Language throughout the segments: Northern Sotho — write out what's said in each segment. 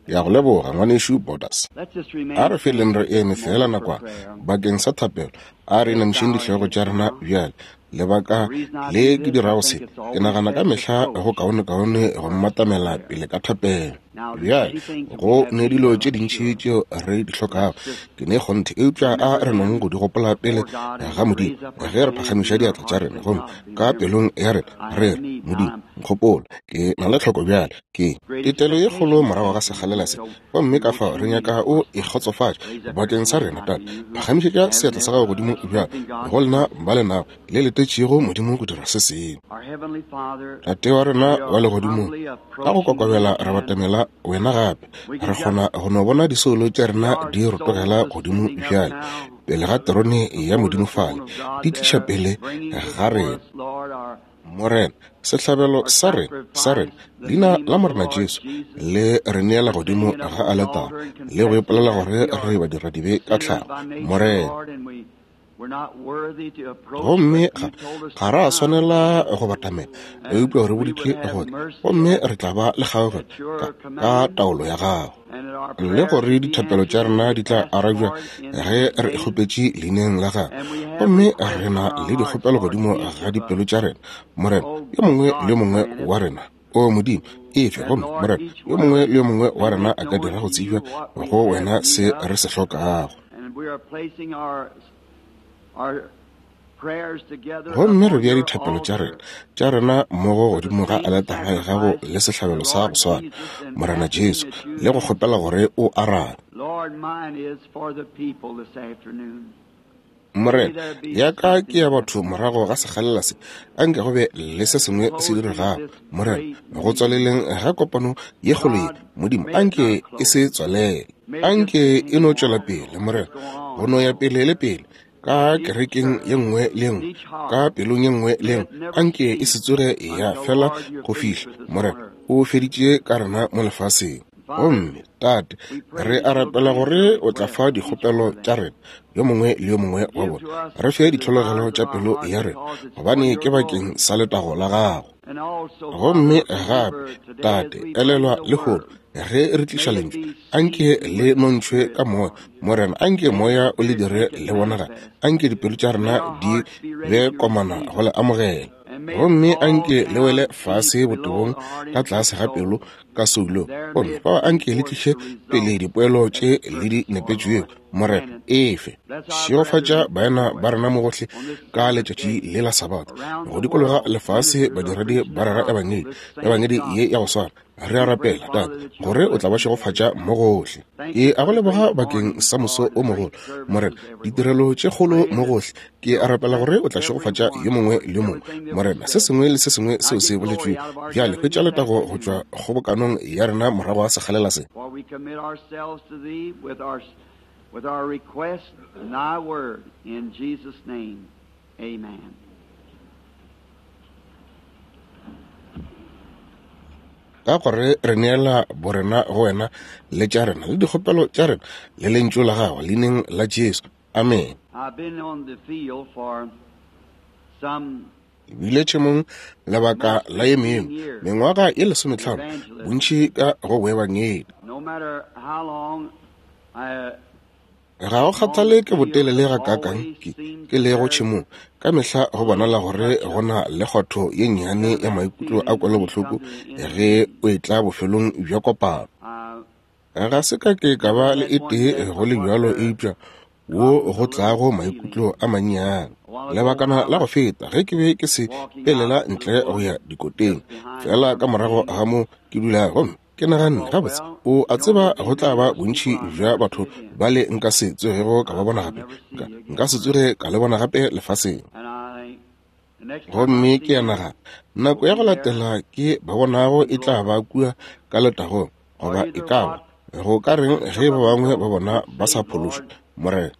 Ke a go leboga, Ngwanešu Borders. A re feleng re eme feela nakwana bakeng sa thapelo. A re inamišeng dihlogo tša rena bjale. Lebaka le ke dirago se, ke nagana ka mehla go kaonekaone go mmatamela pele ka thapelo. Bjale, go ne dilo tše dintši tšeo re di hlokago, ke ne kgonthe, eupša a re nong go di gopola pele ga Modimo ge re phagamiša diatla tša rena gomme ka pelong ya rena re re, Modimo, nkgopole, ke na le tlhoko bjale. Ke tetelo ye kgolo morago ga sekgalela se, gomme ka fao re nyaka o e kgotsofatše bakeng sa rena. Tate, phagamišetša seatla sa gago godimo bjale go lena ba le nago le letetšego Modimo go dira se sengwe. Tate wa rena wa legodimong, ka go kokobela re batamela wena gape. Re kgona go no bona disoulo tša rena di rotogela godimo bjale pele ga terone ya Modimo fale, di tliša pele ga rena. Morena, sehlabelo sa rena, sa rena, leina la Morena Jesu, le re neela godimo ga aletara, le go ipolela gore re badiradibe ka tlhago, Morena. Gomme ga, ga ra swanela go batamela, eupša re boditše gore, gomme re tla ba le kgaogelo ka, ka taolo ya gago. Le gore dithapelo tša rena di tla arabja ge re kgopetše leineng la gagwe. Gomme re na le dikgopelo godimo ga dipelo tša rena, Morena, yo mongwe le yo mongwe wa rena. O Modimo, efe, gomme Morena, yo mongwe le yo mongwe wa rena a ka dira go tsebja go wena se re se hlokago. Gomme re bea dithapelo tša rena, tša rena mmogo godimo ga aletara ya gago le sehlabelo sa go swana, Morena Jesu, le go kgopela gore o arabe. Morena, ya ka ke ya batho morago ga sekgalela se, a nke go be le se sengwe se diregago, Morena, go tswaleleng ga kopano ye kgolo ye. Modimo, a nke e se tswalele. A nke e no tšwela pele, Morena, go no ya pele le pele, ka kerekeng ye nngwe le ye nngwe, ka pelong ye nngwe le ye nngwe. A nke e se tsoge ya fela go fihla, Morena, o feditše ka rena mo lefaseng. Gomme, Tate, re a rapela gore o tla fa dikgopelo tša rena, yo mongwe le yo mongwe wa bona. Re fe ditlhologelo tša pelo ya rena, gobane ke bakeng sa letago la gago. Gomme gape, Tate, elelwa lehono, ge re tliša Lentšu, anke le nontšhwe ka Moya. Morena, anke Moya o le dire le bonagale. Anke dipelo tša rena di be komana go le amogela. Gomme anke le wele fase botebong ka tlase ga pelo ka soulo. Gomme fao anke le tliše pele dipoelo tše le di nepetšwego. Morena, efe. Šegofatša baena ba rena mo gohle ka letšatši le la Sabatha, go dikologa lefase badiredi ba rera Ebangedi, Ebangedi ye ya go swana. Re a rapela, Tate, gore o tla ba šegofatša mo gohle. Ke a go leboga bakeng sa moso o mogolo, Morena, ditirelo tše kgolo mo gohle. Ke a rapela gore o tla šegofatša yo mongwe le yo mongwe, Morena, se sengwe le se sengwe seo se boletšwego. Bjale hwetša letago go tšwa kgobokanong ya rena morago ga sekgalela se. With our request in thy word, in Jesus' name, amen. Ka gore re neela borena go wena le tša rena le dikgopelo tša rena le lentšu la gago leineng la Jesu. Amen. Ke bile tšhemong lebaka la ye mengwe mengwaga ye lesometlhano, bontši ka go boebangedi. Ga go kgathale ke botelele gakaakang ke, ke lego tšhemong, ka mehla go bonala gore go na le kgotho ye nnyane ya maikutlo a kwelobohloko ge o etla bofelong bja kopano. Ga se ka ke ka ba le e tee go le bjalo eupša wo go tlago maikutlo a mannyane. Lebakana la go feta ge ke be ke se pelela ntle go ya dikoteng, feela ka morago ga mo ke dulago, gomme ke naganne, gabotse, o a tseba go tla ba bontši bja batho bale nka se tsogego ka ba bona gape. Nka, nka se tsoge ka le bona gape lefaseng. Gomme ke a nagana, nako ya go latela ke ba bonago e tla ba kua ka letagong, goba e ka ba, go ka reng ge ba bangwe ba bona ba sa phološwa, Morena?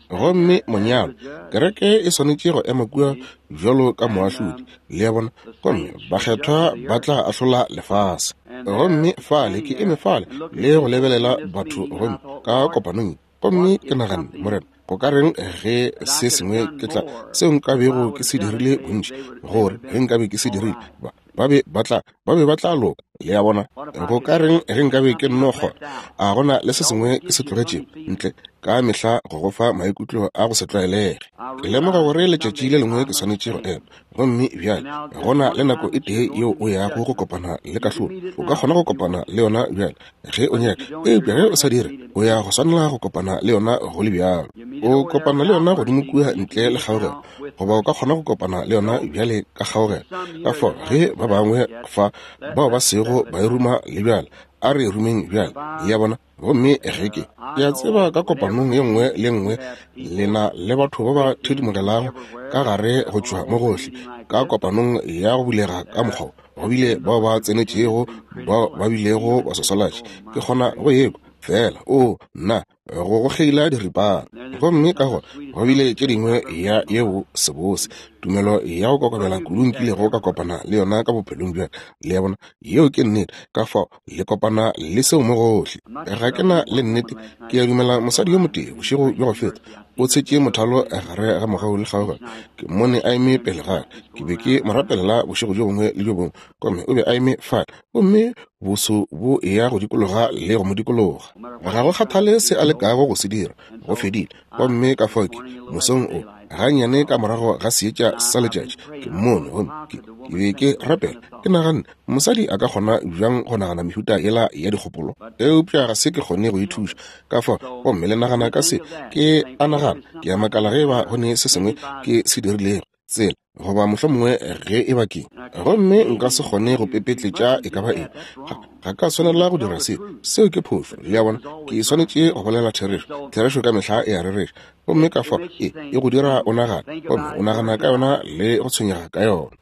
Gomme monyalo, kereke e swanetše go ema kua bjalo ka moahlodi, le a bona, gomme bakgethwa ba tla ahlola lefase. Gomme fale ke eme fale le go lebelela batho, gomme ka kopanong, gomme ke naganne, Morena, go ka reng ge se sengwe ke tla seo nka bego ke se dirile bontši, gore ge nka be ke se dirile, ba, ba be ba tla, ba be ba tla loka. Le a bona? Go ka reng ge nkabe ke nno kgona? A go na le se sengwe ke se tlogetšego ntle? Ka mehla go go fa maikutlo a go se tlwaelege. Ke lemoga gore letšatši le lengwe ke swanetše go ema. Gomme bjale go na le nako e tee yeo o yago go kopana le kahlolo. O ka kgona go kopana le yona bjale ge o nyaka, eupša ge o sa dire, o ya go swanela go kopana le yona go le bjalo. O kopana le yona godimo kua ntle le kgaogelo, goba o ka kgona go kopana le yona bjale ka kgaogelo. Ka fao ge ba bangwe fa bao ba sego ba e ruma le bjale, a re e rumeng bjale. Le a bona? Gomme ge ke, ke a tseba ka kopanong ye nngwe le nngwe lena le batho ba ba thedimogelago ka gare go tšwa mo gohle, ka kopanong ya go bulega ka mokgwa wo, go bile bao ba tsenetšego, bao ba bilego baswaswalatši. Ke kgona go ekwa feela, oo, nna, go go kgeila diripana. Gomme ka gona go bile tše dingwe ya yeo sebose, tumelo ya go kokobela kudu nkilego ka kopana le yona ka bophelong bja ka. Le a bona? Yeo ke nnete. Ka fao le kopana le seo mo gohle. Ga ke na le nnete, ke a dumela mosadi yo motee bošego bja go feta o tshetše mothalo gare ga mogau le kgaogelo. Ke mmone a eme pele ga ka. Ke be ke mo rapelela bošego bjo bongwe le bjo bongwe, gomme o be a eme fale, gomme boso bo eya go dikologa le go mo dikologa. Ga go kgathale se a lekago go se dira, go fedile. Gomme ka fao ke, mosong o, gannyane ka morago ga seetša sa letšatši, ke mmone, gomme ke, ke be ke rapela, ke naganne, Mosadi a ka kgona bjang go nagana mehuta yela ya dikgopolo? Eupša ga se ke kgone go e thuša. Ka fao, gomme le nagana ka se, ke a nagana, ke a makala ge eba go ne se sengwe ke se dirilego, tsela, goba mohlomongwe ge eba ke. Gomme nka se kgone go pepetletša e ka ba eng. Ga, ga ka swanela go dira seo. Seo ke phošo. Le a bona? Ke swanetše go bolela therešo. Therešo ka mehla e a rereša. Gomme ka fao e, e go dira o nagane, gomme o nagana ka yona le go tshwenyega ka yona.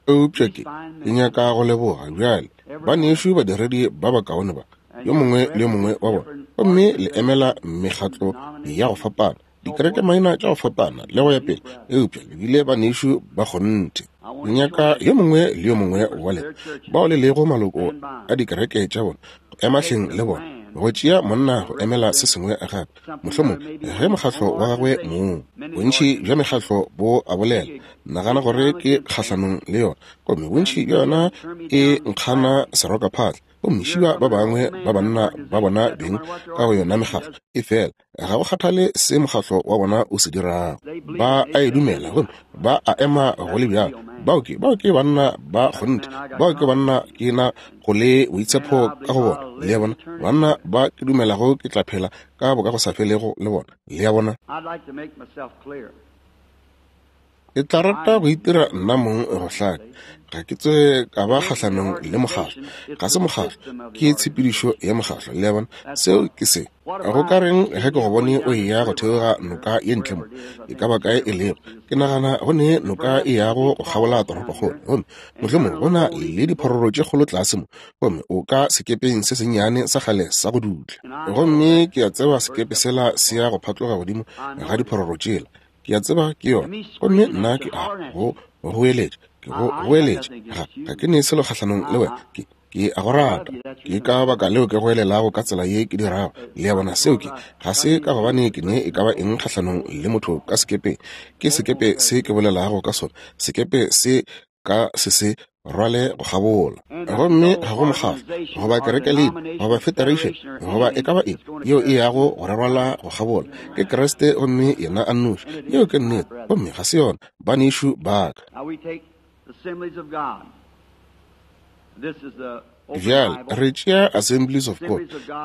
Eupša ke, ke nyaka go leboga bjale banešu badiredi ba bakaone ba, yo mongwe le yo mongwe wa bona, gomme le emela mekgatlo ya go fapana, dikerekemaina tša go fapana, le go ya pele, eupša le bile banešu ba kgonthe. Ke nyaka yo mongwe le yo mongwe wa lena bao le lego maloko a dikereke tša bona go ema hleng le bona, go tšea monna go emela se sengwe gape, mohlomongwe ge mokgatlo wa gagwe mong. Bontši bja mekgatlo bo a bolela, nagana gore ke kgahlanong le yona, gomme bontši bja yona e nkgana serokaphatla, gomme šiba ba bangwe ba banna ba bona beng ka go yona mekgatlo. Efela ga go kgathale se mokgatlo wa bona o se dirago, ba a e dumela gomme ba a ema go le bjalo. Bao ke, bao ke banna ba kgonthe, bao ke banna ke na go le boitshepo ka go bona. Le a bona? Banna ba ke dumelago ke tla phela ka bokagosafelego le bona. Le a bona? Ke tla rata go itira nna mong go hlaka. Ga ke tsoge ka ba kgahlanong le mokgatlo. Ga se mokgatlo, ke tshepedišo ya mokgatlo. Le a bona? Seo ke se. Go ka reng ge ke go bone o eya go theoga noka ye ntle mo, e ka ba kae e lego? Ke nagana go ne noka e yago go kgabola toropokgolo, gomme mohlomongwe go na le diphororo tše kgolo tlase mo, gomme o ka sekepeng se sennyane sa kgale sa go dutla. Gomme ke a tseba sekepe sela se ya go phatloga godimo ga diphororo tšela. Ke a tseba ke yona. Gomme nna ke a go goeletša, ke go goeletša. Ga, ga ke ne selo kgahlanong le wena. Ke, ke a go rata. Ke ka baka leo ke goelelago ka tsela ye ke dirago. Le a bona, seo ke, ga se ka gobane ke ne e ka ba eng kgahlanong le motho ka sekepeng. Ke sekepe se ke bolelago ka sona, sekepe se ka se se rwale go kgabola. Gomme ga go mokgatlo, goba kerekelina, goba federation, goba e ka ba eng yeo e yago go re rwala go kgabola. Ke Kriste gomme yena a nnoši. Yeo ke nnete, gomme ga se yona, banešu ba ka. Bjale re tšea Assemblies of God,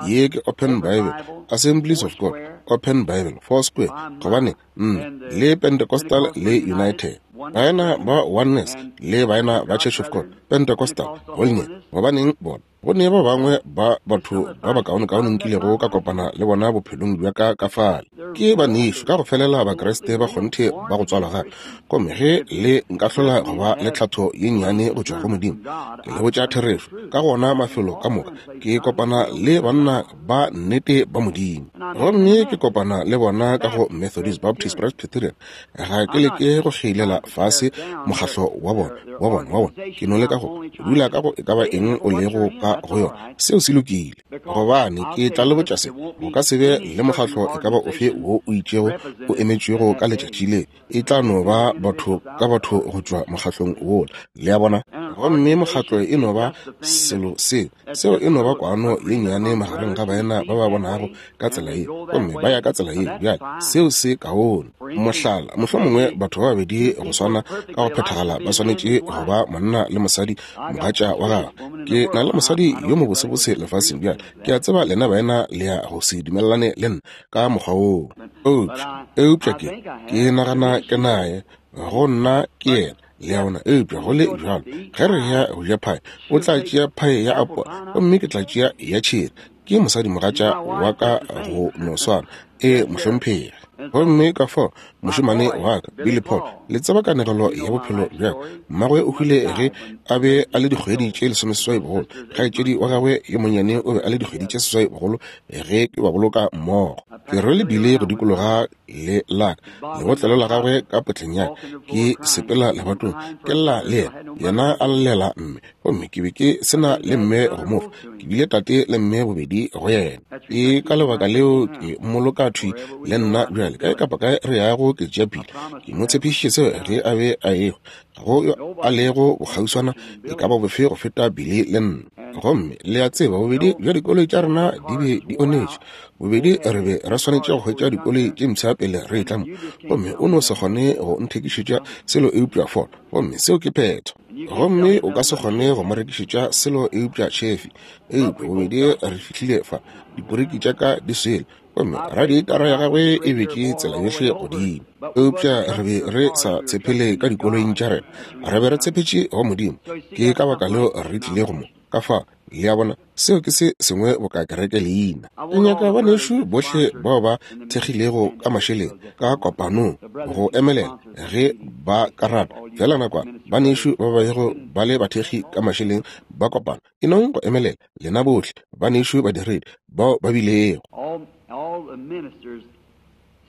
ye ke Open Bible, Assemblies of God, Open Bible, Foursquare, gobane nna le Pentecostal le United, baena ba Oneness le baena ba Church of God, Pentecostal, Holiness, gobaneng bona, go ne ba bangwe ba batho ba bakaonekaone nkilego ka kopana le bona bophelong bja ka ka fale. Ke banešu ka go felela Bakriste ba kgonthe ba go tswalwa gape. Gomme ge le nkahlola go ba le tlhatho ye nnyane go tšwa go Modimo, ke le botša therešo, ka go ona mafelo ka moka ke kopana le banna ba nnete ba Modimo. Gomme ke kopana le bona ka go Methodist, Baptist, Presbyterian. Ga ke leke go kgeilela fase mokgahlo wa bona, wa bona, wa bona. Ke no leka go dula ka go e ka ba eng o lego ka. moka go yona. Seo se lokile. Gobane ke tla le botša se, go ka se be le mokgatlo e ka ba ofe wo o itšego o emetšwego ka letšatši le. E tla no ba batho ka batho go tšwa mokgatlong wola. Le a bona? Gomme mokgatlo e no ba selo seo. Seo e no ba kwano ye nnyane magareng ga baena ba ba bonago ka tsela ye, gomme ba ya ka tsela ye. Bjale, seo se kaone. Mohlala, mohlomongwe batho ba babedi go swana ka go phethagala ba swanetše go ba monna le mosadi, mogatša wa gagwe. Ke na le mosadi yo mobosebose lefaseng bjale. Ke a tseba lena baena le ya go se dumelelane le nna ka mokgwa woo. Eupša, eupša ke, ke nagana ke naye, go nna ke yena. Le a bona? Eupša go le bjalo, ge re ya go ja phae, o tla tšea phae ya apola gomme ke tla tšea ya tšheri. Ke mosadimogatša wa ka go no swana. Ee, mohlomphegi. Gomme ka fao, mošemane wa ka, Billy Paul, le tseba kanegelo ya bophelo bja ka. Mmagwe o hwile ge a be a le dikgwedi tše 18 bogolo. Kgaetšedi wa gagwe yo monnyane o be a le dikgwedi tše 8 bogolo ge ke ba boloka mmogo. Ke rwele Billy go dikologa le la ka, lebotlelo la gagwe ka potleng ya ka, ke sepela lebatong, ke lla le yena, yena a llela mme. Gomme ke be ke se na le mme go mo fa, ke bile tate le mme bobedi go yena. Ke ka lebaka leo ke mmoloka thwi le nna bjale, kae kapa kae re yago ke tšea Billy. Ke mo tshepišitše seo ge a be a ehwa. Ga go yo a lego bokgauswana e ka ba bofe go feta Billy le nna. Gomme le a tseba, bobedi bja dikoloi tša rena di be di onetše. Bobedi re be re swanetše go hwetša dikoloi tše mpsha pele re etla mo. Gomme o no se kgone go nthekišetša selo eupša Ford. Gomme seo ke phetho. Gomme o ka se kgone go mo rekišetša selo eupša Chevy. Eupša bobedi re fihlile fa, diporiki tša ka di swele, gomme radietara ya gagwe e betše tsela yohle godimo. Eupša re be re sa tshepele ka dikoloing tša rena, re be re tshepetše go Modimo. Ke ka baka leo re tlilego mo. Ka fa, le a bona, seo ke se sengwe boka kereke leina. Ke nyaka banešu bohle bao ba thekgilego ka mašeleng ka kopanong go emelela ge ba ka rata. Feela nakwana, banešu ba ba bego ba le bathekgi ka mašeleng ba kopano, e nong go emelela, lena bohle banešu badiredi bao ba bilego.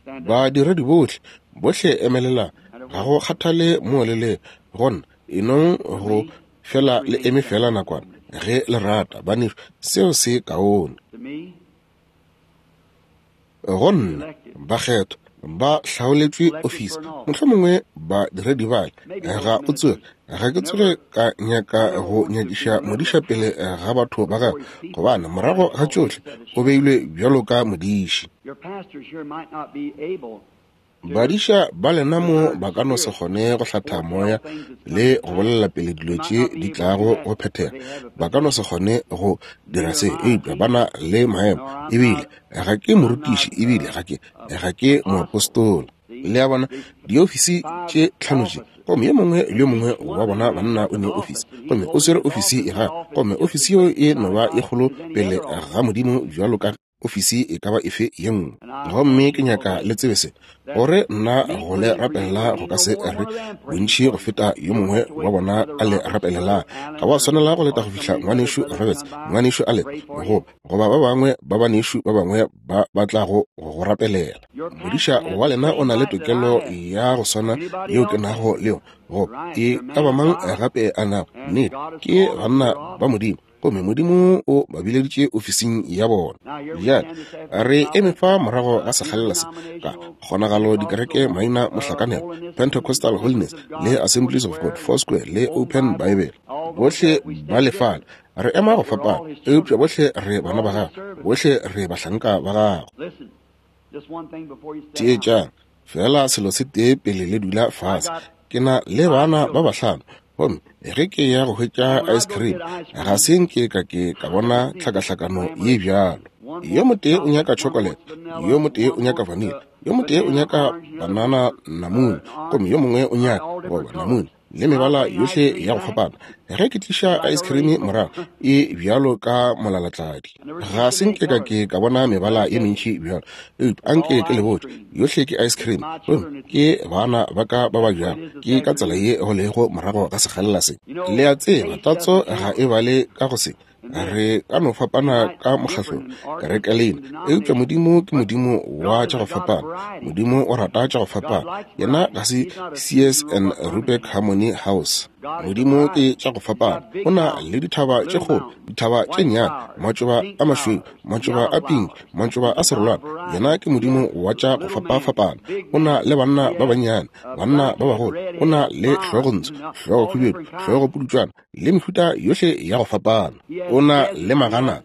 Badiredi bohle, bohle emelelang, ga go kgathale moo le lego gona, e nong go fela le eme fela nakwana ge le rata, banešu, seo se kaone. Go nna, bakgethwa ba hlaoletšwe ofisi, mohlomongwe badiredi bale, ga o tsoge, ga ke tsoge ka nyaka go nyakiša modiša pele ga batho ba gagwe, gobane morago ga tšohle o beilwe bjalo ka modiši. Badiša ba lena mo ba ka no se kgone go hlatha moya le go bolela pele dilo tše di tlago go phethega. Ba ka no se kgone go dira se, eupša ba na le maemo. Ebile ga ke morutiši, ebile ga ke, ga ke moapostola. Le a bona, diofisi tše tlhano tše, gomme yo mongwe le yo mongwe wa bona banna o ne ofisi, gomme o swere ofisi ya gagwe, gomme ofisi yeo e no ba e kgolo pele ga Modimo bjalo ka ofisi e ka ba efe ye nngwe. Gomme ke nyaka le tsebe se, gore nna go le rapelela go ka se re bontši go feta yo mongwe wa bona a le rapelelang. Ga wa swanela go leta go fihla Ngwanešu Roberts, Ngwanešu Allen, goba, goba ba bangwe ba banešu ba bangwe ba ba tlago go go rapelela. Modiša wa lena o na le tokelo ya go swana yeo ke nago le yona, goba e ka ba mang gape a nago. Nnete, ke banna ba Modimo. Gomme Modimo o ba bileditše ofising ya bona. Bjale re eme fa morago ga sekgalela se, ka kgonagalo dikereke maina mohlakanelo, Pentecostal Holiness le Assemblies of God, Foursquare le Open Bible, bohle ba lefala. Re ema go fapana, eupša bohle re bana ba Gagwe, bohle re bahlanka ba Gagwe. Theetšang feela selo se tee pele le dula fase. Ke na le bana ba bahlano, gomme ge ke ya go hwetša ice cream, ga se nke ka ke ka bona tlhakahlakano ye bjalo. Yo motee o nyaka chocolate, yo motee o nyaka vanilla, yo motee o nyaka banana namune, gomme yo mongwe o nyaka goba namune le mebala yohle ya go fapana. Ge ke tliša ice cream morago, e bjalo ka molalatladi. Ga se nke ka ke ka bona mebala ye mentši bjalo, eupša anke ke le botše, yohle ke ice cream, gomme ke bana ba ka ba ba bjalo. Ke ka tsela ye go lego morago ga sekgalela se. Le a tseba, tatso ga e bale ka go se. Re ka no fapana ka mokgahlong, kerekelena, eupša Modimo ke Modimo wa tša go fapana. Modimo o rata tša go fapana. Yena ga se Sears and Roebuck Harmony House. Modimo ke tša go fapana. O na le dithaba tše kgolo, dithaba tše nnyane, matšoba a mašweu, matšoba a pinki, matšoba a serolwana. Yena ke Modimo wa tša go fapafapana. O na le banna ba bannyane, banna ba bagolo. O na le hlogontsho, hlogokhubedu, hlogopudutšwana, le mehuta yohle ya go fapana. O na le maganata,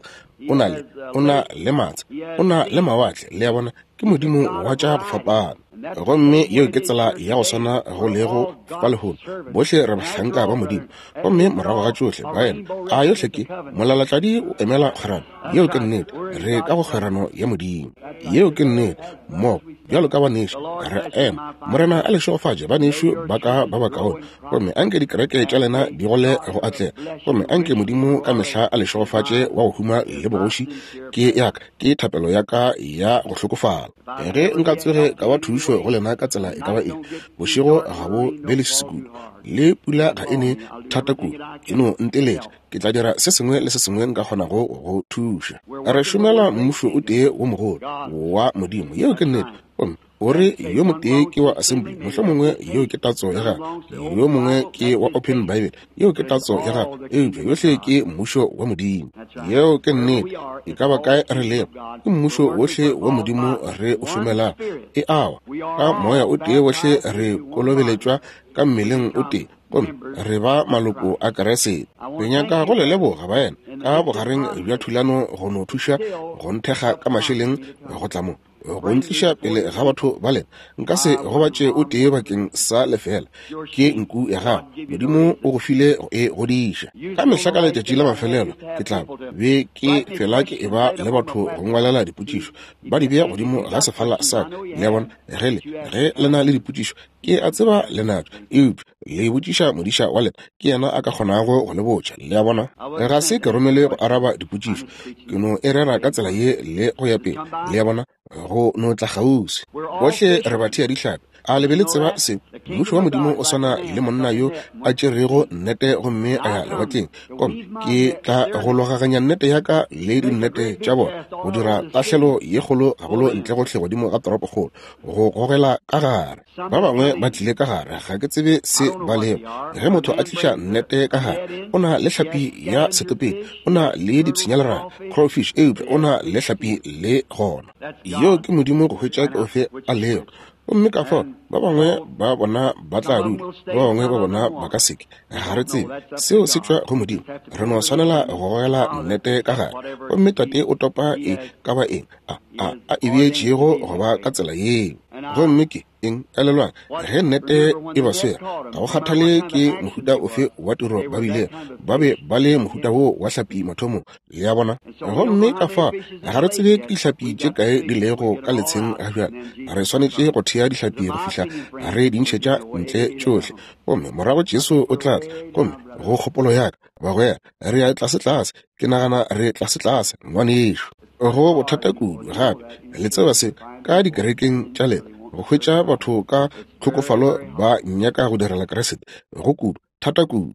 o na le, o na le matsha, o na le mawatle. Le a bona, ke Modimo wa tša go fapana. Gomme yeo ke tsela ya go swana go lego fa lehono. Bohle re bahlanka ba Modimo. Gomme morago ga tšohle, baena, a yohle ke molalatladi o emela kgwerano. Yeo ke nnete. Re ka go kgwerano ya Modimo. Yeo ke nnete. Mmogo, bjalo ka banešu, re ema. Morena a le šegofatše, banešu ba ka ba bakaone. Gomme anke dikereke tša lena di gole go atlega. Gomme anke Modimo ka mehla a le šegofatše wa go huma le bogoši. Ke ya ka, ke thapelo ya ka ya go hlokofala. Ge nka tsoge ka ba thušo go lena ka tsela e ka ba eng, bošego ga bo be leswiswi kudu, le pula ga e ne thata kudu, e no nteletša, ke tla dira se sengwe le se sengwe nka kgonago go thuša. Re šomela mmušo o tee wo mogolo wa Modimo. Yeo ke nnete. Gomme o re yo motee ke wa Assembly, mohlomongwe yeo ke tatso ya gagwe, yo mongwe ke wa Open Bible, yeo ke tatso ya gagwe, eupša yohle ke mmušo wa Modimo. Yeo ke nnete. E ka ba kae re lego, ke mmušo wohle wa Modimo re o šomelago. E awa, ka moya o tee wohle re kolobeletšwa ka mmeleng o tee, gomme re ba maloko a Keresete. Ke nyaka go le leboga, baena, ka bogareng bja thulano go no thuša go nthekga ka mašeleng go tla mo, go ntliša pele ga batho ba lena. Nka se gobatše o tee bakeng sa lefela. Ke nku ya gago. Modimo o go file go e godiša. Ka mehla ka letšatši la mafelelo ke tla be ke fela ke eba le batho go ngwalela dipotšišo, ba di bea godimo ga sefala sa ka. Le a bona? Ge le, ge le na le dipotšišo, ke a tseba le natšo, eupša le botšiša modiša wa lena, ke yena a ka kgonago go le botša. Le a bona? Ga se ke romele go araba dipotšišo, ke no e rera ka tsela ye le go ya pele. Le a bona? Go no tla kgauswi. Bohle re bathea dihlapi. A le be le tseba se? Mmušo wa Modimo o swana le monna yo a tšerego nnete gomme a ya lewatleng. Gomme ke tla go logaganya nnete ya ka le dinnete tša bona, go dira tahlelo ye kgolo gagolo ntle gohle godimo ga toropokgolo, go gogela ka gare. Ba bangwe ba tlile ka gare, ga ke tsebe se ba lego. Ge motho a tliša nnete ka gare, o na le hlapi ya setopedi, o na le dipshinyaleraga, crawfish, eupša o na le hlapi le gona. Yeo ke Modimo go hwetša ke ofe a lego. Gomme ka fao ba bangwe ba bona ba tla dula, ba bangwe ba bona ba ka seke. Ga re tsebe. Seo se tšwa go Modimo. Re no swanela go gogela nnete ka gare. Gomme Tate o topa e ka ba eng a, a, a e beetšego go ba ka tsela yeo. Gomme ke eng? Elelwang, ge nnete e ba swere, ga go kgathale ke mohuta ofe wa tiro ba bilego, ba be ba le mohuta woo wa hlapi mathomong. Le a bona? Gomme ka fa ga re tsebe ke dihlapi tše kae di lego ka letsheng ga bjale. Re swanetše go thea dihlapi go fihla re di ntšhetša ntle tšohle. Gomme morago Jesu o tla tla. Gomme go kgopolo ya ka, bagwera, re ya tlasetlase. Ke nagana re tlasetlase, ngwanešu. Go bothata kudu gape, le tseba se, ka dikerekeng tša lena, go hwetša batho ka tlhokofalo ba nyaka go direla Kriste. Go kudu, thata kudu.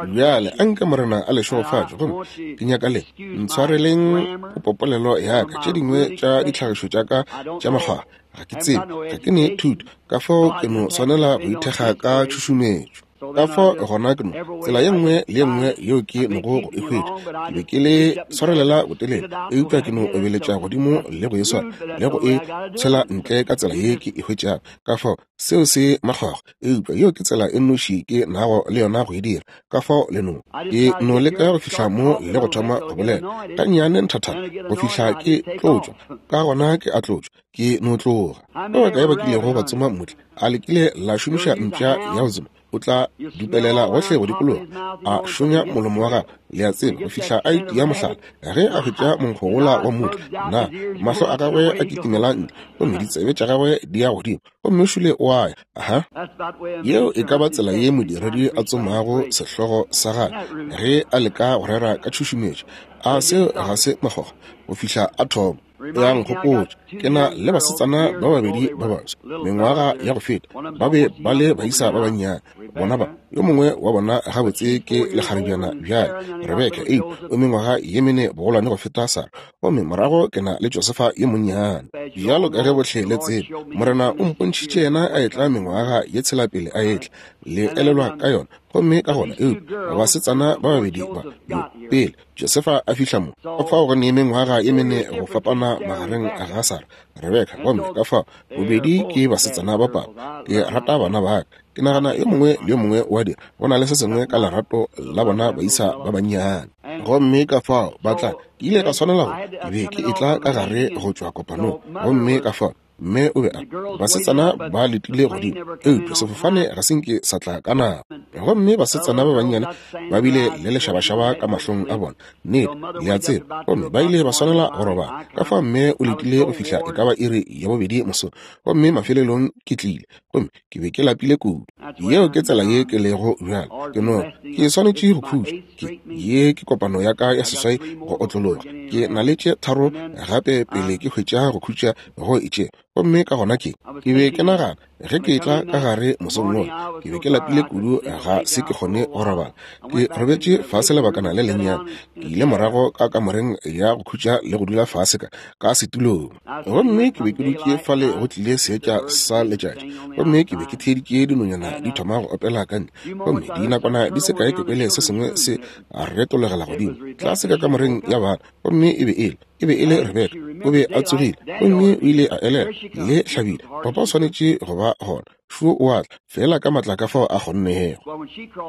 Bjale a nke Morena a le šegofatše. Gomme ke nyaka le ntshwareleng popopolelo ya ka, tše dingwe tša ditlhagišo tša ka tša makgwakgwa. Ga ke tsebe, ga ke ne thuto, ka fao ke no swanela go ithekga ka tšhušumetšo. Ka fao gona ke no, tsela ye nngwe le ye nngwe yeo ke nogo go e hwetša, ke be ke le swarelela botelele, eupša ke no obeletša godimo le go e swara le go e tshwela ntle ka tsela ye ke e hwetšago. Ka fao seo se makgwakgwa, eupša yeo ke tsela e nnoši ke nago le yona go e dira. Ka fao le no, ke no leka go fihla mo le go thoma go bolela gannyane nthathana go fihla ke tlotšwa, ka gona ke a tlotšwa, ke no tloga. Ba bakae ba kilego ba tsoma mmutla? A le kile la šomiša mpša ya go tsoma? O tla dupelela gohle go dikologa, a šonya molomo wa gagwe, le a tseba, go fihla a itia mohlala. Ge a hwetša monkgo wola wa mmutla, na mahlo a gagwe a kitimela ntle, gomme ditsebe tša gagwe di ya godimo, gomme šule o a ya. Aha. Yeo e ka ba tsela ye modiredi a tsomago sehlogo sa gagwe ge a leka go rera ka tšhušumetšo. A seo ga se makgokgo? Go fihla a thoma. Ya nkgopotša, ke na le basetsana ba babedi ba baswa, mengwaga ya go feta, ba be ba le baisa ba bannyane. Bona ba, yo mongwe wa bona gabotse ke lekgarebjana bjale, Rebeka, eupša o mengwaga ye mene bogolwane go feta Sarah. Gomme morago ke na le Josefa yo monnyane. Bjalo ka ge bohle le tseba, Morena o mpontšhitše yena a etla mengwaga ye tshela pele a etla. Le elelwa ka yona. Gomme ka gona, eupša basetsana ba babedi ba, yo, pele Josefa a fihla mo, ka fao go ne mengwaga ye mene go fapana magareng ga Sarah, Rebeka, gomme ka fao bobedi ke basetsana ba papa. Ke rata bana ba ka. Ke nagana yo mongwe le yo mongwe wa dira, go na le se sengwe ka lerato la bona baisa ba bannyane. Gomme ka fao ba tla, ke ile ka swanela go, ke be ke etla ka gare go tšwa kopanong, gomme ka fao mme o be a basetsana ba letile godimo, eupša sefofane ga se nke sa tla ka nako. Gomme basetsana ba bannyane ba bile le lešabašaba ka mahlong a bona, nnete, le a tseba, gomme ba ile ba swanela go robala. Ka fao mme o letile go fihla e ka ba iri ya bobedi mosong, gomme mafelelong ke tlile, gomme ke be ke lapile kudu. Yeo ke tsela ye ke lego bjale. Ke no, ke swanetše go khutša. Ke, ye ke kopano ya ka ya seswai go otlologa. Ke na le tše tharo gape pele ke hwetša go khutša go itšego. Gomme ka gona ke, ke be ke nagana, ge ke etla ka gare mosong wola, ke be ke lapile kudu ga se ke kgone go robala. Ke robetše fase lebakana le lennyane. Ke ile morago ka kamoreng ya go khutša le go dula fase ka, ka setulong. Gomme ke be ke dutše fale go tlile seetša sa letšatši, gomme ke be ke theeditše dinonyana di thoma go opela ka ntle. Gomme dinakwana di se kae ke kwele se sengwe se retologela godimo tlase ka kamoreng ya bana, gomme e be e le, e be e le Rebeka. O be a tsogile, gomme o ile a elela le hlabile, Papa o swanetše go ba gona. Šo o a tla, feela ka matla ka fao a kgonnego.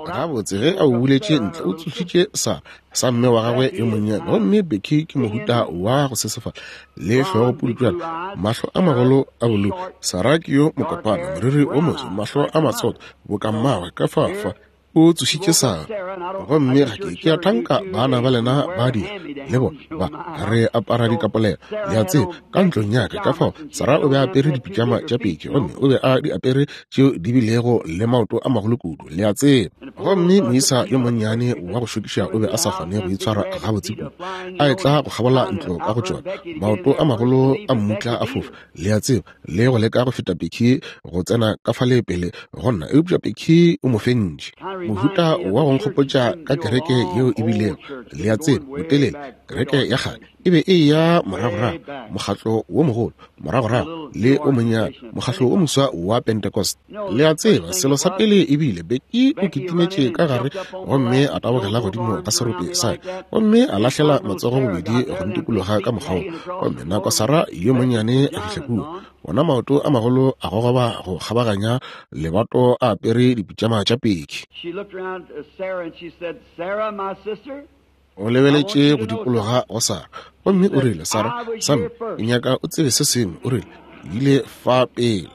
Gabotse, ge a ubuletše ntle, o tsošitše sa, sa mme wa gagwe yo monnyane. Gomme Becky ke mohuta wa go sesefala, le hlogo pudutšwana, mahlo a magolo a bolou. Sarah ke yo mokopana, moriri wo moso, mahlo a matsotho, boka mmagwe, ka fa, fa. O tsošitše Sara. Gomme ga ke, ke a thanka bana ba lena ba dira, le bona, ba, re apara dikapolelo, le a tseba, ka ntlong ya ka. Ka fao, Sara o be a apere dipitšama tša peke, gomme o be a di apere tšeo di bilego le maoto a magolo kudu, le a tseba. Gomme moisa yo monnyane wa go šokiša o be a sa kgone go itshwara gabotse kudu, a etla go kgabola ntlo ka go tšona, maoto a magolo a mmutla a fofa, le a tseba, le go leka go feta Becky go tsena ka fale pele go nna, eupša Becky o mo fentše. Mohuta wa go nkgopotša ka kereke yeo e bilego, le a tseba, botelele, kereke ya kgale e be e eya moragorago, mokgatlo wo mogolo moragorago le o monnyane, mokgatlo wo moswa wa Pentecost. Le a tseba, selo sa pele e bile, Becky o kitimetše ka gare gomme a tabogela godimo ga serope sa ka, gomme a lahlela matsogo bobedi go ntikologa ka mokgwa wo. Gomme nako Sarah yo monnyane a fihla kua, ona maoto a magolo a gogoba go kgabaganya lebato a apere dipitšama tša peki. O lebeletše go dikologa go Sarah, gomme o rile, Sarah, Sam, ke nyaka o tsebe se sengwe. O rile, Ke ile fa pele.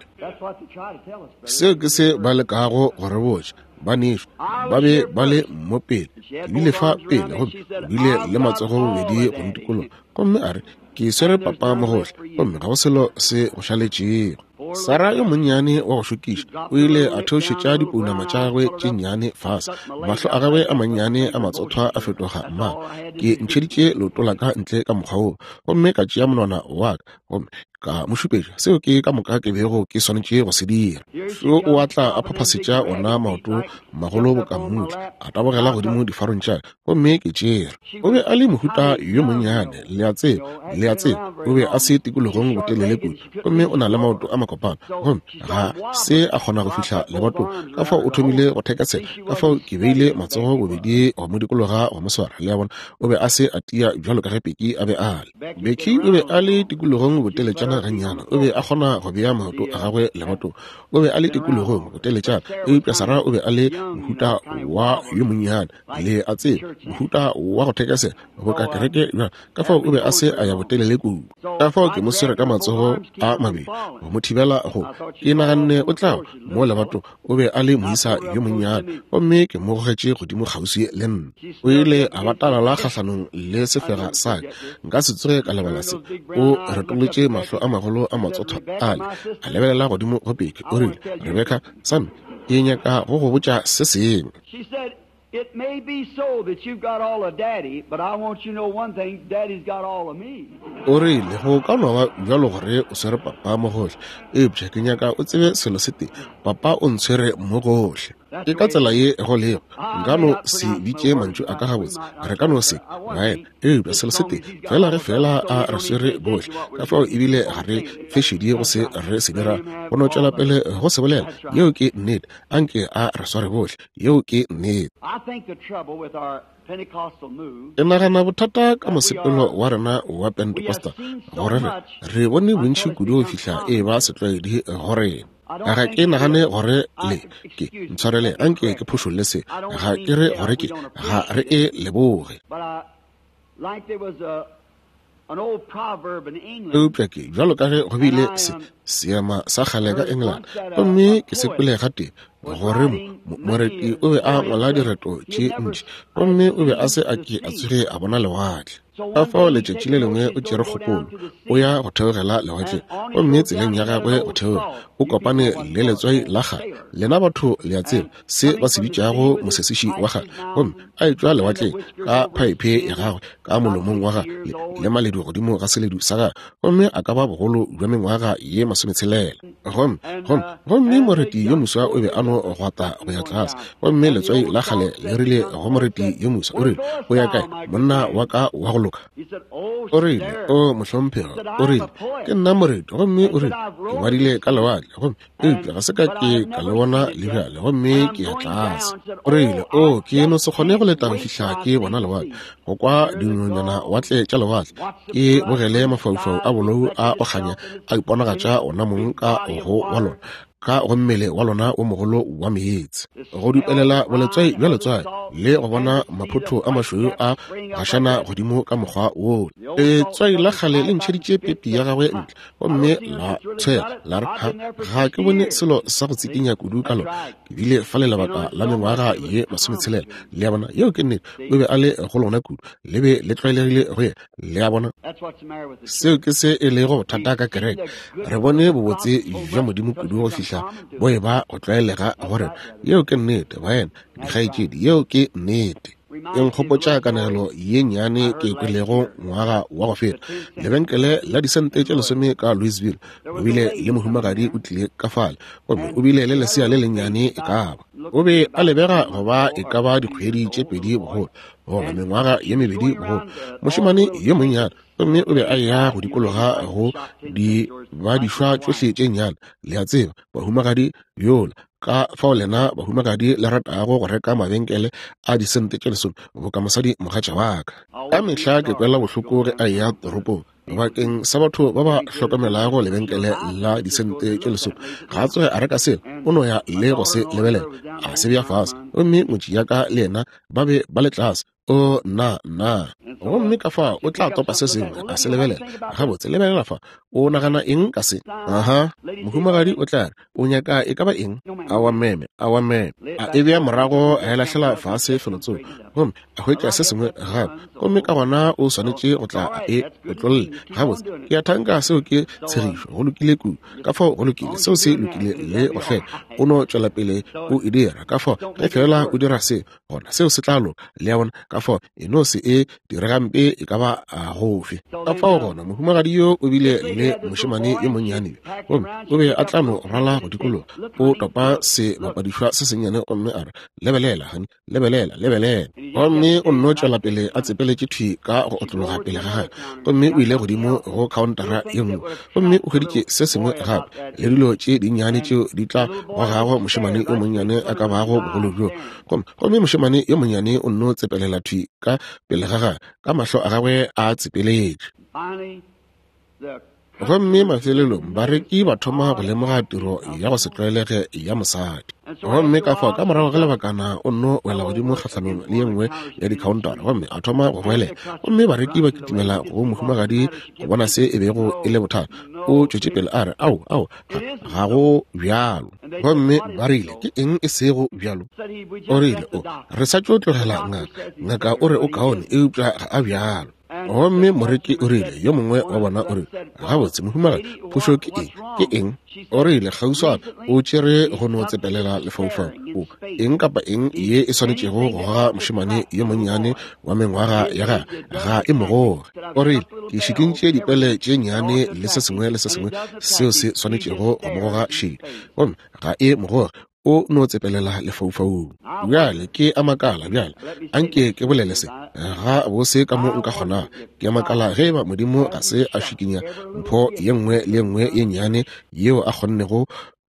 Seo ke se ba lekago go re botša, banešu. Ba be ba le mo pele. Ke bile fa pele, gomme o bile le matsogo bobedi go ntikologa. Gomme a re, Ke swere papa mo gohle, gomme ga go selo se go šaletšego. Sara yo monnyane wa go šokiša o ile a theošetša dipounama tša gagwe tše nnyane fase, mahlo a gagwe a mannyane a matsothwa a fetoga mmala. Ke ntšheditše leoto la ka ntle ka mokgwa woo, gomme ka tšea monwana wa ka gomme ka mo šupetša seo ke ka moka ke bego ke swanetše go se dira. Šo o a tla a phaphasetša ona maoto magolo boka mmutla, a tabogela godimo difarong tša ka, gomme ke tšere. O be a le mohuta yo monnyane, le a tseba, le a tseba, o be a se tikologong botelele kudu, gomme o na le maoto a makopana, gomme ga se a kgona go fihla lebatong, ka fao o thomile go thekesela, ka fao ke beile matsogo bobedi go mo dikologa go mo swara, le a bona, o be a se a tia bjalo ka ge Becky a be a le. Becky o be a le tikologong boteletšana gannyane, o be a kgona go bea maoto a gagwe lebatong, o be a le tikologong boteletšana, eupša Sarah o be a le mohuta wa yo monnyane, le a tseba, mohuta wa go thekesela boka kereke bjalo, ka fao o be a se a ya botelele kudu. Ka fao ke mo swere ka matsogo a mabedi go mo thibela go, ke naganne o tla mo lebatong, o be a le moisa yo monnyane, gomme ke mo gogetše godimo kgauswi le nna. O ile a batalala kgahlanong le sefega sa ka, nka se tsoge ka lebala se. O retolotše mahlo a magolo a matsothwa ale, a lebelela godimo go Becky, o rile, Rebeka, Sam, ke nyaka go go botša se sengwe. She said, It may be so that you've got all of Daddy, but I want you to know one thing, Daddy's got all of me. O rile, Go ka no ba bjalo gore o swere papa mo gohle, eupša ke nyaka o tsebe selo se tee, papa o ntshwere mo gohle. Ke ka tsela ye go lego. Nka no se bitše mantšu a ka gabotse, re ka no se, baena, eupša selo se tee, fela ge fela a re swere bohle, ka fao ebile ga re fe šedi go se re se dira, go no tšwela pele go se bolela. Yeo ke nnete. Anke a re sware bohle. Yeo ke nnete. Ke nagana bothata ka mosepelo wa rena wa Pentecostal, gore re, re bone bontši kudu go fihla e ba setlwaedi go rena. Ga ke nagane gore le ke, ntshwarele, anke ke phošolle se, ga ke re gore ke, ga re e leboge. Eupša ke, bjalo ka ge go bile se, seema sa kgale ka England, gomme ke se kwele gatee, gore mo, moreti o be a ngwala direto tše ntši, gomme o be a se a ke a tsoge a bona lewatle. Ka fao letšatši le lengwe o tšere kgopolo, o ya go theogela lewatleng, gomme tseleng ya gagwe go theoga, o kopane le letswai la kgale. Lena batho le a tseba se ba se bitšago mosesiši wa kgale. Gomme a etšwa lewatleng ka phaephe ya gagwe ka molomong wa gagwe le, le maledu godimo ga seledu sa gagwe, gomme a ka ba bogolo bja mengwaga ye masometshelela. Gomme, gomme, gomme moreti yo moswa o be a no gwata go ya tlase, gomme letswai la kgale le rile go moreti yo moswa, o rile, O ya kae, monna wa ka wa go loka? O rile, O mohlomphegi, o rile, ke nna moreti, gomme o rile, ke ngwadile ka lewatle, gomme eupša ga se ka ke ka le bona le bjale, gomme ke ya tlase. O rile, O, ke no se kgone go leta go fihla ke bona lewatle, go kwa dinonyana watle tša lewatle, ke bogele mafaufau a bolou a go kganya a iponagatša ona mong ka go wa lona, ka go mmele wa lona wo mogolo wa meetse, go dupelela boletswai bja letswai, le go bona maphotho a mašweu a gašana godimo ka mokgwa woo. Letswai la kgale le ntšheditše pepi ya gagwe ntle, gomme la tshwela la re, Ha, ga ke bone selo sa go tsikinya kudu ka lona. Ke bile fale lebaka la mengwaga ye masometshelela. Le a bona? Yeo ke nnete. O be a le go lona kudu, le be le tlwaelegile go yena. Le a bona? Seo ke se e lego bothata ka kereke. Re bone bobotse bja Modimo kudu go fihla bo e ba go tlwaelega go rena. Yeo ke nnete, baena, dikgaetšedi. Yeo ke nnete. E nkgopotša kanegelo ye nnyane ke e kwelego ngwaga wa go feta. Lebenkele la disente tše lesome ka Louisville, o bile le mohumagadi o tlile ka fale, gomme o bile le lesea le lennyane e ka ba. O be a lebega go ba e ka ba dikgwedi tše pedi bogolo, goba mengwaga ye mebedi bogolo, mošemane yo monnyane, gomme o be a eya go dikologa go di badišwa tšohle tše nnyane, le a tseba, bahumagadi yola. Ka fao lena bahumagadi le ratago go reka mabenkele a disente tše lesome boka mosadi mogatša wa ka. Ka mehla ke kwela bohloko ge a eya toropong bakeng sa batho ba ba hlokomelago lebenkele la disente tše lesome. Ga a tsoge a reka selo, o no ya le go se lebelela, a se bea fase. Gomme ngwetši ya ka le yena ba be ba le tlase. O, nna, nna. Gomme ka fa o tla topa se sengwe, a se lebelela. Gabotse, lebelela fa. O nagana eng ka se? Aha. Mohumagadi o tla re, O nyaka e ka ba eng? Aowa, meme. Aowa, meme. A e bea morago, a e lahlela fase felotsoko, gomme a hwetša se sengwe gape. Gomme ka gona o swanetše go tla a e otlolle. Gabotse, ke a thanka seo ke tshegišo. Go lokile kudu. Ka fao go lokile. Seo se lokile le go fela. O no tšwelapele o e dira. Ka fao, ge feela o dira se, gona seo se tla loka. Le a bona? Ka fao e no se e diregampe e ka ba gofe. Ka fao gona mohumagadi yo o bile le mošemane yo monnyane yo, gomme o be a tla no rwala go dikologa, o topa sebapadišwa se sennyane gomme a re, Lebelela, honey, lebelela, lebelela. Gomme o nno tšwela pele a tsepeletše thwi ka go otlologa pele ga gagwe, gomme o ile godimo go khaontara ye nngwe, gomme o hweditše se sengwe gape, le dilo tše dinnyane tšeo di tla gogago mošemane yo monnyane a ka bago bogolo bjo. Gomme, gomme mošemane yo monnyane o nno tsepelela thwi ka pele ga gagwe, ka mahlo a gagwe a tsepeletše. Gomme mafelelong bareki ba thoma go lemoga tiro ya go se tlwaelege ya mosadi. Gomme ka fao ka morago ga lebakana o nno wela godimo kgahlanong le ye nngwe ya dikhaontara gomme a thoma go goelela. Gomme bareki ba kitimela go mohumagadi go bona se e bego e le bothata. O tšwetše pele a re, Ao, ao, ga, ga go bjalo. Gomme ba rile, Ke eng e sego bjalo? O rile, O, re sa tšo tlogela ngaka. Ngaka o re o kaone, eupša ga a bjalo. Gomme moreki o rile, yo mongwe wa bona o rile, Gabotse, mohumagadi, phošo ke eng? Ke eng? O rile, Kgauswana o tšere go no tsepelela lefaufau. O, eng kapa eng ye e swanetšego go goga mošemane yo monnyane wa mengwaga ya gagwe, ga e mo goge. O rile, Ke šikintše dipele tše nnyane le se sengwe le se sengwe seo se swanetšego go mo goga šedi, gomme ga e mo goge. O no tsepelela lefaufaung. Bjale ke a makala, bjale a nke ke bolele se ga bose ka mo nka kgonago. Ke a makala ge eba Modimo ga se a šikinya mpho ye nngwe le ye nngwe ye nnyane yeo a kgonnego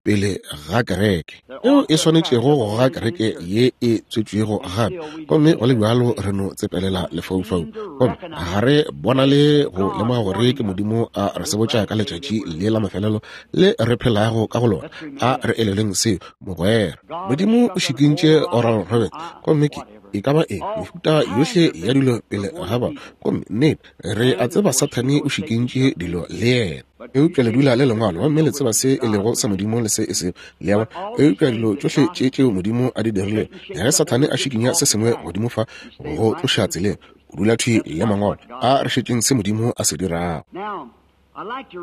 pele ga kereke, yeo e swanetšego go goga kereke ye e tswetšwego gape, gomme go le bjalo re no tsepelela lefaufau, gomme ga re bonale go lemoga gore ke Modimo a re sebotša ka letšatši le la mafelelo le re phelago ka go lona. A re eleleng seo, mogwera. Modimo o šikintše Oral Roberts, gomme ke e ka ba eng, mehuta yohle ya dilo pele ga ba, gomme nnete re a tseba Sathane o šikintše dilo le yena. Eupša le dula le Lengwalo, gomme le tseba se e lego sa Modimo le se e sego. Le a bona? Eupša dilo tšohle tše tšeo Modimo a di dirilego, ge Sathane a šikinya se sengwe godimo fa go tloša tseleng, o dula thwi le Mangwalo. A re šetšeng se Modimo a se dirago.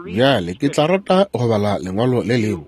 Bjale ke tla rata go bala lengwalo le lengwe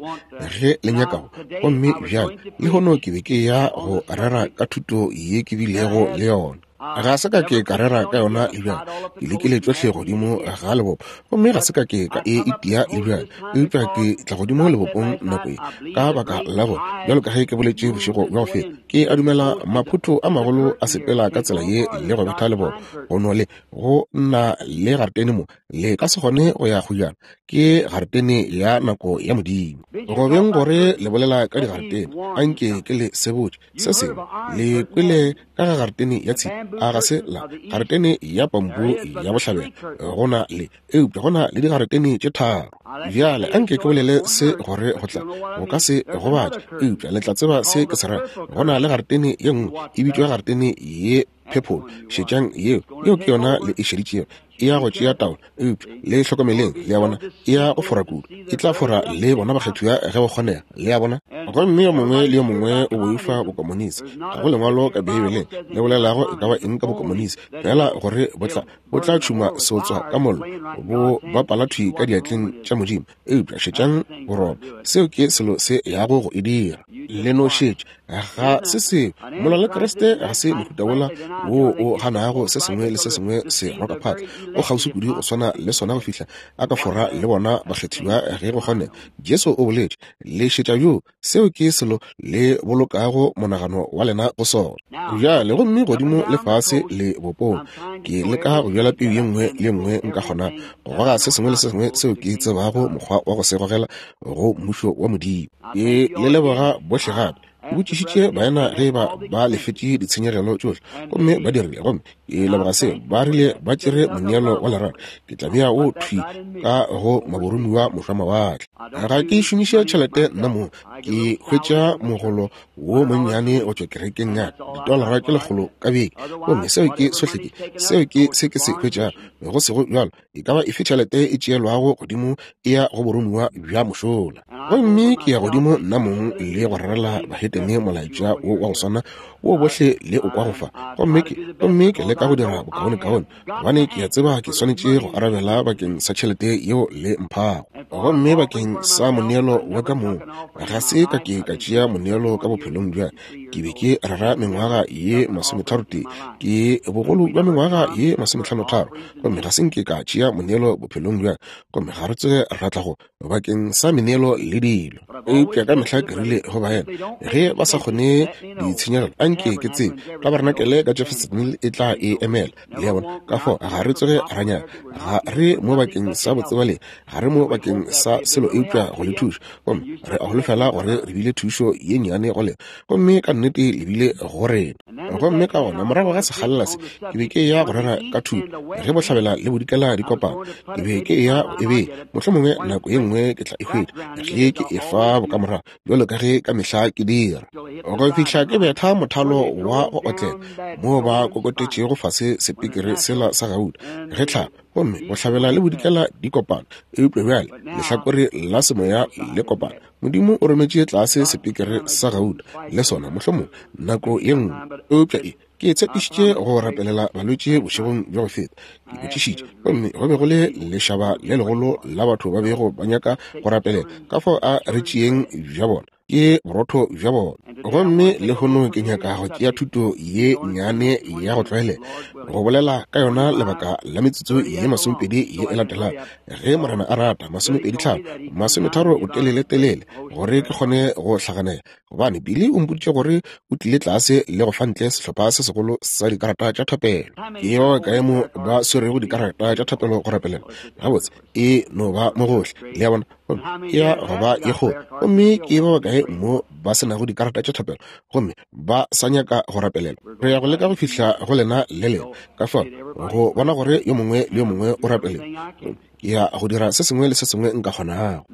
ge le nyakago. Gomme bjale lehono ke be ke ya go rera ka thuto ye ke bilego le yona. Ga se ka ke ka rera ka yona le bjale. Ke lekile tšohle godimo ga lebopo, gomme ga se ka ke ka e itia le bjale. Eupša ke tla godimo lebopong nako ye, ka baka la gore, bjalo ka ge ke boletše bošego bja go feta, ke a dumela maphotho a magolo a sepela ka tsela ye le go betha lebopo, go no le go na le garetene mo Le ka se kgone go ya kgojana, ke garetene ya nako ya Modimo. Go beng gore le bolela ka digaretene, a nke ke le sebotše se sengwe. Le kwele ka ga garetene ya tshipi, a ga se la? Garetene ya pambu ya bohlabela, go na le, eupša go na le digaretene tše tharo. Bjale a nke ke bolele se gore go tla, go ka se gobatše, eupša le tla tseba se ke se ra. Go na le garetene ye nngwe e bitšwa garetene ye purple. Šetšang yeo, yeo ke yona le e šeditšego. E ya go tšea taolo, eupša le hlokomeleng, le a bona, e ya go fora kudu. E tla fora le bona bakgethiwa ge go kgonega, le a bona. Gomme yo mongwe le yo mongwe o boifa bokomonisi. Ga go lengwalo ka Beibeleng le bolelago e ka ba eng ka bokomonisi, feela gore bo tla, bo tla tšhuma seotswa ka mollo, bo bapala thwi ka diatleng tša Modimo. Eupša šetšang boroba, seo ke selo se yago go e dira. Le no šetša, ga se seo. Molwa le Kriste ga se mohuta wola wo o ganago se sengwe le se sengwe se roka phatla. O kgauswi kudu go swana le sona go fihla a ka fora le bona bakgethiwa ge go kgonega. Jesu o boletše, Le šetša bjoo, seo ke selo le bolokago monagano wa lena go sona. Bjale, gomme godimo le fase le bopong, ke leka go bjala peu ye nngwe le ye nngwe nka kgonago, go goga se sengwe le se sengwe seo ke tsebago mokgwa wa go se gogela go Mmušo wa Modimo. Ke le leboga bohle gape. Ke botšišitše baena ge eba ba lefetše ditshenyegelo tšohle, gomme ba dirile, gomme ke leboga seo. Ba rile ba tšere moneelo wa lerato. Ke tla bea wo thwi ka go maboromiwa mošwamawatle. Ga ke šomiše tšhelete nna mong. Ke hwetša mogolo wo monnyane go tšwa kerekeng ya ka, ditolara tše 100 ka beke, gomme seo ke sohle ke, seo ke se ke se hwetšago. Go sego bjalo, e ka ba efe tšhelete e tšeelwago godimo e ya go boromiwa bja mošola. Gomme ke ya godimo nna mong le go rerela bahetene molaetša wo wa go swana wo bohle le o kwago fa. Gomme ke, gomme ke leka go dira bokaonekaone, gobane ke a tseba ke swanetše go arabela bakeng sa tšhelete yeo le mphago. Gomme bakeng sa moneelo wa ka mong, ga se ka ke ka tšea moneelo ka bophelong bja Ke be ke rera mengwaga ye masometharotee, ke bogolo bja mengwaga ye masometlhanotharo, gomme ga se nke ka tšea moneelo bophelong bja, gomme ga re tsoge ra tla go bakeng sa meneelo le dilo. Eupša ka mehla ke rile go baena, ge ba sa kgone ditshenyegelo, a nke ke tsebe, tabarenakele ka Jeffersonville e tla e emela. Le a bona? Ka fao ga re tsoge ra nyaka. Ga re mo bakeng sa botsebalegi, ga re mo bakeng sa selo eupša go le thuša. Gomme re a holofela gore re bile thušo ye nnyane go lena, gomme ka nnete le bile go rena. Gomme ka gona morago ga sekgalela se, ke be ke eya go rera ka thuto, ge bohlabela le bodikela di kopana. Ke be ke eya go e bea, mohlomongwe nako ye nngwe ke tla e hwetša, ge ke e fa bokamorago, bjalo ka ge ka mehla ke dira. Go fihla ke betha mothalo wa go otlela, moo ba kokotetšego fase sepikiri sela sa gauta, ge tlhaba, gomme bohlabela le bodikela di kopana. Eupša bjale lehlakore la semoya le kopana. Modimo o rometše tlase sepikiri sa gauta le sona, mohlomongwe nako ye nngwe. Eupša e. Ke tshepišitše go rapelela balwetši bošegong bja go feta. Ke botšišitše, gomme go be go le lešaba le legolo la batho ba bego ba nyaka go rapelela. Ka fao a re tšeeng bja bona, ke borotho bja bona. Gomme lehono ke nyaka go tšea thuto ye nnyane ya go tlwaelega, go bolela ka yona lebaka la metsotso ye masomepedi ye e latelago, ge Morena a rata, masomepedi tlhano, masometharo botelele-telele, gore ke kgone go hlaganela. Gobane Billy o mpoditše gore o tlile tlase le go fa ntle sehlopha se segolo sa dikarata tša thapelo. Ke ba bakae mo ba swerego dikarata tša thapelo go rapelela? Gabotse, e no ba mo gohle, le a bona, gomme e ya go ba ye kgolo. Gomme ke ba bakae mo ba se nago dikarata tša thapelo gomme ba sa nyaka go rapelelwa? Re ya go leka go fihla go lena le lena, ka fao go bona gore yo mongwe le yo mongwe o rapelelwa. Ke ya go dira se sengwe le se sengwe nka kgonago.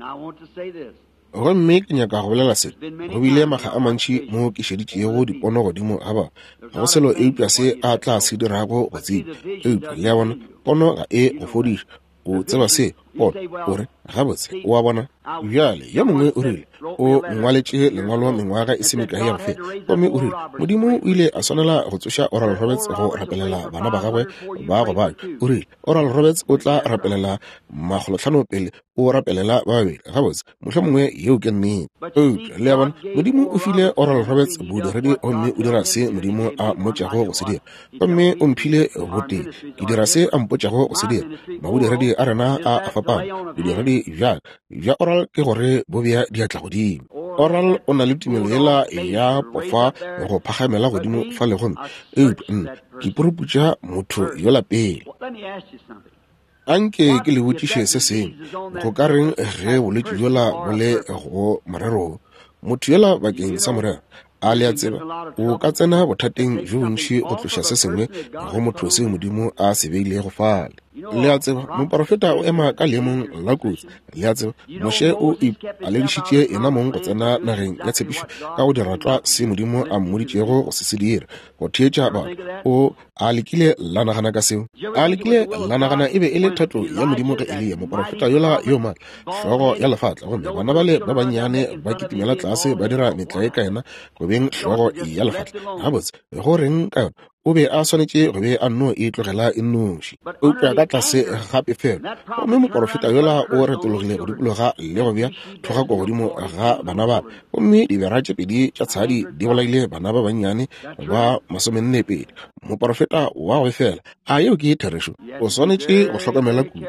Gomme ke nyaka go bolela se. Go bile makga a mantši mo ke šeditšego dipono godimo ga ba. Ga go selo eupša se a tla se dirago go tseba. Eupša, le a bona, pono ga e go fodiša. O tseba se, pono. O re, Gabotse, o a bona. Bjale, yo mongwe o rile, o ngwaletše lengwalo mengwaga e se mekae ya go feta, gomme o rile, Modimo o ile a swanela go tsoša Oral Roberts go rapelela bana ba gagwe ba go babja. O rile, Oral Roberts o tla rapelela makgolotlhano pele o rapelela ba babedi. Gabotse, mohlomongwe yeo ke nnete. Eupša, le a bona, Modimo o file Oral Roberts bodiredi gomme o dira se Modimo a mmotšago go se dira. Gomme o mphile botee, ke dira se a mpotšago go se dira. Mabodiredi a rena a a fapana. Bodiredi bja ka bja Oral ke gore bo bea diatla godimo. Oral o na le tumelo yela ya pofa go phagamela godimo fale gomme, eupša nna ke puruputša motho yola pele. Anke ke le botšiše se sengwe. Go ka reng ge bolwetši bjola bo le go morero wo? Motho yola bakeng sa morero, a le a tseba, o ka tsena bothateng bjo bontši go tloša se sengwe go motho seo Modimo a se beilego fale. Le a tseba, moporofeta o ema ka leemong la kotsi. Le a tseba, Moshe o ipaledišitše yena mong go tsena nageng ya tshepišo ka go dira tlwa se Modimo a mmoditšego go se se dira, go theetša batho. O A le kile la nagana ka seo? A le kile la nagana e be e le thato ya Modimo ge Eliya, moporofeta yola yo maatla, hlogo ya lefatla, gomme bana bale ba bannyane ba kitimela tlase ba dira metlae ka yena go beng hlogo ya lefatla? Gabotse, go reng ka yona? O be a swanetše go be a nno e tlogela e nnoši. Eupša ka tlase ga pefelo, gomme moporofeta yola o retologile go dikologa le go bea thogako godimo ga bana ba, gomme dibera tše pedi tša tshadi di bolaile bana ba bannyane ba masomennepedi. Moporofeta wa go befela, a yeo ke therešo? O swanetše go hlokomela kudu.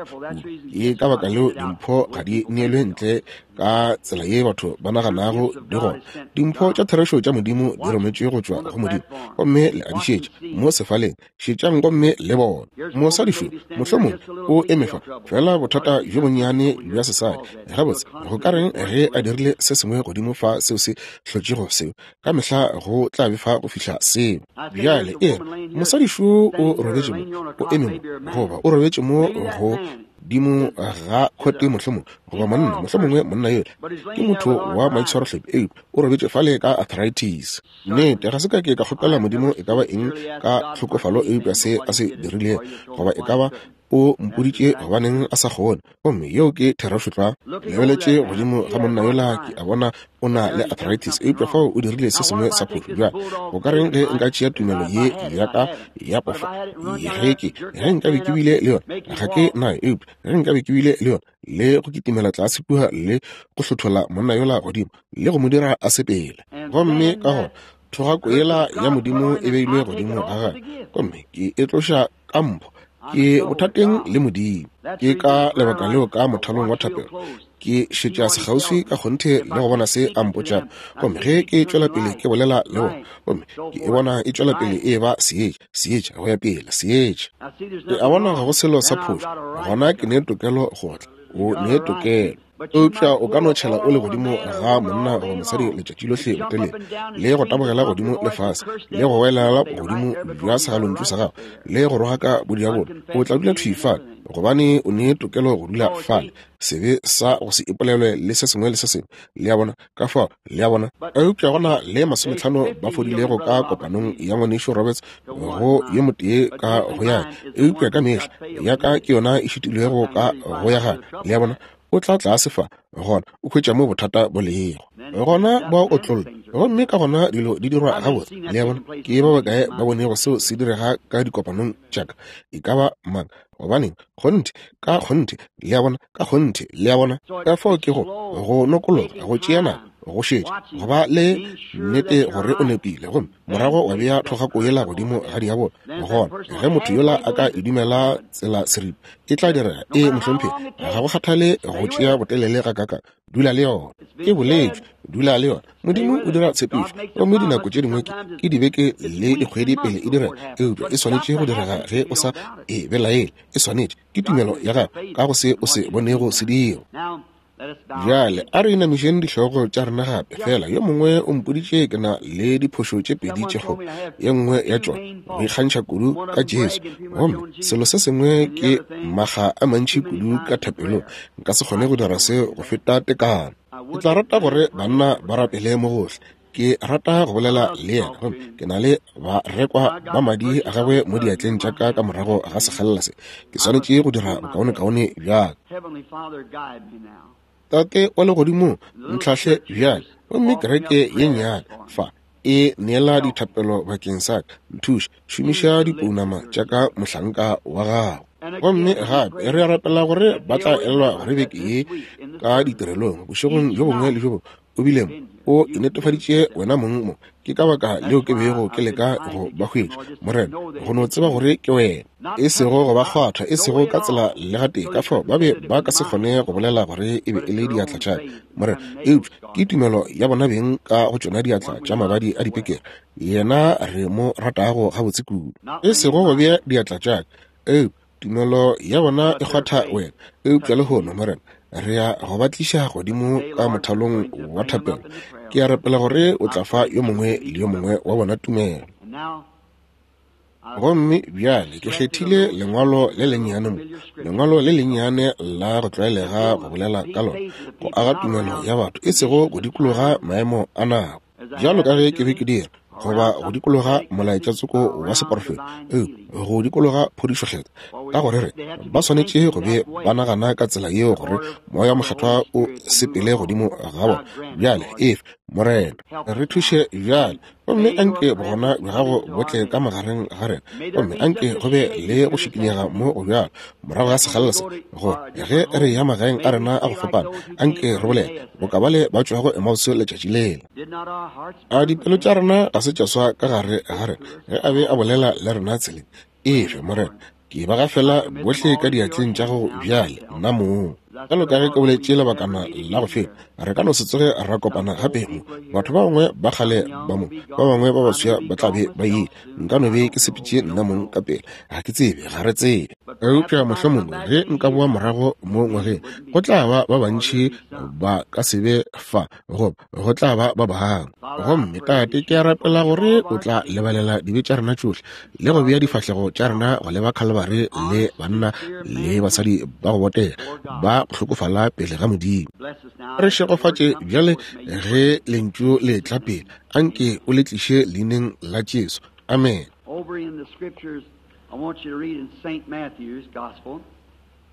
Ke ka baka leo dimpho ga di neelwe ntle ka tsela ye batho ba naganago di gona. Dimpho tša therešo tša Modimo di rometšwe go tšwa go Modimo, gomme le a di šetša mo sefaleng. Šetšang gomme le bone. Mosadi šo, mohlomongwe o eme fa, fela bothata bjo bonnyane bja sesadi. Gabotse, go ka reng ge a dirile se sengwe godimo fa seo se hlotšego seo? Ka mehla go tla befa go fihla seo. Bjale e re, mosadi šo o robetše mo, o eme mo, goba o robetše mo go dimo ga khote mohlomongwe, goba monna, mohlomongwe monna yola ke motho wa maitshwarohlephi, eupša o robetše fale ka arthritis. Nnete, ga se ka ke ka kgopela Modimo e ka ba eng ka tlhokofalo eupša se a se dirilego, goba e ka ba o mpoditše gobaneng a sa kgone. Gomme yeo ke therešo tlwa. Lebeletše godimo ga monna yola, ke a bona o na le arthritis, eupša fao o dirile se sengwe sa phošo. Bjale, go ka reng ge nka tšea tumelo ye ya ka ya pofa? Ge ke, ge nka be ke bile le yona, ga ke nayo, eupša ge nka be ke bile le yona, le go kitimela tlase kua le go hlothola monna yola godimo le go mo dira a sepele. Gomme ka gona thogako yela ya Modimo e beilwe godimo ga gagwe, gomme ke e tloša ka mpho. Ke bothateng le Modimo. Ke ka lebaka leo ka mothalong wa thapelo ke šetša sekgauswi ka kgonthe le go bona se a mpotšago. Gomme ge ke tšwela pele ke bolela le bona, gomme ke e bona e tšwela pele e eba seetša, seetša go ya pele, seetša. Ke a bona ga go selo sa phošo, gona ke ne tokelo go tla. O ne tokelo. Eupša o ka no tšhela o le godimo ga monna goba mosadi letšatši lohle botelele, le go tabogela godimo le fase, le go welela godimo bja segalontšu sa gago, le go rogaka bodiabolo. O tla dula thwi fale, gobane o ne tokelo go dula fale. Sebe sa go se ipolelwe le se sengwe le se sengwe, le a bona. Ka fao, le a bona. Eupša go na le masometlhano ba fodilego ka kopanong ya Ngwanešu Roberts go yo motee ka go ya, eupša ka mehla ya ka ke yona e šitilwego ka go ya gagwe. Le a bona? O tla tlase fa, gona o hwetša mo bothata bo lego. Gona ba otlolla, gomme ka gona dilo di dirwa gabotse. Le a bona? Ke ba bakae ba bonego seo se direga ka dikopanong tša ka? E ka ba mang? Gobaneng, kgonthe, ka kgonthe, le a bona, ka kgonthe, le a bona. Ka fao ke go, go nokologa, go tšea nako, go šetša, go ba le nnete gore o nepile, gomme morago wa bea thogako yela godimo ga diabolo. Gona ge motho yola a ka e dumela tsela seripa, e tla direga. Ee, mohlomphegi, ga go kgathale go tšea botelele gakakang, dula le yona. E boletšwe, dula le yona. Modimo o dira tshepišo, gomme dinako tše dingwe ke dibeke le dikgwedi pele e direga, eupša e swanetše go direga ge o sa e belaele. E swanetše, ke tumelo ya gago ka go se o se bonego se dira. Bjale a re inamišeng dihlogo tša rena gape. Fela yo mongwe o mpoditše ke na le diphošo tše pedi tše kgolo, ye nngwe ya tšona go ikgantšha kudu ka Jesu, gomme selo se sengwe ke makga a mantši kudu ka thapelong. Nka se kgone go dira seo go feta tekano. Ke tla rata gore banna ba rapele mo gohle. Ke rata go bolela le yena, gomme ke na le barekwa ba madi a gagwe mo diatleng tša ka ka morago ga sekgalela se. Ke swanetše go dira bokaonekaone bja ka. Tate wa legodimong, ntlhahle bjale, gomme kereke ye nnyane fa e neela dithapelo bakeng sa ka. Nthuše, šomiša dipounama tša ka mohlanka wa gago. Gomme gape re a rapela gore ba tla elelwa gore beke ye ka ditirelong bošegong bjo bongwe le bjo bongwe o bile mo, o inetefaditše wena mong mo. Ke ka baka leo ke bego ke leka go ba hwetša, Morena, go no tseba gore ke wena, e sego go ba kgwatha, e sego ka tsela le gatee. Ka fao ba be ba ka se kgone go bolela gore e be e le diatla tša ka, Morena, eupša ke tumelo ya bona beng ka go tšona diatla tša mabadi a dipekere, yena re mo ratago gabotse kudu. E sego go bea diatla tša ka, eupša tumelo ya bona e kgwatha wena. Eupša lehono, Morena, re ya go ba tliša godimo ka mothalong wa thapelo. Ke a rapela gore o tla fa yo mongwe le yo mongwe wa bona tumelo. Gomme bjale ke kgethile lengwalo le lennyane mo, lengwalo le lennyane la go tlwaelega go bolela ka lona, go aga tumelo ya batho, e sego go dikologa maemo a nako, bjalo ka ge ke be ke dira, goba go dikologa molaetša tsoko wa seporofeto, eupša go dikologa phodišokgethwa, ka gore re ba swanetše go be ba nagana ka tsela yeo gore Moya Mokgethwa o sepele godimo ga bona. Bjale efe, Morena, re thuše bjale, gomme anke bogona bja gago bo tle ka magareng ga rena, gomme anke go be le go šikinyega mo go bjalo morago ga sekgalela se, gore ge re ya magaeng a rena a go fapana, anke re bolele boka bale ba tšwago Emause letšatši lela. A dipelo tša rena ga se tša swa ka gare ga rena ge a be a bolela le rena tseleng? Efe, Morena, ke ba gafela bohle ka diatleng tša gago bjale, nna mong. Bjalo ka ge ke boletše lebakana la go feta, re ka no se tsoge ra kopana gape mo. Batho ba bangwe ba kgale ba mo, ba bangwe ba baswa ba tla be ba ile. Nka no be ke sepetše nna mong ka pele, ga ke tsebe, ga re tsebe. Eupša mohlomongwe ge nka boa morago mo ngwageng, go tla ba ba bantši ba ka se be fa, goba go tla ba ba bangwe. Gomme Tate, ke a rapela gore o tla lebalela dibe tša rena tšohle le go bea difahlego tša rena go leba Khalibari le banna le basadi ba go botega ba go hlokofala pele ga Modimo. Re šegofatše bjale ge lentšu le tla pele. Anke o le tliše leineng la Jesu. Amen. Over in the scriptures, I want you to read in St. Matthew's Gospel.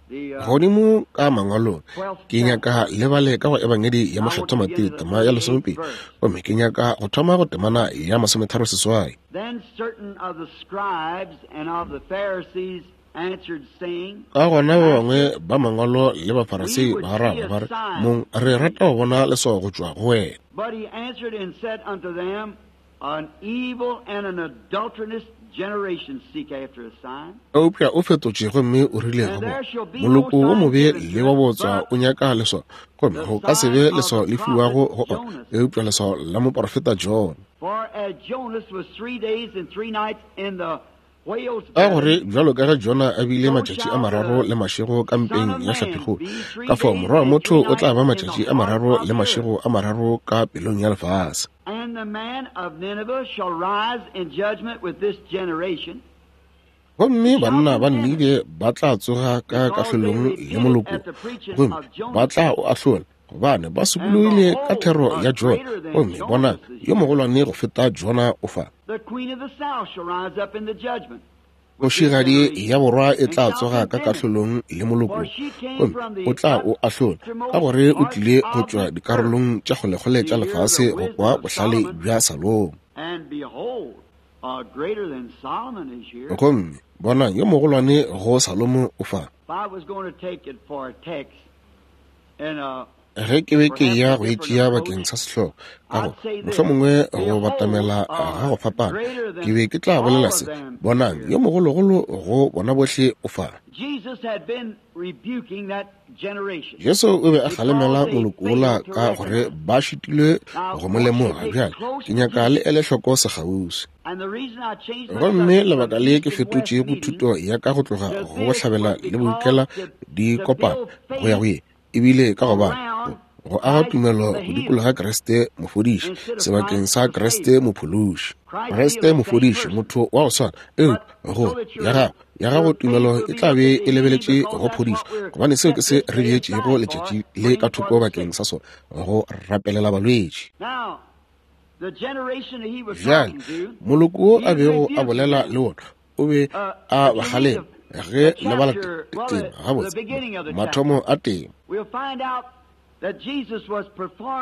Godimo ka mangwalong, ke nyaka le bale ka go Ebangedi ya Mokgethwa Mateo tema ya 12, gomme ke nyaka go thoma go temana ya 36. Ka gona ba bangwe ba mangwalo le Bafarasei ba araba ba re, Mong, re rata go bona leswao go tšwa go wena. But he answered and said unto them, An evil and an adulterous generation seek after a sign. Eupša o fetotše gomme o rile go bona, Moloko wo mobe le wa bootswa o nyaka leswao, gomme go ka se be leswao le fiwago go ona, eupša leswao la moporofeta Jona. For as Jonas was 3 days and 3 nights in the Ka gore bjalo ka ge Jona a bile matšatši a mararo le mašego ka mpeng ya hlapikgolo, ka fao Morwa wa motho o tla ba matšatši a mararo le mašego a mararo ka pelong ya lefase. Gomme banna ba Ninibe ba tla tsoga ka kahlolong le moloko, gomme ba tla o ahlola, gobane ba sokologile ka thero ya Jona, gomme bonang, yo mogolwane go feta Jona o fa. The queen of the south shall rise up in the judgment. Kgošigadi ya borwa e tla tsoga ka kahlolong le moloko, gomme o tla o ahlola, ka gore o tlile go tšwa dikarolong tša kgolekgole tša lefase go kwa bohlale bja Salomo. Gomme bonang, yo mogolwane go Salomo o fa. Ge ke be ke eya go e tšea bakeng sa sehlogo, ka go mohlomongwe go batamela ga go fapana, ke be ke tla bolela se: bonang, yo mogologolo go bona bohle o fa. Jesu o be a kgalemela moloko wola ka gore ba šitilwe go mo lemoga. Bjale ke nyaka le ele hloko sekgauswi. Gomme lebaka le ke fetotšego thuto ya ka go tloga go bohlabela le bodikela di kopana go ya go ye, ebile ka gobane go aga tumelo go dikologa Kriste mofodiši sebakeng sa Kriste mophološi. Kriste mofodiši, motho wa go swana, eupša go ya gago tumelo e tla be e lebeletše go phodišo, gobane seo ke se re beetšego letšatši le ka thoko bakeng sa sona, go rapelela balwetši. Bjale moloko wo a bego a bolela le wona o be a ba kgalema ge le bala tema gabotse mathomo a tema.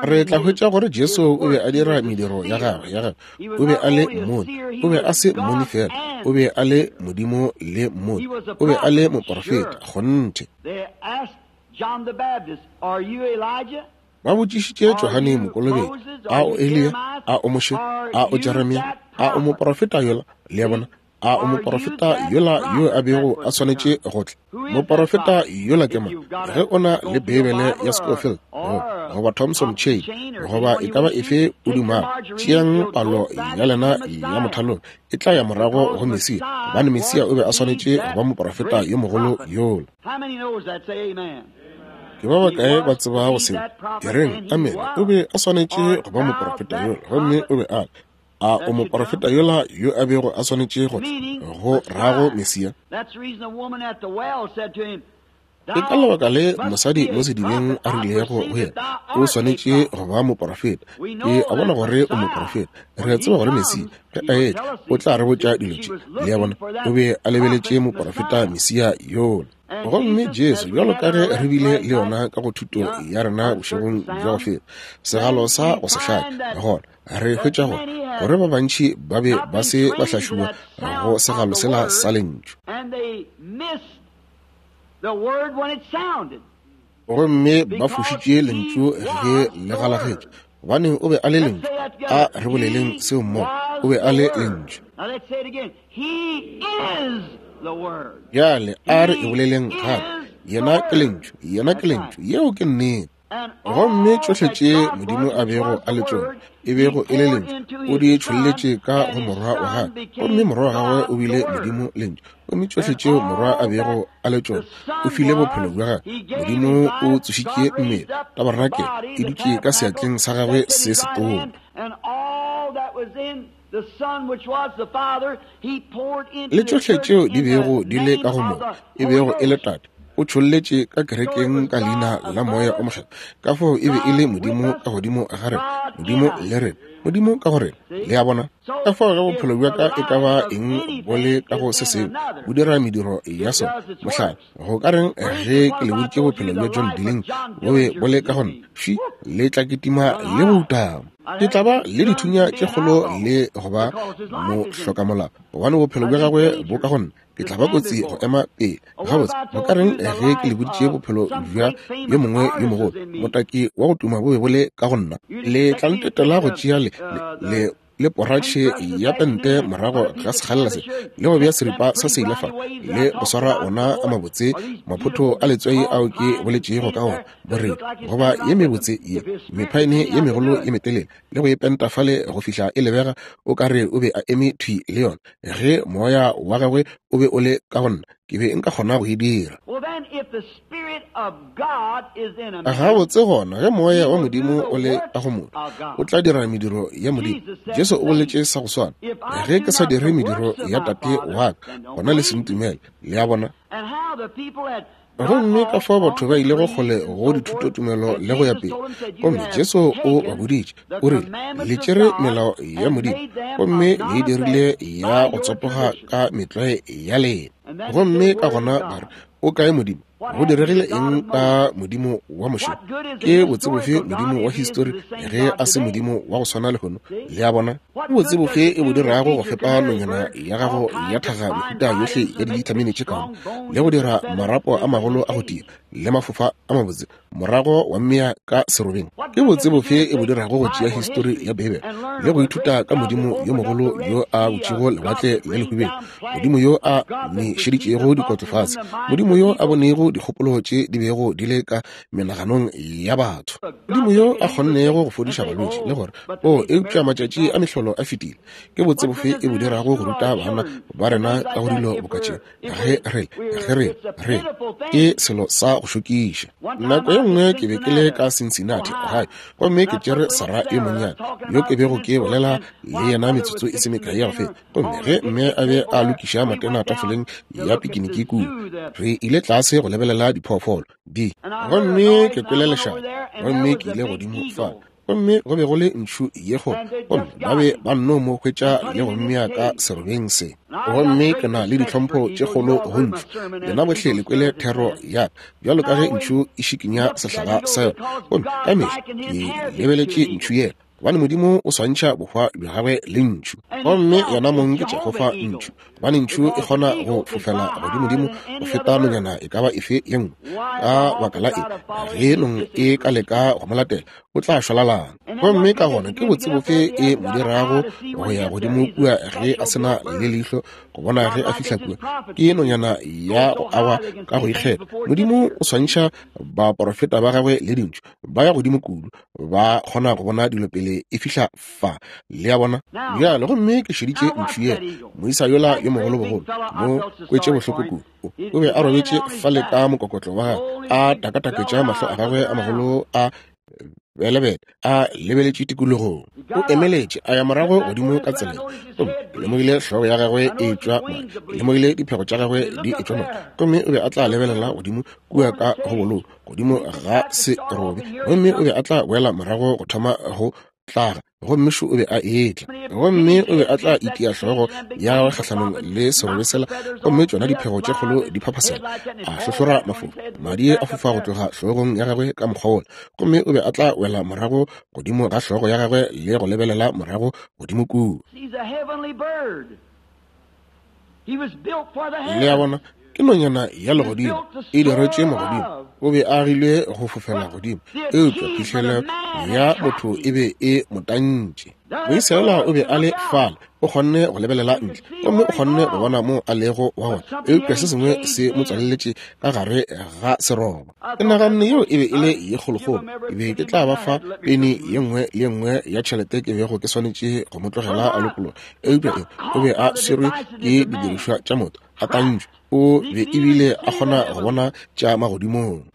Re tla hwetša gore Jesu o be a dira mediro ya gagwe. O be a le mmoni, o be a se mmoni fela, o be a le Modimo le mmoni, o be a le moporofeta. Kgonthe. Ba botšišitše Johane Mokolobetši, a o Eliya, a o Moshe, a o Jeremia, a o moporofeta yola? Le a bona? A o moporofeta yola yo a bego a swanetše go tla? Moporofeta yola ke mang? Ge o na le Beibele ya Scofield goba Thompson Chain goba e ka ba efe o dumago, tšeang palo ya lena ya mothalong, e tla ya morago go Mesia, gobane Mesia o be a swanetše go ba moporofeta yo mogolo yola. Ke ba bakae ba tsebago seo? E reng, amene. O be a swanetše go ba moporofeta yola, gomme o be a le. A o moporofeta yola yo a bego a swanetše go tla go rago Mesia? Ke ka lebaka le mosadi mo sedibeng a rilego go yena, o swanetše go ba moporofeta. Ke a bona gore o moporofeta. Re a tseba gore Mesia ge a etla o tla re botša dilo tše. Le a bona, o be a lebeletše moporofeta Mesia yola. Gomme Jesu, bjalo ka ge re bile le yona ka go thuto ya rena bošegong bja go feta, segalo sa go se hlake, gona re hwetša gore ba bantši ba be ba se ba hlašuwa go segalo sela sa lentšu. Gomme ba fošitše lentšu ge le galagetše, gobane o be a le lentšu. A re boleleng seo mmogo, o be a le lentšu. Bjale a re e boleleng gape, yena ke lentšu, yena ke lentšu. Yeo ke nnete. Gomme tšohle tše Modimo a bego a le tšona, e bego e le lentšu, o di tšholletše ka go Morwa wa gagwe, gomme Morwa wa gagwe o bile Modimo lentšu. Gomme tšohle tšeo Morwa a bego a le tšona, o file bophelo bja gagwe. Modimo o tsošitše mmele, tabarenakele e dutše ka seatleng sa gagwe se setona. Le tšohle tšeo di bego di le ka go Morwa, e bego e le Tate, o tšholletše ka kerekeng ka leina la Moya o Mokgethwa. Ka fao e be e le Modimo ka godimo ga rena, Modimo le rena, Modimo ka go rena. Le a bona? Ka fao ge bophelo bja ka e ka ba eng bo le ka go se sengwe, bo dira mediro ya sona. Mohlala, go ka reng ge ke le boditše bophelo bja John Dilling bo be bo le ka go nna? Fši, le tla kitima le go utama. Ke tla ba le dithunya tše kgolo le go ba mohlokamolao, gobane bophelo bja gagwe bo ka go nna. Ke tla ba kotsi go ema pele. Gabotse, go ka reng ge ke le boditše bophelo bja yo mongwe yo mogolo, motaki wa go tuma bo be bo le ka go nna? Le tla ntetela go tšea le poratšhe ya pente morago ga sekgalela se, le go bea seripa sa seile fa, le go swara ona a mabotse maphotho a letswai ao ke boletšego ka ona, boredi goba ye mebotse ye mephaene ye megolo ye metelele, le go e penta fale go fihla e lebega o ka re o be a eme thwi le yona. Ge moya wa gagwe o be o le ka go nna, ke be nka kgona go e dira. Gabotse gona, ge moya wa Modimo o le ka go motho, o tla dira mediro ya Modimo. Jesu o boletše sa go swana, ge ke sa dire mediro ya Tate wa ka, gona le se ntumele. Le a bona? Gomme ka fao batho ba ilego kgole go dithutotumelo le go ya pele. Gomme Jesu o ba boditše, o rile, Le tšere melao ya Modimo, gomme le e dirile ya go tsopoga ka metlwae ya lena. Gomme ka gona ba re, O kae Modimo? Go diregile eng ka Modimo wa Moshe? Ke botse bofe Modimo wa histori ge a se Modimo wa go swana lehono? Le a bona? Ke botse bofe e bo dirago go fepa nonyana ya gago ya thaga mehuta yohle ya divitamine tše kaone le go dira marapo a magolo a go tia le mafofa a mabotse morago wa mmea ka serobeng? Ke botse bofe e bo dirago go tšea histori ya Beibele le go ithuta ka Modimo yo mogolo yo a butšego lewatle le lehubelo, Modimo yo a nešeditšego dikotlo fase, Modimo yo a bonego dikgopolo tše di bego di le ka menaganong ya batho, Modimo yo a kgonnego go fodiša balwetši le gore, o, eupša matšatši a mehlolo a fetile. Ke botse bofe e bo dirago go ruta bana ba rena ka go dilo boka tše? Ge re, ge re, re, ke selo sa go šokiša. Nako ye nngwe ke be ke le ka Cincinnati, gae, gomme ke tšere Sarah yo monnyane, yo ke bego ke bolela le yena metsotso e se mekae ya go feta. Gomme ge mme a be a lokiša matena tafoleng ya pikiniki kua, re ile tlase go lebelela diphoofolo di. Gomme ke kwele lešata, gomme ke ile godimo fa, gomme go be go le ntšhu ye kgolo, gomme ba be ba nno mo hwetša le go mmea ka serobeng se. Gomme ke na le ditlhompho tše kgolo go ntšhu. Lena bohle le kwele thero ya ka, bjalo ka ge ntšhu e šikinya sehlaga sa yona. Gomme ka mehla ke lebeletše ntšhu yela, gobane Modimo o swantšha bohwa bja gagwe le ntšhu. Gomme yena mong ke Jehofa ntšhu, gobane ntšhu e kgona go fofela godimodimo go feta nonyana e ka ba efe ye nngwe. Ka baka la eng, ge nong e ka leka go mo latela, o tla šwalalana. Gomme ka gona ke botse bofe e mo dirago go ya godimo kua ge a se na le leihlo go bona ge a fihla kua? Ke nonyana ya go agwa ka go ikgetha. Modimo o swantšha baporofeta ba gagwe le dintšhu, ba ya godimo kudu, ba kgona go bona dilo pele e fihla fa. Le a bona? Bjale, gomme ke šeditše ntšhu yela, moisa yola yo mogolobogolo, mo kwetše bohloko kudu. O be a robetše fale ka mokokotlo wa gagwe, a takataketša mahlo a gagwe a magolo a belebele, a lebeletše tikologong. O emeletše, a ya morago godimo ka tseleng, gomme ke lemogile hlogo ya gagwe e etšwa madi, ke lemogile diphego tša gagwe di etšwa madi, gomme o be a tla lebelela godimo kua ka go bolou godimo ga serobe, gomme o be a tla boela morago go thoma go tlaga, gomme šo o be a etla, gomme o be a tla itia hlogo ya gagwe kgahlanong le serobe sela, gomme tšona diphego tše kgolo di phaphasela, a hlohlora mafofa, madi a fofa go tloga hlogong ya gagwe ka mokgwa wola, gomme o be a tla wela morago godimo ga hlogo ya gagwe le go lebelela morago godimo kua. Le a bona, ke nonyana ya legodimo, e diretše magodimo. O be a agilwe go fofela godimo, eupša phihlelo ya motho e be e mo tantše. Moisa o be a le fale, o kgonne go lebelela ntle, gomme o kgonne go bona moo a lego wa gona, eupša se sengwe se mo tswaleletše ka gare ga seroba. Ke naganne yeo e be e le ye kgolokgolo. Ke be ke tla ba fa peni ye nngwe le ye nngwe ya tšhelete ke bego ke swanetše go mo tlogela a lokologa, eupša e o be a swerwe ke didirišwa tša motho, a tantšwe. O be ebile a kgona go bona tša magodimong,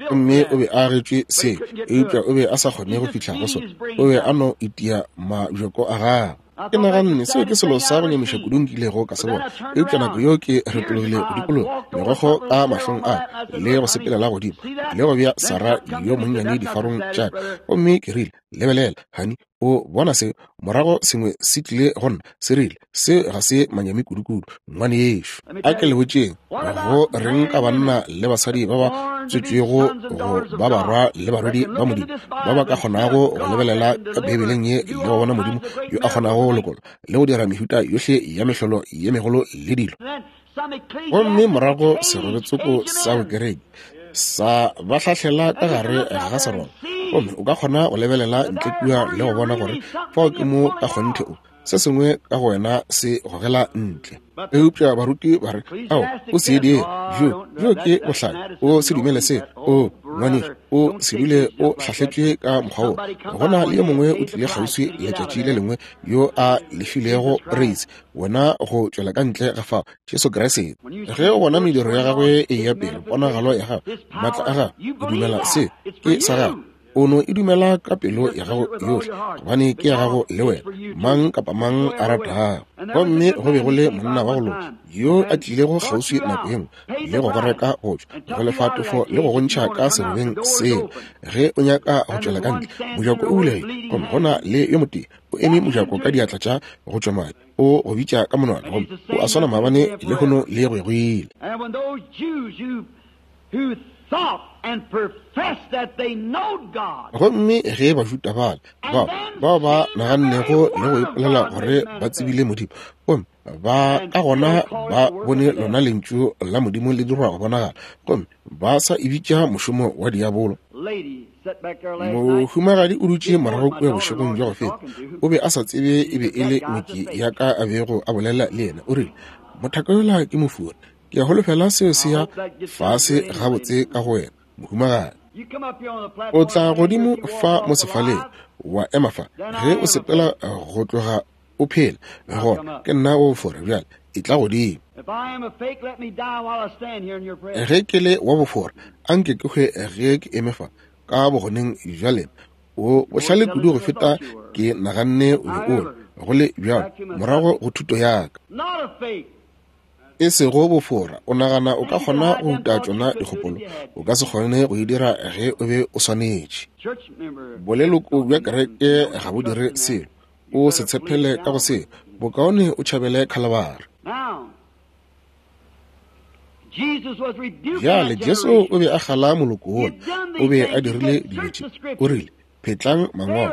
gomme o be a agetšwe se, eupša o be a sa kgone go fihla go sona. O be a no itia mabjoko a gagwe. Ke naganne seo ke selo sa go nyamiša kudu nkilego ka se bona, eupša nako yeo ke retologile go dikologa, megokgo ka mahlong a ka, le go sepelela godimo le go bea Sarah yo monnyane difarong tša ka, gomme ke rile, Lebelela, honey, o bona se? Morago sengwe se tlile go nna, se rile, Se ga se manyami kudukudu, ngwanešu. A ke le botšeng, go reng ka banna le basadi ba ba tswetšwego go ba barwa le barwedi ba Modimo, ba ba ka kgonago go lebelela ka Beibeleng ye le go bona Modimo yo a kgonago go lokola le go dira mehuta yohle ya mehlolo ye megolo le dilo? Gomme morago serobetsoko sa bokereki sa ba hlahlela ka gare ga seroba, gomme o ka kgona go lebelela ntle kua le go bona gore fao ke mo ka kgonthe o se sengwe ka go wena se gogela ntle. Eupša baruti ba re, Ao, o se dire, bjo, bjo ke bohlale, o se dumele se. O, ngwanešu, o se dule o hlahletšwe ka mokgwa wo. Go na le yo mongwe o tlile kgauswi letšatši le lengwe yo a lefilego reise wena go tšwela ka ntle ga fao, Jesu Kriste. Ge o bona mediro ya gagwe e eya pele, ponagalo ya gagwe, maatla a gagwe, o dumela se ke sa gagwe. O no e dumela ka pelo ya gago yohle, gobane ke ya gago le wena, mang kapa mang a ratago. Gomme go be go le monna wa go loka yo a tlilego kgauswi nako ye nngwe le go go reka go tšwa, go lefa tefo le go go ntšha ka serobeng seo. Ge o nyaka go tšwela ka ntle, mojako o bulegile, gomme go na le yo motee o eme mojako ka diatla tša go tšwa madi, o go bitša ka monwana, gomme o a swana maabane, lehono le go ya go ile. Gomme ge Bajuda bale, bao, bao ba nagannego le go ipolela gore ba tsebile Modimo, gomme ba ka gona ba bone lona Lentšu la Modimo le dirwa go bonagala, gomme ba sa e bitša mošomo wa diabolo. Mohumagadi o dutše morago kua bošegong bja go feta, o be a sa tsebe e be e le ngwetši ya ka a bego a bolela le yena. O rile, Mothaka yola ke mofori. Ke a holofela seo se ya fase gabotse ka go wena, mohumagadi. O tla godimo fa mo sefaleng, wa ema fa. Ge o sepela go tloga o phela, gona ke nna o fora. Bjale e tla godimo. Ge ke le wa bofora, anke ke hwe ge ke eme fa ka bogoneng bja lena. O bohlale kudu go feta ke naganne o be o le, go le bjalo, morago go thuto ya ka. E sego bofora, o nagana o ka kgona go uta tšona dikgopolo, o ka se kgone go e dira ge o be o swanetše. Boleloko bja kereke ga bo dire selo, o se tshepele ka go seo, bokaone o tšhabele Khalabari. Bjale Jesu o be a kgala moloko wola, o be a dirile dilo tše, o rile, Phetlang mangwalo,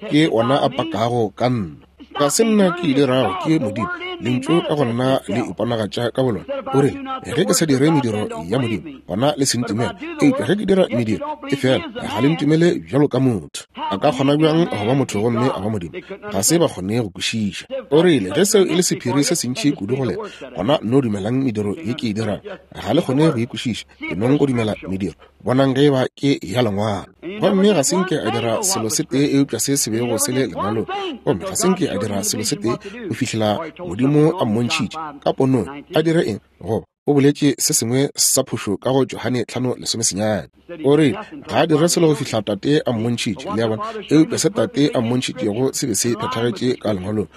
ke ona a pakago ka nna. Ga se nna ke e dirago, ke Modimo. Lentšu ka go nna le iponagatša ka bolona. O rile, Ge ke sa dire mediro ya Modimo, gona le se ntumele. Eupša ge ke dira mediro, e fela ga le ntumele bjalo ka motho. A ka kgona bjang go ba motho gomme a ba Modimo? Ga se ba kgone go kwešiša. O rile, Ge seo e le sephiri se sentši kudu go lena, gona no dumelang mediro ye ke e dirago. Ga le kgone go e kwešiša, e nong go dumela mediro. Bonang ge eba ke ya Lengwalo. Gomme ga se nke a dira selo se tee eupša se se bego se le Lengwalong. Gomme ga se nke a dira selo se tee go fihlela Modimo a mmontšhitše ka ponong a dire eng, goba o boletše se sengwe sa phošo ka go Johane 5:19. O rile ga a dire selo go fihla Tate a mmontšhitše, le a bona, eupša se Tate a mmontšhitšego se be se phethagetše ka Lengwalong,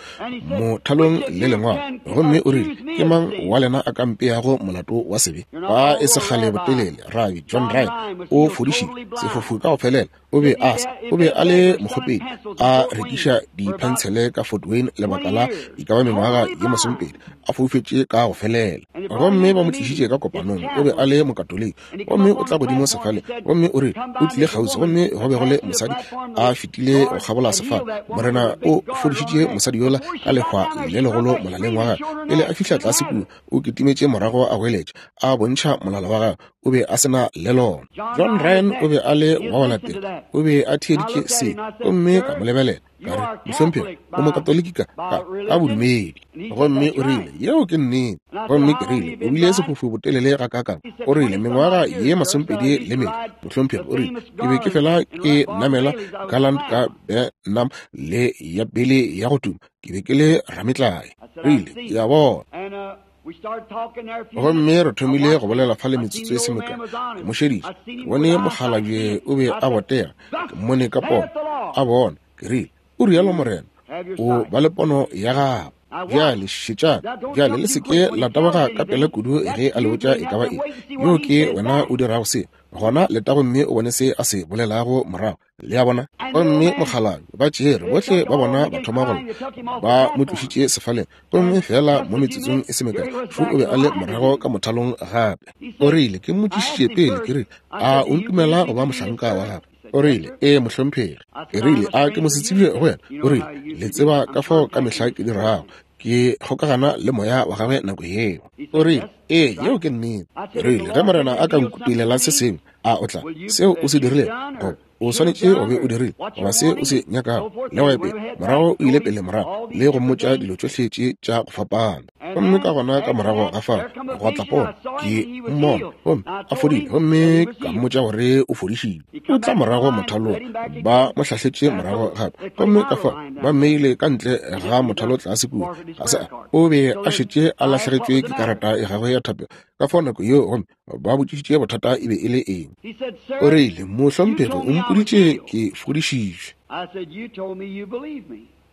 mothalong le Lengwalo. Gomme o rile, Ke mang wa lena a ka mpeago molato wa sebe? Ba e se kgale botelele, Rabi John Ryan o fodišitše sefofu ka go felela. O be a sa, o be a le mokgopedi, a rekiša diphentshele ka Fort Wayne lebaka la e ka ba mengwaga ye masomepedi, a foufetše ka go felela. Gomme ba mo tlišitše ka kopanong, o be a le Mokatoliki. Gomme o tla godimo sefaleng, gomme o rile o tlile kgauswi, gomme go be go le mosadi a fetile go kgabola sefala. Morena o fodišitše mosadi yola ka lehwa le legolo molaleng wa gagwe. Pele a fihla tlase kua, o kitimetše morago a goeletša, a bontšha molala wa gagwe, o be a se na le lona. John Ryan o be a le wa go latela, o be a theeditše se, gomme ka mo lebelela, ka re, Mohlomphegi, o Mokatoliki ka, ka, ka bodumedi. Gomme o rile, Yeo ke nnete. Gomme ke rile, O bile sefofu botelele gakaakang? O rile, Mengwaga ye masomepedi le mene, mohlomphegi. O rile, Ke be ke fela ke namela Garland ka Benham le ya pele ya go tuma. Ke be ke le rametlae. Rile, Ke a bona. Gomme re thomile go bolela fa le metsotso e se mekae. Ke mo šeditše. Ke bone mokgalabje o be a botega. Ke mmone ka pono. A bona. Ke rile, O rialo Morena. O ba le pono ya gago. Bjale šetšang. Bjale le se ke la taboga ka pela kudu ge a le botša e ka ba eng. Yoo ke wena o dirago seo. Gona leta gomme o bone se a se bolelago morago. Le a bona? Gomme mokgalabje ba tšere bohle ba bona ba thoma go lla, ba mo tlošitše sefaleng, gomme feela mo metsotsong e se mekae šo o be a le morago ka mothalong gape. O rile, ke mmotšišitše pele, ke rile, A o ntumela go ba mohlanka wa gagwe? O rile, Ee, mohlomphegi. Ke rile, A ke mosetsebje go wena? O rile, Le tseba ka fao ka mehla ke dirago, ke kgokagana le moya wa gagwe nako yeo. O rile, Ee, yeo ke nnete. Ke rile, Ge Morena a ka nkutulela se sengwe, a o tla, seo o se dirilego, goba o swanetše go be o dirile, goba se o se nyakago, le go ya pele. Morago o ile pele morago le go mmotša dilo tšohle tše tša go fapana. Gomme ka gona ka morago ga fao gwa tla pono, ke mmona gomme a fodile, gomme ka mmotša gore o fodišitšwe. O tla morago mothalong, ba mo hlahletše morago gape, gomme ka fao ba mmeile ka ntle ga mothalo tlase kua. Ga se a, o be a šetše a lahlegetšwe ke karata ya gagwe ya thapelo ka fao nako yeo, gomme ba botšišitše bothata e be e le eng. O rile, Mohlomphegi, o mpoditše ke fodišitšwe.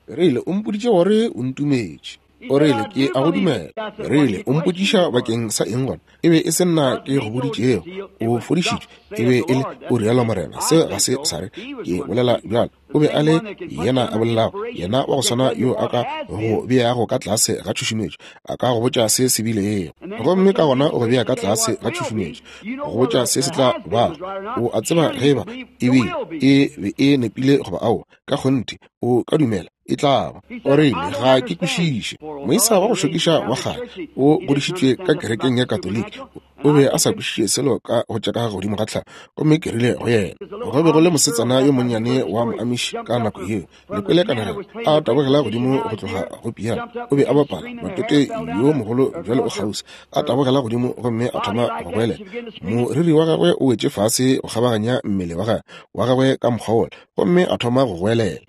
Rile, o mpoditše gore o ntumetše. O rile, ke a go dumela. Rile, o mpotšiša bakeng sa eng gona? E be e se nna ke go boditšego o fodišitšwe, e be e le o rialo Morena. Se ga se sa re ke bolela bjalo. O be a le yena a bolelago, yena wa go swana yo a ka go beago ka tlase ga tšhušumetšo, a ka go botša se se bilego, gomme ka gona o go bea ka tlase ga tšhušumetšo, go botša se se tla bago. O a tseba ge eba e bile e be e nepile goba aowa. Ka kgonthe o ka dumela e tla ba. O rile, ga ke kwešiše. Moisa wa go šokiša wa kgale, o godišitšwe ka kerekeng ya Katoliki, o be a sa kwešiše selo ka go tša ka godimo ga tlhago. Gomme ke rile go yena, go be go le mosetsana yo monnyane wa Moamish ka nako yeo, le kwele kanegelo, a tabogela godimo go tloga go piano, o be a bapala matete yo mogolo bjalo o kgauswi, a tabogela godimo gomme a thoma go goelela. Moriri wa gagwe o wetše fase go kgabaganya mmele wa gagwe, wa gagwe ka mokgwa wola, gomme a thoma go goelela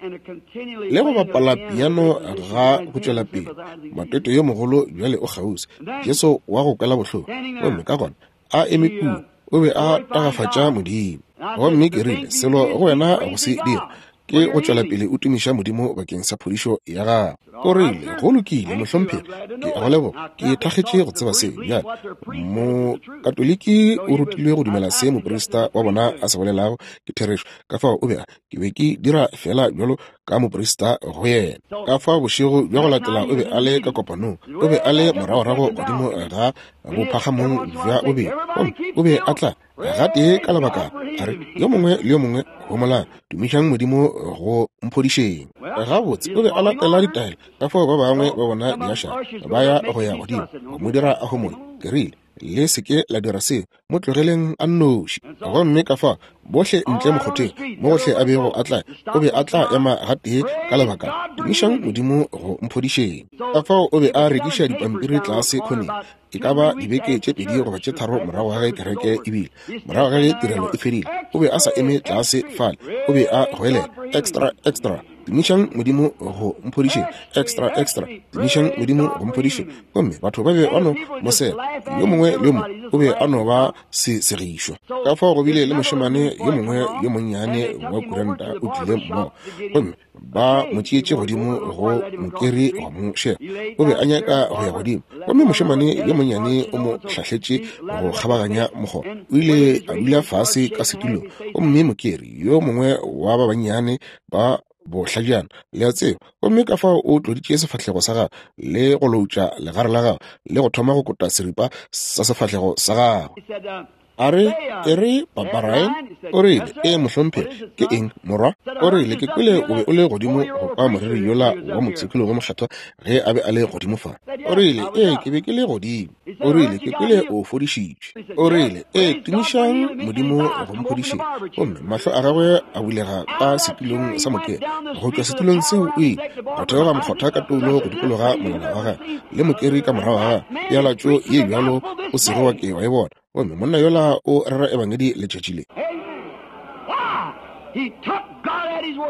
le go bapala piano ga go tšwela pele. Matete yo mogolo bjale o kgauswi, Jesu wa go kwela bohloko. Gomme ka gona a eme kua, o be a tagafatša Modimo. Gomme ke rile, selo go wena go se dira ke go tšwela pele o tumiša Modimo bakeng sa phodišo ya gago. O rile, go lokile, mohlomphegi, ke a go leboga, ke thakgetše go tseba se. Bjale, Mokatoliki o rutilwe go dumela se moprista wa bona a se bolelago ke therešo. Ka fao o be a, ke be ke dira fela bjalo ka moprista go yena. Ka fao bošego bja go latela o be a le ka kopanong, o be a le moragorago godimo ga bophagamong bja bobedi, gomme o be a tla gatee ka lebaka a re, yo mongwe le yo mongwe homolang, tumišang Modimo go mphodišeng. Gabotse, o be a latela ditaelo, ka fao ba bangwe ba bona diašara ba ya go ya godimo go mo dira a homole. Ke rile, le se ke la dira seo, mo tlogeleng a nnoši. Gomme ka fao bohle ntle mokgotheng, mo gohle a bego a tla, o be a tla ema gatee ka lebaka, tumišang Modimo go mphodišeng. Ka fao o be a rekiša dipampiri tlase khoneng, e ka ba dibeke tše 2 goba tše 3 morago ga ge kereke e bile, morago ga ge tirelo e fedile, o be a sa eme tlase fale, o be a goelela, Extra, extra, tumišang Modimo go mphodišeng, extra, extra, tumišang Modimo go mphodišeng. Gomme batho ba be ba no mo sega, yo mongwe le yo mongwe o be a no ba se segišwa. Ka fao go bile le mošemane yo mongwe yo monnyane wa kuranta o tlile mmogo, gomme ba mo tšeetše godimo go mokeri wa mo šega. O be a nyaka go ya godimo, gomme mošemane yo monnyane o mo hlahletše go kgabaganya mokgoba. O ile a dula fase ka setulong, gomme mokeri yo mongwe wa ba bannyane ba bohlajana, le a tseba, gomme ka fao o tloditše sefahlego sa gagwe le go loutša legare la gagwe le go thoma go kota seripa sa sefahlego sa gagwe. A re, e re, Papa Ryan? O rile, ee, mohlomphegi. Ke eng, morwa? O rile, ke kwele o be o le godimo go kwa moreri yola wa mopshikologi mokgethwa ge a be a le godimo fa. O rile, ee, ke be ke le godimo. O rile, ke kwele o fodišitšwe. O rile, ee, tumišang Modimo go mphodišeng. Gomme mahlo a gagwe a bulega ka setulong sa mokero. Go tšwa setulong seo o ile go theoga mokgotha ka toulo go dikologa molala wa gagwe, le mokeri ka morago ga gagwe, pealatšo ye bjalo o sego wa ke wa e bona. Gomme monna yola o rera ebangedi letšatši le.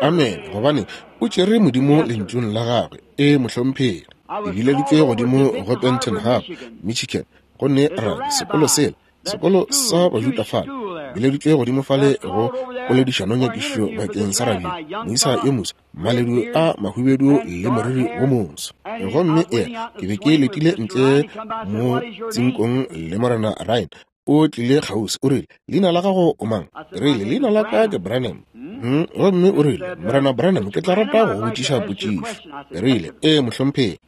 Amen. Gobane o tšere Modimo lentšung la gagwe. E, mohlomphegi. Ke bileditšwe godimo go Benton Harbor, Michigan, go ne rabi sekolo sela, sekolo sa Bajuda fale. Bileditšwe godimo fale go poledišanonyakišišo bakeng sa rabi, moisa yo moso, maledu a mahubedu le moriri wo moso. Gomme ea, ke be ke letile ntle mo tsinkong le Morena Ryan. O tlile kgauswi, o rile, leina la gago o mang? Ke rile, leina la ka ke Branham. Gomme o rile, Morena Branham, ke tla rata go botšiša potšišo. Ke rile, ee, mohlomphegi.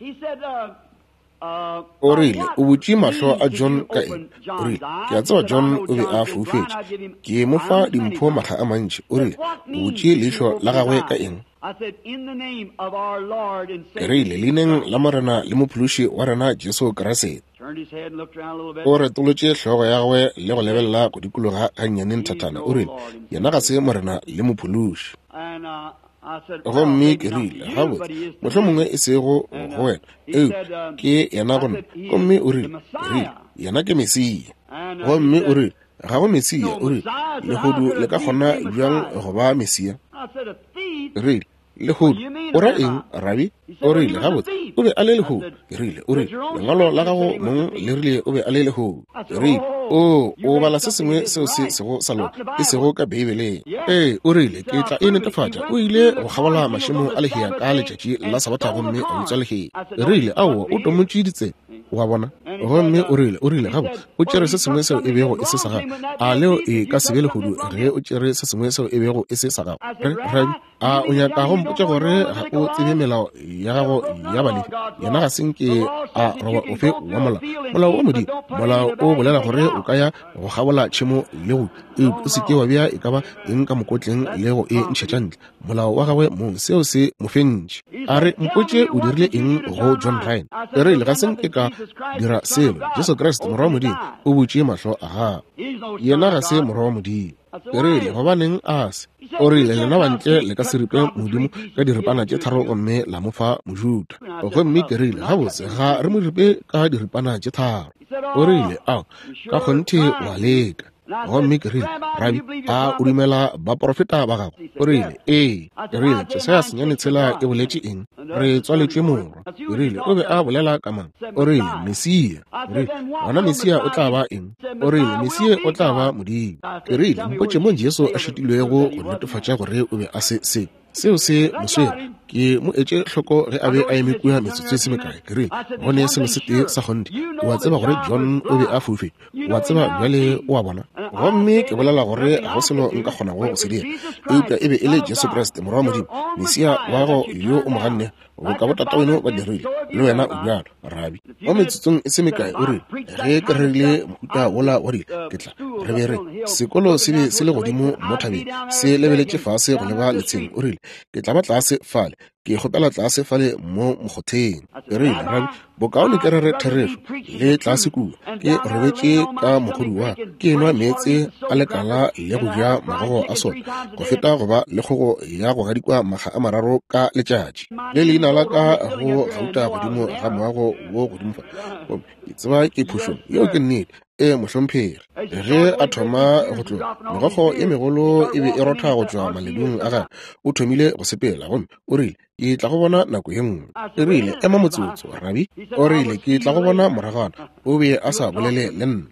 O rile, o butše mahlo a John ka eng? O rile, ke a tseba John o be a foufetše. Ke mo fa dimpho makga a mantši. O rile, o butše leihlo la gagwe ka eng? Ke rile, leineng la Morena le Mophološi wa rena Jesu Kriste. O retolotše hlogo ya gagwe le go lebelela go dikologa gannyane nthathana. O rile, yena ga se Morena le Mophološi. Gomme ke rile, gabotse, mohlomongwe e sego go wena, eupša ke yena go nna. Gomme o rile, ke rile, yena ke Mesia. Gomme o rile, ga go Mesia. O rile, lehodu le ka kgona bjang go ba Mesia? Rile, lehodu, o ra eng, rabi? O rile, gabotse, o be a le lehodu. Ke rile, o rile, lengwalo la gago mong le rile o be a le lehodu. Ke rile, o, o bala se sengwe seo se sego sa loka, e sego ka Beibeleng. Ee, o rile, ke tla e netefatša. O ile go kgabola mašemo a lehea ka letšatši la Sabatha gomme a utswa lehea. Ke rile, aowa, o tomotše ditsebe. Wa bona? Gomme o rile, o rile, gabotse, o tšere se sengwe seo e bego e se sa gago. A leo e ka se be lehodu ge o tšere se sengwe seo e bego e se sa gago? Re, rabi, a o nyaka go mpotša gore ga o tsebe melao ya gago ya Balefi? Yena ga se nke a roba ofe wa molao. Molao wa Modimo, molao o bolela gore o ka ya go kgabola tšhemo le go eupša o se ke wa bea e ka ba eng ka mokotleng le go e ntšhetša ntle. Molao wa gagwe mong, seo se mo fentše. A re, mpotše o dirile eng go John Ryan. E rile, ga se nke ka dira selo. Jesu Kriste, Morwa wa Modimo, o butše mahlo a gago. Yena ga se Morwa wa Modimo. Ke rile, gobaneng a se? O rile, lena bantle le ka se ripe Modimo ka diripana tše tharo gomme la mo fa Mojuda. Gomme ke rile, gabotse, ga re mo ripe ka diripana tše tharo. O rile, ao, ka kgonthe wa leka. Gomme ke rile, rabi, a o dumela baprofeta ba gago? O rile, ee. Ke rile, Jesaya 9:6 e boletše eng? Re tswaletšwe morwa. Ke rile, o be a bolela ka mang? O rile, Mesia. Ke rile, gona Mesia o tla ba eng? O rile, Mesia o tla ba Modimo. Ke rile, mpotše mo Jesu a šitilwego go netefatša gore o be a se se. Seo se mo swere. Ke mo etše hloko ge a be a eme kua metsotso e se mekae. Ke rile, go ne selo se tee sa kgonthe. O a tseba gore John o be a foufetše. O a tseba bjale, o a bona. Gomme ke bolela gore ga go selo nka kgonago go se dira. Eupša e be e le Jesu Kriste, Morwa wa Modimo, Mesia wa gago yo o mo gannego, boka botataweno ba dirile, le wena o bjalo, rabi. Mo metsotsong e se mekae, o rile, ge ke rerile mohuta wola wa dilo, ke tla re be re sekolo se be se le godimo mo thabeng, se lebeletše fase go leba letsheng. O rile, ke tla ba tlase fale, ke kgopela tlase fale mo mokgotheng. Ke rile, rabi, bokaone ke rere therešo le tlase kua. Ke robetše ka mogodu wa ke enwa meetse a lekala le go ja magogo a sona, go feta go ba le kgogo ya go gadikwa makga a mararo ka letšatši. Le leina la ka go gauta godimo ga moago wo godimo fa. Gomme ke tseba ke phošong. Yeo ke nnete. Ee, mohlomphegi. Ge a thoma go tloga, megokgo ye megolo e be e rotha go tšwa maledung a gagwe. O thomile go sepela, gomme o rile, ke tla go bona nako ye nngwe. E rile, ema motsotso, rabi. O rile, ke tla go bona moragwana. O be a sa bolele le nna.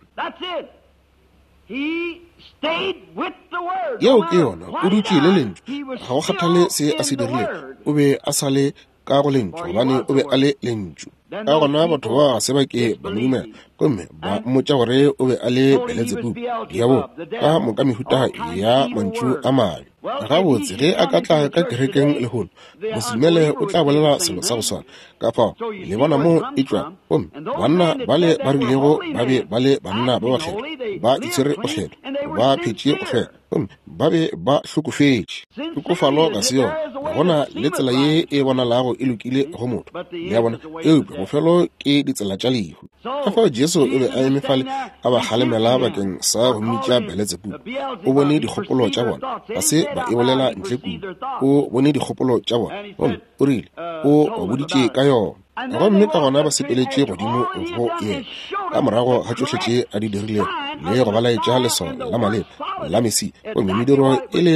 Yeo ke yona. O dutše le Lentšu. Ga go kgathale se a se dirilego, o be a sa le ka go Lentšu, gobane o be a le Lentšu. Ka gona batho ba ga se ba ke ba mo dumela, gomme ba mmotša gore o be a le Beletsebubu, diabolo, ka moka mehuta ya mantšu a mabe. Gabotse, ge a ka tla ka kerekeng lehono, mosedumele o tla bolela selo sa go swana. Ka fao le bona mo e tšwago. Gomme banna bale ba rilego ba be ba le banna ba bakgethwa, ba itshwere go hlweka, ba phetše go hlweka, gomme ba be ba hlokofetše. Tlhokofalo ga se yona. Go na le tsela ye e bonalago e lokile go motho, le a bona, eupša bofelo ke ditsela tša lehu. Ka fao Jesu o be a eme fale a ba kgalemela bakeng sa go mmitša Beletsebubu. O bone dikgopolo tša bona, ga se ba e bolela ntle kudu. O bone dikgopolo tša bona, gomme o rile, o ba boditše ka yona. Gomme ka gona ba sepeletše godimo go yena ka morago ga tšohle tše a di dirilego le go ba laetša leswao la maleba la Mesia, gomme mediro e le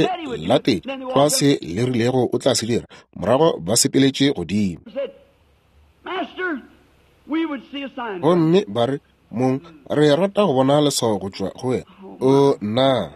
latetše tlwa se le rilego o tla se dira. Morago ba sepeletše godimo. Gomme ba re, Mong, re rata go bona leswao go tšwa go wena. O nna!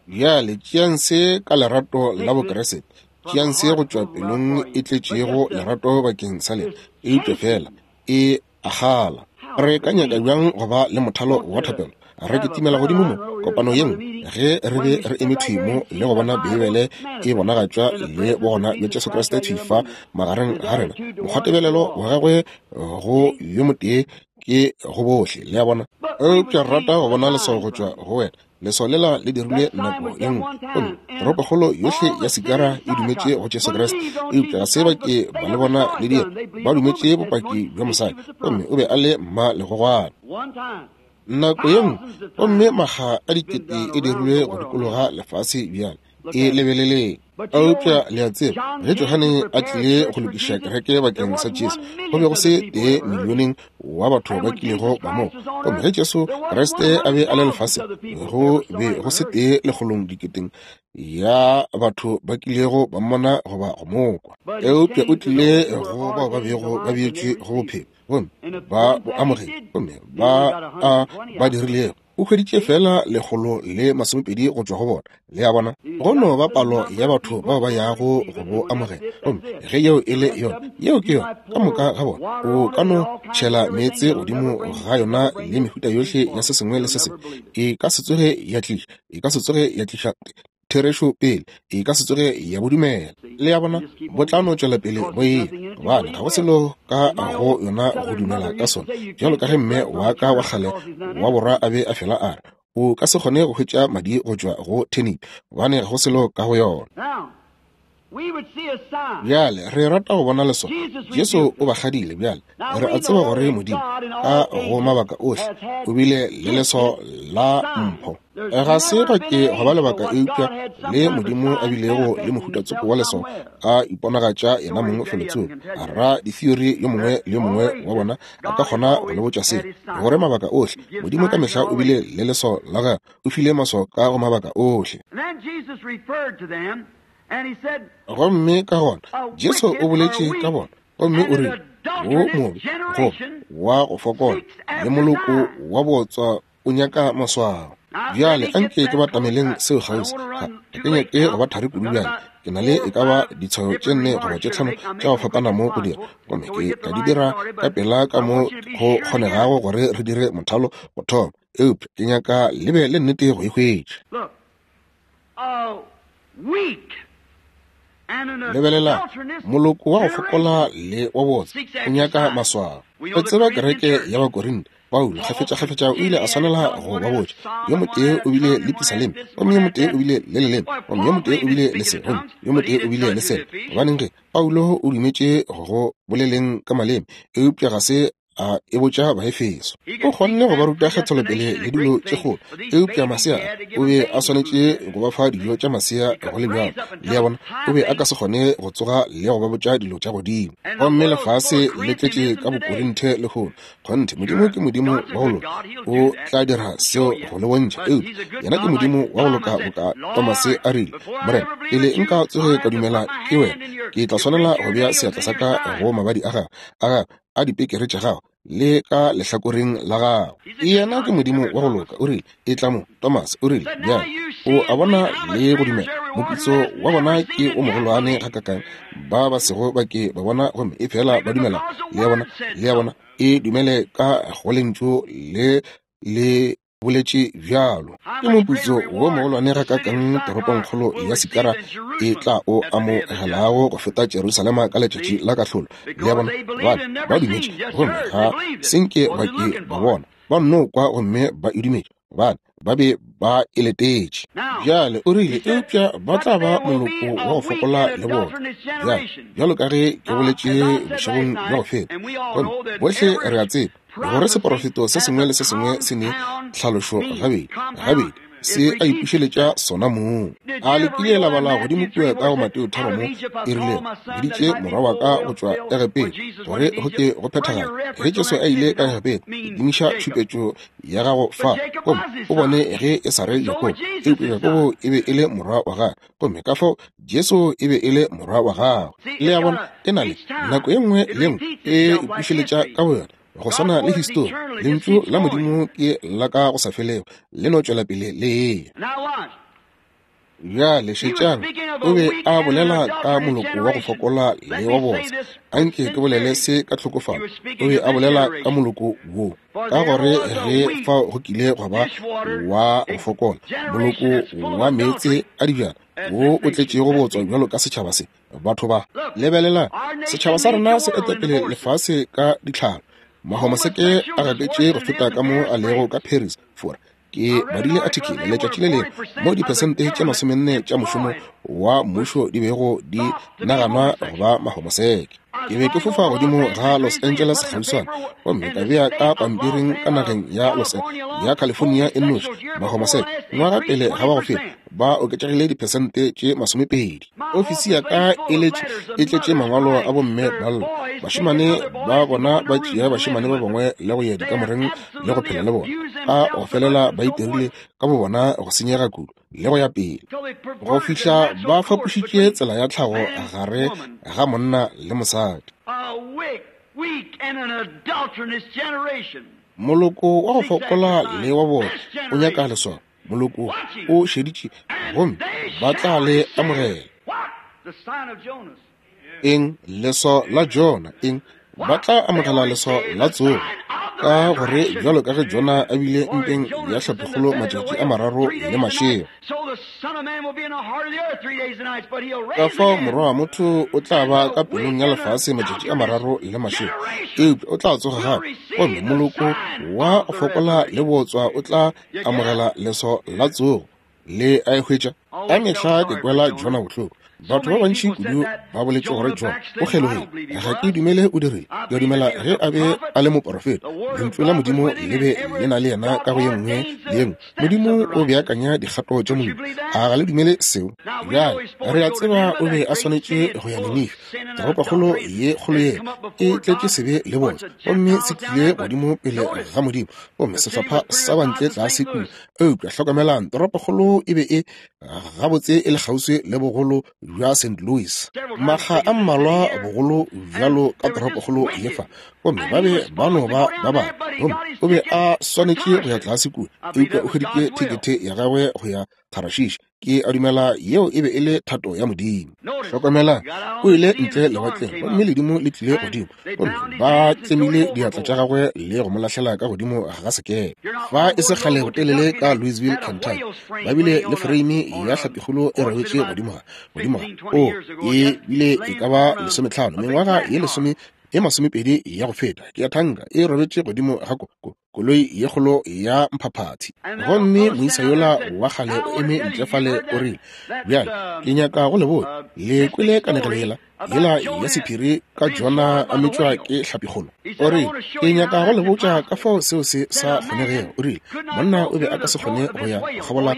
Bjale tšeang se ka lerato la Bokriste. Tšeang se go tšwa pelong e tletšego lerato bakeng sa lena. Eupša feela e a kgala. Re ka nyaka bjang go ba le mothalo wa thapelo? Re kitimela godimo mo kopano ye nngwe ge re be re eme thwi mo le go bona Beibele e bonagatšwa le bogona bja Jesu Kriste thwi fa magareng ga rena. Mokgwatebelelo wa gagwe go yo motee ke go bohle, le a bona. Eupša re rata go bona leswao go tšwa go wena. Leswao lela le dirilwe nako ye nngwe, gomme toropokgolo yohle ya Sikara e dumetše go Jesu Kriste, eupša ga se ba ke ba le bona le dira. Ba dumetše bopaki bja mosadi, gomme o be a le mma legogwana. Nako ye nngwe, gomme makga a dikete e dirilwe go dikologa lefase bjale. E lebeleleng. Eupša le a tseba, ge Johane a tlile go lokiša kereke bakeng sa Jesu, go be go se tee milioneng wa batho ba kilego ba mo. Gomme ge Jesu Kriste a be a le lefaseng, go be go se tee lekgolong diketeng ya batho ba kilego ba mmona goba go mo kwa. Eupša o tlile go bao ba bego ba beetšwe go bophelo, gomme ba bo amogetše, gomme ba a ba dirilego. O hweditše feela 120 go tšwa go bona. Le a bona? Go no ba palo ya batho bao ba yago go bo amogela. Gomme ge yeo e le yona, yeo ke yona, ka moka ga bona. O ka no tšhela meetse godimo ga yona le mehuta yohle ya se sengwe le se sengwe. E ka se tsoge ya tliša, e ka se tsoge ya tliša therešo pele, e ka se tsoge ya bo dumela. Le a bona? Bo tla no tšwela pele bo eya, gobane ga go selo ka go yona go dumela ka sona. Bjalo ka ge mme wa ka wa kgale wa borwa a be a fela a re, o ka se kgone go hwetša madi go tšwa go turnip, gobane ga go selo ka go yona. Bjale re rata go bona leswao. Jesu o ba kgadile. Bjale re a tseba gore Modimo ka go mabaka ohle o bile le leswao la mpho. Ga se ga ke go ba lebaka eupša le Modimo a bilego le mohuta tsoko wa leswao a iponagatša yena mong felotsoko. Ra ditheory yo mongwe le yo mongwe wa bona a ka kgona go le botša se, gore mabaka ohle Modimo ka mehla o bile le leswao la gagwe, o file maswao ka go mabaka ohle. Gomme ka gona Jesu o boletše ka bona, gomme o rile, wo mobe goba wa go fokola le moloko wa bootswa o nyaka maswao. Bjale anke ke batameleng seo kgauswi. Ga ke nyake go ba thari kudu bjale. Ke na le e ka ba ditshwayo tše 4 goba tše 5 tša go fapana mo go dira, gomme ke tla di dira ka pela ka mo go kgonegago gore re dire mothalo go thoma, eupša ke nyaka le be le nnete go e hwetša. Lebelela, moloko wa go fokola le wa botse o nyaka maswao. Re tseba kereke ya Bakorinte. Paulo kgafetša-kgafetša o ile a swanela go ba botša, yo motee o bile le pisaleme, gomme yo motee o bile le leleme, gomme yo motee o bile le se, gomme yo motee o bile le sela. Gobaneng ge Paulo o dumetše go boleleng ka maleme, eupša ga se a e botša Baefeso. O kgonne go ba ruta kgethelopele le dilo tše kgolo, eupša masea o be a swanetše go ba fa dijo tša masea go le bjalo. Le a bona, o be a ka se kgone go tsoga le go ba botša dilo tša godimo. Gomme lefase le tletše ka Bokorinthe lehono. Kgonthe, Modimo ke Modimo wa go loka, o tla dira seo go le bontšha. Eupša yena ke Modimo wa go loka boka Tomase a rile, Morena, pele nka tsoge ka dumela ke wena, ke tla swanela go bea seatla sa ka go mabadi a gago, a gago a dipekere tša gago le ka lehlakoreng la gago. Yena ke Modimo wa go loka. O rile, e tla mo, Thomas. O rile, bjale o a bona le go dumela. Moputso wa bona ke o mogolwane gakakang ba ba sego ba ke ba bona gomme e fela ba dumela. Le a bona, le a bona, e dumele ka go lentšu le le boletše bjalo. Ke moputso wo mogolwane gakakang toropongkgolo ya Sikara e tla o amogelago go feta Jerusalema ka letšatši la kahlolo. Le a bona, gobane ba dumetše gomme ga se nke ba ke ba bona, ba nno kwa gomme ba e dumetše, gobane ba be ba e letetše. Bjale o rile, eupša ba tla ba moloko wa go fokola le bona. Bjale, bjalo ka ge ke boletše bošegong bja go feta, gomme bohle re a tseba gore seporofeto se sengwe le se sengwe se ne tlhalošo gabedi gabedi, se a ipušeletša sona mong. A le kile la bala godimo kua ka go Mateo 3 mo e rilego, biditše morwa wa ka go tšwa Egepeta, gore go ke go phethagale. Ge Jesu a ile ka Egepeta, dimiša tšhupetšo ya gago fa, gomme o bone ge e sa re Jakobo, eupša Jakobo e be e le morwa wa gagwe, gomme ka fao Jesu e be e le morwa wa gagwe. Le a bona, e na le nako e nngwe le nngwe e ipušeletša ka boyona, go swana le histori. Lentšu la Modimo ke la ka go sa felego, le no tšwela pele le eya. Bjale šetšang, o be a bolela ka moloko wa go fokola le wa botse. Anke ke bolele se ka tlhokofalo. O be a bolela ka moloko wo, ka gore ge fao go kile gwa ba wa go fokola, moloko wa meetse a dibjana wo o tletšego botswa bjalo ka setšhaba se, batho ba. Lebelelang, setšhaba sa rena se etapele lefase ka ditlhalo. Mahomoseke a gaketše go feta ka mo a lego ka Paris, Fora. Ke badile article letšatši le lengwe mo diphesente tše 40 tša mošomo wa mmušo di bego di naganwa go ba mahomoseke. Ke be ke fofa godimo ga Los Angeles kgauswana gomme ka bea ka pampiring ka nageng ya Los ya California e nnoši mahomoseke ngwaga pele ga ba go feta. Ba oketšegile diphesente tše 20. Ofisi ya ka e letše e tletše mangwalo a bomme ba lla. Bašemane ba bona ba tšea bašemane ba bangwe le go ya dikamoreng le go phela le bona. Ka go felela ba itirile ka bobona go senyega kudu le go ya pele, go fihla ba fapošitše tsela ya tlhago gare ga monna le mosadi. Moloko wa go fokola le wa bona o nyaka leswao. Moloko o šeditše gomme ba tla le amogela. Eng? Leswao la Jona. Eng? Ba tla amogela leswao la tsogo, ka gore bjalo ka ge Jona a bile mpeng ya hlapikgolo matšatši a mararo le mašego, ka fao Morwa wa motho o tla ba ka pelong ya lefase matšatši a mararo le mašego, eupša o tla tsoga gape, gomme moloko wa go fokola le bootswa o tla amogela leswao la tsogo. Le a e hwetša? Ka mehla ke kwela Jona bohloko. Batho ba bantši kudu ba boletše gore Jona o kgelogile. Ga ke dumele o dirile. Ke a dumela ge a be a le moporofeta, Lentšu la Modimo le be le na le yena ka go ye nngwe le ye nngwe. Modimo o beakanya dikgato tša Modimo. A ga le dumele seo? Bjale, re a tseba o be a swanetše go ya Ninife, toropokgolo ye kgolo ye e tletše sebe le botse, gomme se tlile godimo pele ga Modimo, gomme sehlopha sa bantle tlase kua. Eupša hlokomelang, toropokgolo e be e gabotse e le kgauswi le bogolo bja St. Louis, makga a mmalwa bogolo bjalo ka toropokgolo ye fa, gomme ba be ba no ba ba bangwe. Gomme o be a swanetše go ya tlase kua, eupša o hweditše thekethe ya gagwe go ya Tharashishi. Ke a dumela yeo e be e le thato ya Modimo. Hlokomelang, o ile ntle lewatleng, gomme ledimo le tlile godimo, gomme ba tlemile diatla tša gagwe le go mo lahlela ka godimo ga sekepe. Fa e se kgale botelele ka Louisville, Kentucky, ba bile le foreime ya hlapikgolo e robetše godimo ga, godimo ga, o, e bile e ka ba 15, mengwaga ye lesome e 20 ya go feta, ke a thanka, e robetše godimo ga ko, ko, koloi ye kgolo ya mphaphathi. Gomme moisa yola wa kgale o eme ntle fale, o rile, Bjale, ke nyaka go le botša, le kwele kanegelo yela, yela ya sephiri ka Jona a metšwa ke hlapikgolo? O rile, Ke nyaka go le botša ka fao seo se sa kgonegego. O rile, Monna o be a ka se kgone go ya go kgabola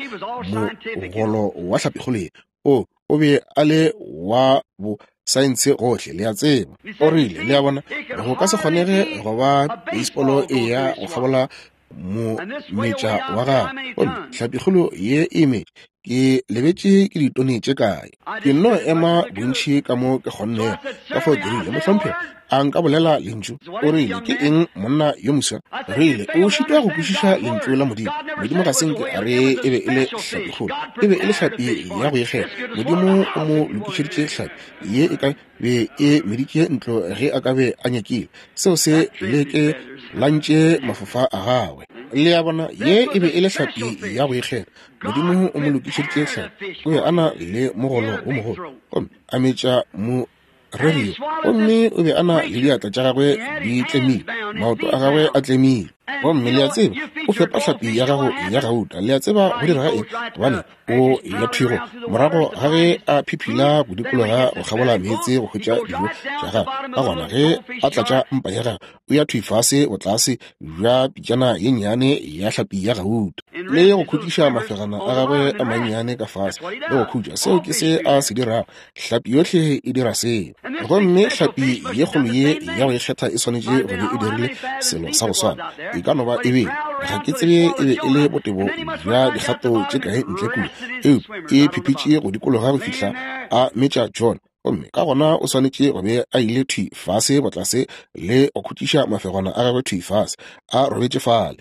mogolo wa hlapikgolo ye. O, o be a le wa bo saense gohle, le a tseba. O rile, le a bona, go ka se kgonege go ba beisebolo e ya go kgabola mometša wa gagwe. Gomme hlapikgolo ye e metše, ke lebetše ke ditone tše kae. Ke nno ema bontši ka mo ke kgonnego. Ka fao ke rile, Mohlomphegi, a nka bolela lentšu? O rile, Ke eng monna yo moswa? Rile, O šitwa go kwešiša lentšu la Modimo. Modimo ga se nke a re e be e le hlapikgolo. E be e le hlapi ya go ikgetha. Modimo o mo lokišeditše hlapi ye e ka be e meditše ntlo ge a ka be a nyakile. Seo se leke lantše mafofa a gagwe. Le a bona, ye e be e le hlapi ya go ikgetha. Modimo o mo lokišeditše hlapi. O be a na le mogolo wo mogolo, gomme a metša mo rerio, gomme o be a na le diatla tša gagwe di tlemile, maoto a gagwe a tlemile. Gomme le a tseba, o fepa hlapi ya gago ya gauta. Le a tseba go dira ga eng? Gobane o ya thwigo morago ga ge a phiphila go dikologa go kgabola meetse go hwetša dijo tša gagwe. Ka gona ge a tlatša mpa ya gagwe, o ya thwi fase botlase bja pitšana ye nnyane ya hlapi ya gauta, le go khutšiša mafegana a gagwe a mannyane ka fase le go khutša. Seo ke se a se dirago. Hlapi yohle e dira seo. Gomme hlapi ye kgolo ye ya go ikgetha e swanetše go be e dirile selo sa go swana. E ka no ba e bile, ga ke tsebe e be e le botebo bja dikgato tše kae ntle kua, eupša e phipitše go dikologa go fihla a metša John. Gomme ka gona o swanetše go be a ile thwi fase botlase le go khutšiša mafegwana a gagwe thwi fase, a robetše fale.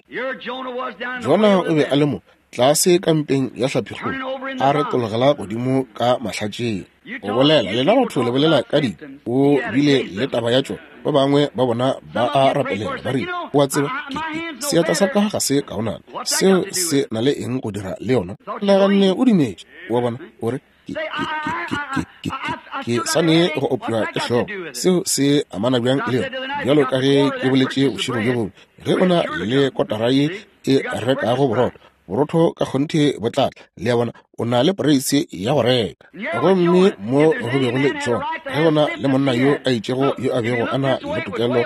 Jona o be a le mo, tlase ka mpeng ya hlapikgolo, a retologela godimo ka mahlatšeng. O bolela, lena batho le bolela ka di, o bile le taba ya tšona. Ba bangwe ba bona ba a rapelela, ba rile, O a tseba, ke, ke, seatla sa ka ga se kaonana. Seo se na le eng go dira le yona? Naganne o dumetše. O a bona? O re, Ke, ke, ke, ke, ke, ke, ke, ke sa ne go opša ke hlogo. Seo se amana bjang le yona? Bjalo ka ge ke boletše bošego bjo bongwe, ge o na le kotara ye e rekago borotho, borotho ka kgonthe bo tla tla. Le a bona, o na le poreise ya go reka. Gomme mo go bego le John, ge go na le monna yo a itšego yo a bego a na le tokelo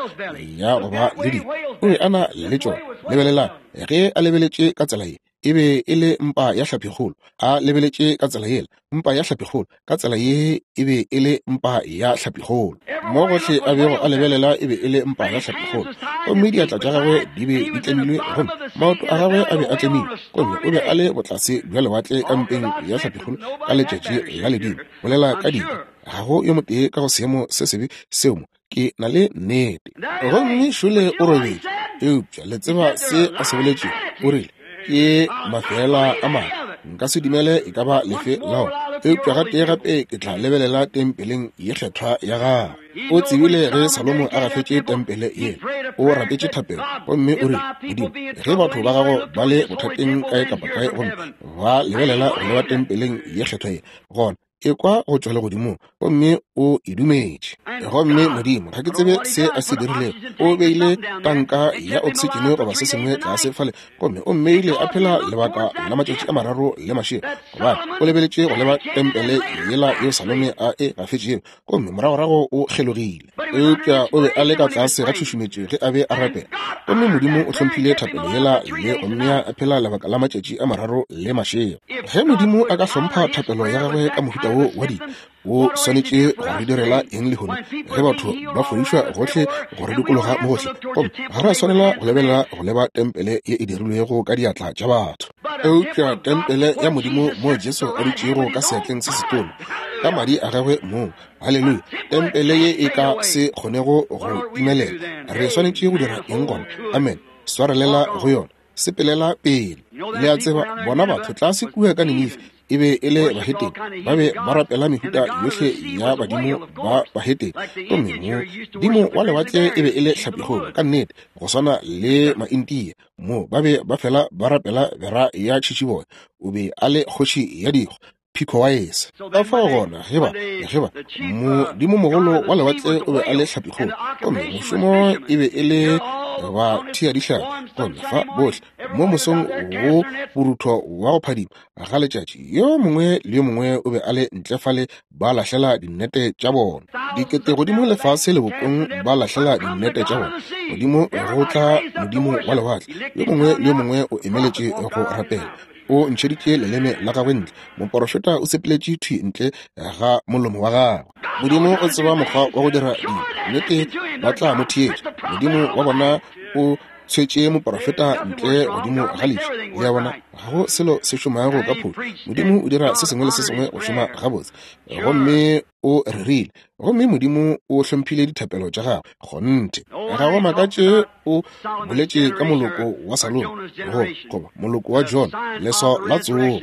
ya go ba le dilo, o be a na le tšona. Lebelelang, ge a lebeletše ka tsela ye. E be e le mpa ya hlapikgolo, a lebeletše ka tsela yela, mpa ya hlapikgolo, ka tsela ye e be e le mpa ya hlapikgolo. Mo gohle a bego a lebelela e be e le mpa ya hlapikgolo, gomme diatla tša gagwe di be di tlemilwe, gomme maoto a gagwe a be a tlemilwe, gomme o be a le botlase bja lewatle ka mpeng ya hlapikgolo ka letšatši la ledimo. Bolela ka dibe, ga go yo motee ka go seemo se sebe seo mo. Ke na le nnete. Gomme šole o robetše. Eupša le tseba se a se boletšego? O rile, Ke mafeela a mabe. Nka se dumele e ka ba lefe la ona. Eupša gatee gape ke tla lebelela tempeleng ye kgethwa ya gago. O tsebile ge Salomo a gafetše tempele yela, o rapetše thapelo, gomme o rile, Modimo, ge batho ba gago ba le bothateng kae kapa kae gomme ba lebelela go leba tempeleng ye kgethwa ye, gona ekwa go tšwa legodimong, gomme o e dumetše. Gomme Modimo, ga ke tsebe se a se dirilego, o beile tanka ya oksitšene goba se sengwe tlase fale, gomme o mmeile a phela lebaka la matšatši a mararo le mašego, gobane o lebeletše go leba tempele yela yeo Salome a e gafetšego, gomme moragorago o kgelogile. Eupša o be a le ka tlase ga tšhušumetšo ge a be a rapela, gomme Modimo o hlomphile thapelo yela le go mmea a phela lebaka la matšatši a mararo le mašego. Ge Modimo a ka hlompha thapelo ya gagwe ka mohuta wo wa dilo, o swanetše go re direla eng lehono ge batho ba fodišwa gohle go re dikologa mo gohle? Gomme ga re a swanela go lebelela go leba tempele ye e dirilwego ka diatla tša batho, eupša tempele ya Modimo moo Jesu a dutšego ka seatleng se setona ka madi a gagwe mong. Haleluya! Tempele ye e ka se kgonego go timelela. Re swanetše go dira eng gona? Amen. Swarelela go yona. Sepelela pele. Le a tseba, bona batho tlase kua ka Ninife e be e le bahetene. Ba be ba rapela mehuta yohle ya badimo ba bahetene. Gomme modimo wa lewatle e be e le hlapikgolo, ka nnete, go swana le Maintia. Mo ba be ba fela ba rapela bera ya tšhitšiboya. O be a le kgoši ya dikgwa. Picowaese. Ka fao gona, ge ba, ge ba, modimomogolo wa lewatle o be a le hlapikgolo, gomme mošomo e be e le ba thea dihlapi, gomme fa bohle mo mosong wo borutho wa go phadima ga letšatši, yo mongwe le yo mongwe o be a le ntle fale ba lahlela dinnete tša bona. Dikete godimo lefase lebopong ba lahlela dinnete tša bona. Godimo go tla modimo wa lewatle, yo mongwe le yo mongwe o emeletše go rapela. O ntšheditše leleme la gagwe ntle. Moporofeta o sepeletše thwi ntle ga molomo wa gagwe. Modimo o tseba mokgwa wa go dira dilo. Nnete, ba tla mo theetša. Modimo wa bona o tshwetše moporofeta ntle godimo ga leši. Le a bona, ga go selo se šomago ka phošo. Modimo o dira se sengwe le se sengwe go šoma gabotse. Gomme o rerile, gomme Modimo o hlomphile dithapelo tša gagwe. Kgonthe, ga go makatše o boletše ka moloko wa Salomo, go goba moloko wa Jona, leswao la tsogo.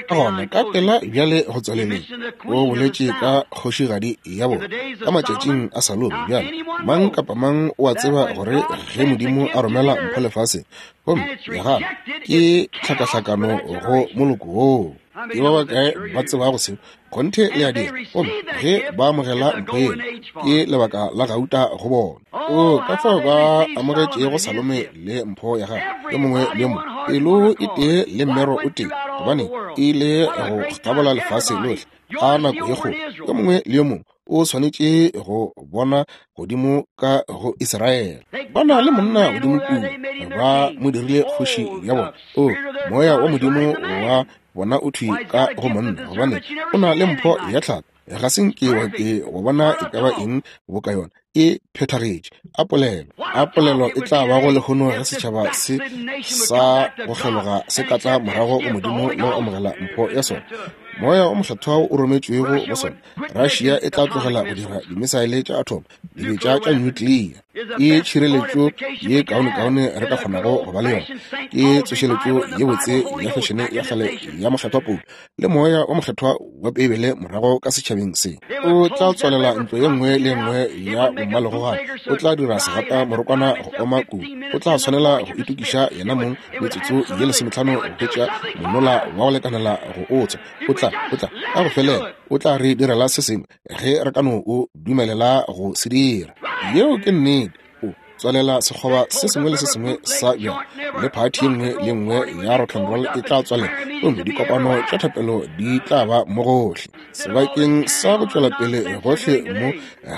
Ka gona ka pela bjale go tswaleleng, o boletše ka kgošigadi ya bona ka matšatšing a Salomo. Bjale mang kapa mang o a tseba gore ge Modimo a romela mpho lefaseng, gomme ya gagwe ke tlhakahlakano go moloko woo. Ke ba bakae ba tsebago seo? Kgonthe le a dira. Gomme ge ba amogela mpho yela, ke lebaka la gauta go bona. O ka fao ba amogetšego Salome le mpho ya gagwe, yo mongwe le yo mongwe, pelo e tee le mmero o tee, gobane e ile go kgabola lefase lohle ka nako ye kgolo. Yo mongwe le yo mongwe o swanetše go bona godimo ka go Israele. Ba na le monna godimo kua, ba mo dirile kgoši ya bona. O, moya wa Modimo wa bona o thwi ka go monna, gobane o na le mpho ya tlhago. Ga se nke wa ke wa bona e ka ba eng boka yona. E phethagetše. A polelo, a polelo e tla bago lehono ge setšhaba se sa go kgeloga se ka tla morago go Modimo le go amogela mpho ya sona, Moya o Mokgethwa o rometšwego go sona. Russia e tla tlogela go dira dimisaele tša atom, dibetša tša nuclear. Ke tšhireletšo ye kaonekaone re ka kgonago go ba le yona. Ke tsošeletšo ye botse ya fešene ya kgale ya Mokgethwa Paulo le Moya wo Mokgethwa wa Beibele morago ka setšhabeng se. O tla tswalela ntlo ye nngwe le ye nngwe ya bommalegogana. O tla dira segata morokwana go oma kudu. O tla swanela go itokiša yena mong metsotso ye lesometlhano go hwetša monola wa go lekanela go o tswa. O tla, o tla, ka go felela, o tla re direla se sengwe ge re ka no o dumelela go se dira. Yeo ke nnete. O tswalela sekgoba se sengwe le se sengwe sa bjala, le phathi ye nngwe le nngwe ya rock and roll e tla tswalela, gomme dikopano tša thapelo di tla ba mo gohle. Sebakeng sa go tšwela pele gohle mo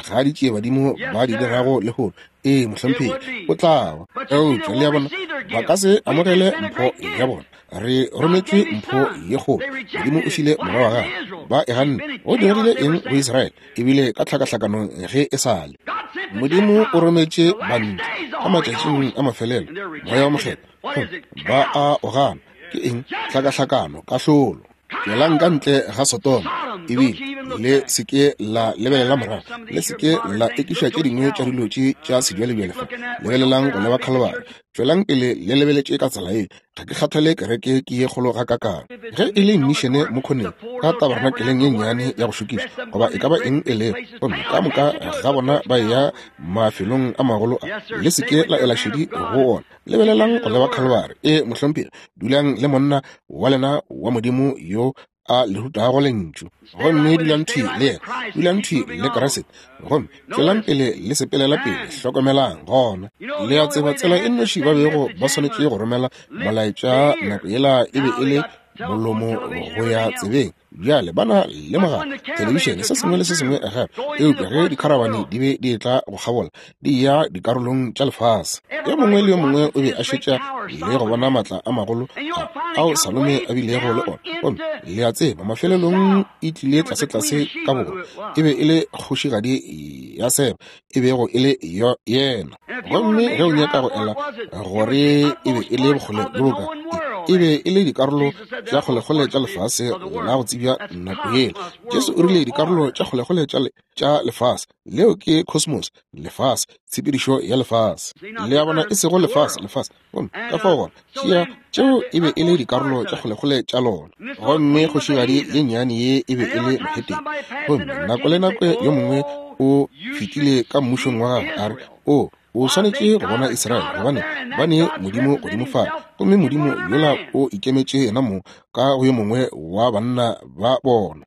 ga ditšiebadimo ba di dirago lehono. Ee, mohlomphegi, o tla ba. Eupša, le a bona, ba ka se amogele mpho ya bona. Re rometšwe mpho ye kgolo. Modimo o file Morwa wa Gagwe. Ba e ganne. Go diregile eng go Israele? E bile ka tlhakahlakanong ge e sa le. Modimo o rometše Bantle ka matšatšing a mafelelo, Moya wo Mokgethwa, gomme ba a o gana. Ke eng? Tlhakahlakano, kahlolo. Tšwelang ka ntle ga Sodoma, ebile le se ke la lebelela morago, le se ke la ekiša tše dingwe tša dilo tše tša sebjalebjale fa. Lebelelang go leba Khalibari. Tšwelang pele le lebeletše ka tsela ye. Ga ke kgathale kereke ke ye kgolo gakakang. Ge e le mmišene mo khoneng, ka tabernakeleng ye nnyane ya go šokiša, goba e ka ba eng e lego, gomme ka moka ga bona ba eya mafelong a magolo a, le se ke la ela šedi go ona. Lebelelang go leba Khalibari. Ee, mohlomphegi, dulang le monna wa lena wa Modimo yo a le rutago Lentšu. Gomme dulang thwi le yena, dulang thwi le Kriste, gomme tšwelang pele le sepelela pele. Hlokomelang gona, le a tseba tsela e nnoši ba bego ba swanetše go romela molaetša nako yela e be e le molomo go ya tsebeng. Bjale ba na le mogala, thelebišene, se sengwe le se sengwe gape. Eupša ge dikharabane di be di etla go kgabola, di eya dikarolong tša lefase, yo mongwe le yo mongwe o be a šetša le go bona maatla a magolo a ao Salome a bilego le ona. Gomme le a tseba, mafelelong e tlile tlasetlase ka borwa, e be e le kgošigadi ya Seba, e bego e le yena. Gomme ge o nyaka go ela gore e be e le bokgole bjo bokae, e be e le dikarolo tša kgolekgole tša lefase la go tsebja nako yela. Jesu o rile dikarolo tša kgolekgole tša lefase, leo ke cosmos, lefase, tshepedišo ya lefase. Le a bona, e sego lefase, lefase. Gomme ka fao gona, tšea, tšeo e be e le dikarolo tša kgolekgole tša lona. Gomme kgošigadi ye nnyane ye e be e le mohetene. Gomme nako le nako yo mongwe o fetile ka mmušong wa gagwe, a re, O, o swanetše go bona Israele, gobane ba ne Modimo godimo fale. Gomme Modimo yola o ikemetše yena mong ka go yo mongwe wa banna ba bona.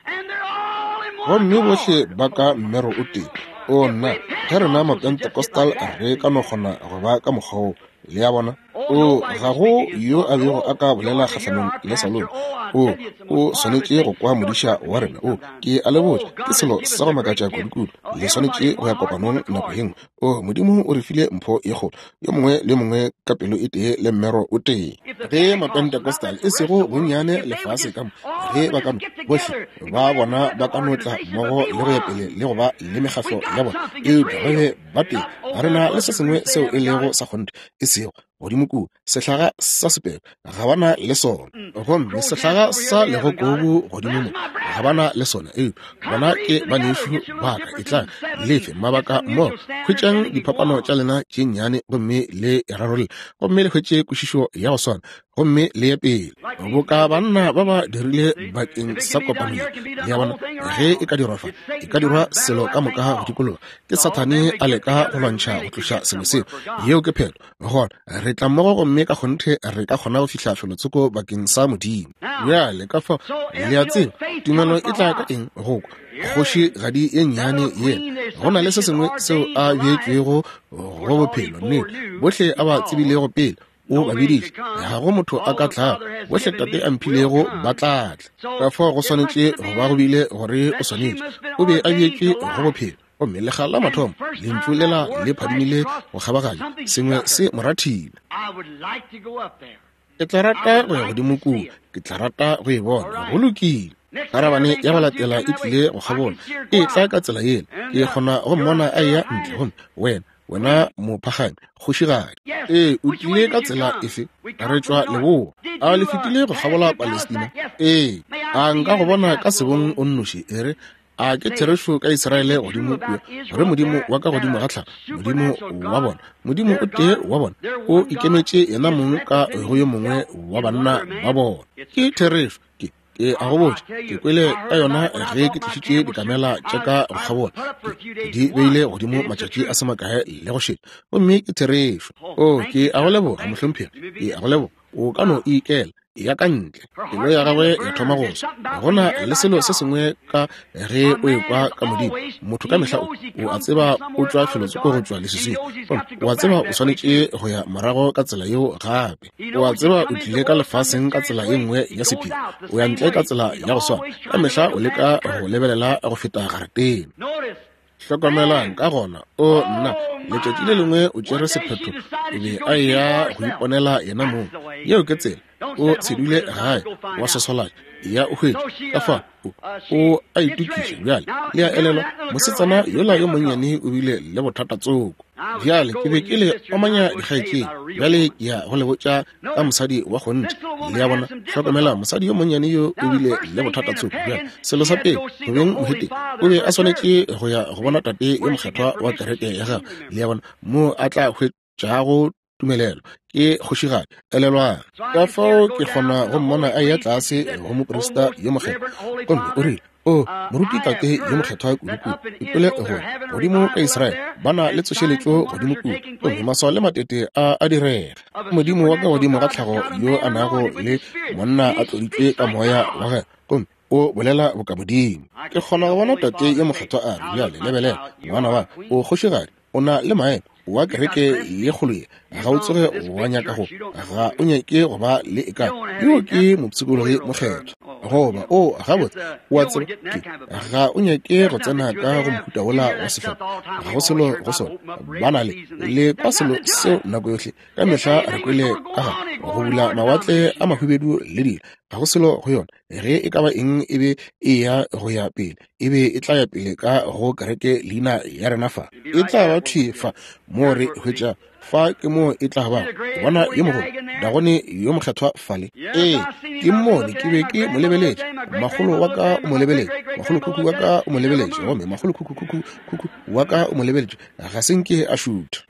Gomme bohle ba ka mmero o tee. O nna, ge rena Mapentecostal re ka no kgona go ba ka mokgwa woo. Le a bona? O, ga go yo a bego a ka bolela kgahlanong le Salomo. O, o swanetše go kwa modiša wa rena. O, ke a le botša, ke selo sa go makatša kudukudu. Le swanetše go ya kopanong nako ye nngwe. O, Modimo o re file mpho ye kgolo, yo mongwe le yo mongwe ka pelo e tee le mmero o tee. Ge Mapentecostal, e sego bonnyane lefase ka mo, ge ba ka no, bohle ba bona ba ka no tla mmogo le go ya pele le go ba le mekgahlo ya bona, eupša ba be ba tee. Re na le se sengwe seo e lego sa kgonthe, e sego godimo kua sehlaga sa sepelo, ga ba na le sona. Gomme sehlaga sa legokobu godimo mo, ga ba na le sona. Eupša bona ke banešu ba ka, etlang le fe mabaka mmogo, hwetšang diphapano tša lena tše nnyane gomme le e rarolle, gomme le hwetše kwešišo ya go swana, gomme le ye pele boka banna ba ba dirile bakeng sa kopano ye. Le a bona, ge e ka dirwa fa, e ka dirwa selo ka moka go dikologa. Ke Sathane a leka go lwantšha go tloša selo seo. Yeo ke phetho. Gona re tla mmogo gomme ka kgonthe re ka kgona go fihla felotsoko bakeng sa Modimo. Bjale ka fao, le a tseba, tumelo e tla ka eng? Go kwa. Kgošigadi ye nnyane yela, go na le se sengwe seo a beetšwego go bophelo, nnete, bohle a ba tsebilego pele, o ba biditše, ga go motho a ka tlago, bohle Tate a mphilego ba tla tla. Ka fao go swanetše go ba go bile gore o swanetše, o be a beetšwe go bophelo. Gomme lekga la mathomo lentšu lela le phadimile go kgabaganya, sengwe se mo rathile. Ke tla rata go ya godimo kua, ke tla rata go e bona. Go lokile. Karabane ya go latela e tlile go kgabola, e tla ka tsela yela. Ke kgona go mmona a eya ntle, gomme wena, wena mophagami, kgošigadi. Ee, o tlile ka tsela efe? Re tšwa leboa. A le fetile go kgabola Palestina? Ee. A nka go bona ka sebong o nnoši? E re, a ke therešo ka Israele godimo kua, gore Modimo wa ka godimo ga tlhago, Modimo wa bona, Modimo o tee wa bona, o ikemetše yena mong ka go yo mongwe wa banna ba bona. Ke therešo. Ke, ke a go botša, ke kwele ka yona ge ke tlišitše dikamela tša ka go kgabola. Ke, ke di beile godimo matšatši a se makae le go šetša, gomme ke therešo. O, ke a go leboga, mohlomphegi. Ke a go leboga. O ka no ikela. Ya ka ntle, pelo ya gagwe ya thoma go swa. Go na le selo se sengwe ka ge o ekwa ka Modimo. Motho ka mehla o, o a tseba o tšwa felotsoko go tšwa leswiswing, gomme o a tseba o swanetše go ya morago ka tsela yeo gape. O a tseba o tlile ka lefaseng ka tsela ye nngwe ya sephiri, o ya ntle ka tsela ya go swana. Ka mehla o leka go lebelela go feta garetene. Hlokomelang, ka gona, o nna, letšatši le lengwe o tšere sephetho, o be a eya go iponela yena mong. Yeo ke tsela. O se dule gae, wa sosolaša, ya o hwetše. Ka fa, o, o a itokiša bjale. Le a elelwa, mosetsana yola yo monnyane o bile le bothata tsoko. Bjale, ke be ke le omanya dikgaetšedi. Bjale ke ya go le botša ka mosadi wa kgonthe. Le a bona? Hlokomela, mosadi yo monnyane yo o bile le bothata tsoko. Bjale, selo sa pele, go beng mohetene, o be a swanetše go ya go bona tate yo mokgethwa wa kereke ya gagwe. Le a bona? Moo a tla hwetšago tumelelo ke kgošigadi. Elelwang. Ka fao ke kgona go mmona a eya tlase go moprista yo mokgethwa, gomme o rile, O, moruti tate yo mokgethwa kudukudu, ke kwele gore godimo ka Israele ba na le tsošeletšo godimo kua, gomme maswao le matete a a direga. Modimo wa ka godimo ga tlhago yo a nago le monna a tloditšwe ka moya wa gagwe, gomme o bolela boka Modimo. Ke kgona go bona tate yo mokgethwa a re, Bjale lebelela, ngwana wa ka, o kgošigadi, o na le maemo wa kereke ye kgolo ye, ga o tsoge wa nyaka go, ga o nyake go ba le e ka yo ke mopshikologi mokgethwa, goba o gabotse o a tseba ke, ga o nyake go tsena ka go mohuta wola wa sehlopha, ga go selo go sona, ba na le kwa selo seo nako yohle, ka mehla re kwele ka ga go bula mawatle a mahubedu le dilo, ga go selo go yona. Ge e ka ba eng e be e ya go ya pele, e be e tla ya pele ka go kereke leina ya rena fa. E tla ba thwi fa moo re hwetša, fa ke moo e tla ba. Bona yo mogolo, Dagone yo mokgethwa fale. Ee, ke mmone, ke be ke mo lebeletše. Makgolo wa ka o mo lebeletše, makgolokhukhu wa ka o mo lebeletše, gomme makgolokhukhukhukhu wa ka o mo lebeletše. Ga se nke a šutha.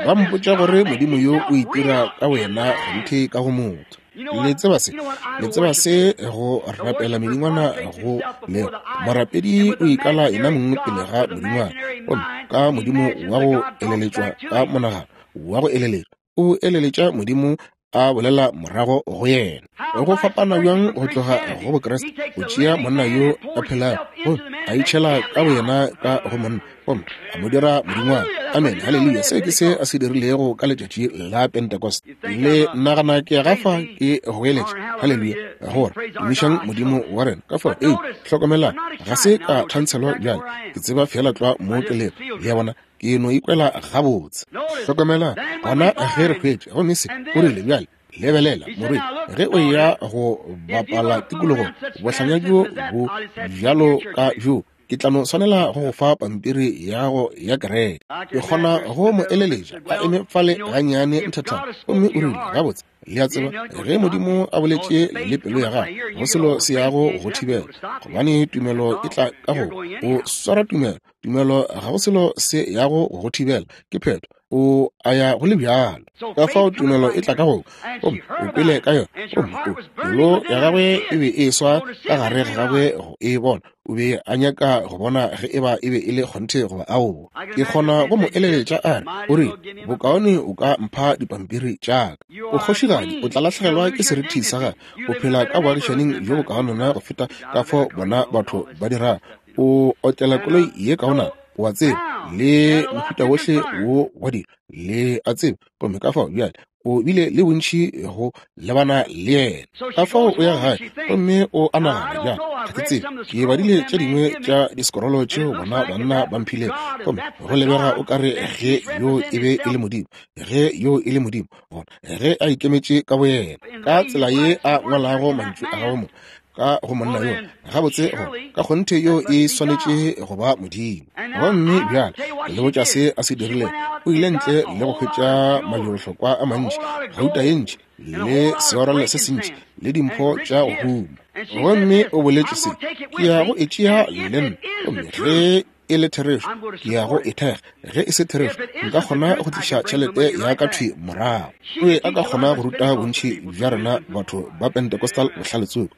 Ba mpotša gore Modimo yo o itira ka wena kgonthe ka go motho. Le tseba se, le tseba se go rapela medingwana go lego. Morapedi o ikala yena mong pele ga modingwana, gomme ka modimo wa go eleletšwa ka monagano wa go eleletšwa, o eleletša Modimo a bolela morago go yena. Go fapana bjang go tloga go Bokriste, go tšea monna yo a phelago gomme a itšhela ka boyena ka go monna, gomme a mo dira modingwana. Amen, haleluya. Seo ke se a se dirilego ka letšatši la Pentecost. Le nagana ke gafa ke goeletša haleluya, gore tumišang Modimo wa rena. Ka fao, ee, hlokomelang, ga se ka thantshelwa bjale, ke tseba feela tlwa mo ke lego. Le a bona, ke no ikwela gabotse. Hlokomelang, gona ge re hwetša, gomme se, o rile bjale, lebelela, morwedi, ge o eya go bapala tikologong, bohlanya bjo bo bjalo ka bjo, ke tla no swanela go go fa pampiri ya go ya kereke. Ke kgona go mo eleletša a eme fale gannyane nthathana, gomme o rile, Gabotse, le a tseba, ge Modimo a boletše le pelo ya gago, go selo se yago go thibela, gobane tumelo e tla ka go o swara tumelo. Tumelo, ga go selo se yago go thibela, ke phetho, o a ya go le bjalo. Ka fao tumelo e tla ka go, gomme o kwele ka yona, gomme o, pelo ya gagwe e be e swa ka gare ga gagwe go e bona. O be a nyaka go bona ge e ba e be e le kgonthe goba aowa. Ke kgona go mo eleletša a re, o rile, bokaone o ka mpha dipampiri tša ka. O kgošigadi, o tla lahlegelwa ke serithi sa gago. O phela ka boagišaning bjo bokaonana go feta ka fao bona batho ba dirago. O otlela koloi ye kaonana, o a tseba, le mohuta wohle wo wa dilo, le a tseba. Gomme ka fao bjale o bile le bontši go lebana le yena. Ka fao o ya gae gomme o a nagana, bjale, ga ke tsebe, ke badile tše dingwe tša diskrolo tšeo bona banna ba mphilego, gomme go lebega o ka re ge yo e be e le Modimo, ge yo e le Modimo, gona ge a ikemetše ka boyena ka tsela ye a ngwalago mantšu a gagwe mo ka go monna yo, gabotse go ka kgonthe yo e swanetše go ba Modimo. Gomme bjale le botša se a se dirilego, o ile ntle le go hwetša majwebohlokwa a mantši, gauta ye ntši, le seorelo se sentši, le dimpho tša go huma. Gomme o boletše se, ke ya go e tšea le nna, gomme ge e le therešo, ke ya go e thekga. Ge e se therešo, nka kgona go tliša tšhelete ya ka thwi morago. O be a ka kgona go ruta bontši bja rena batho ba Pentecostal bohlale tsoko.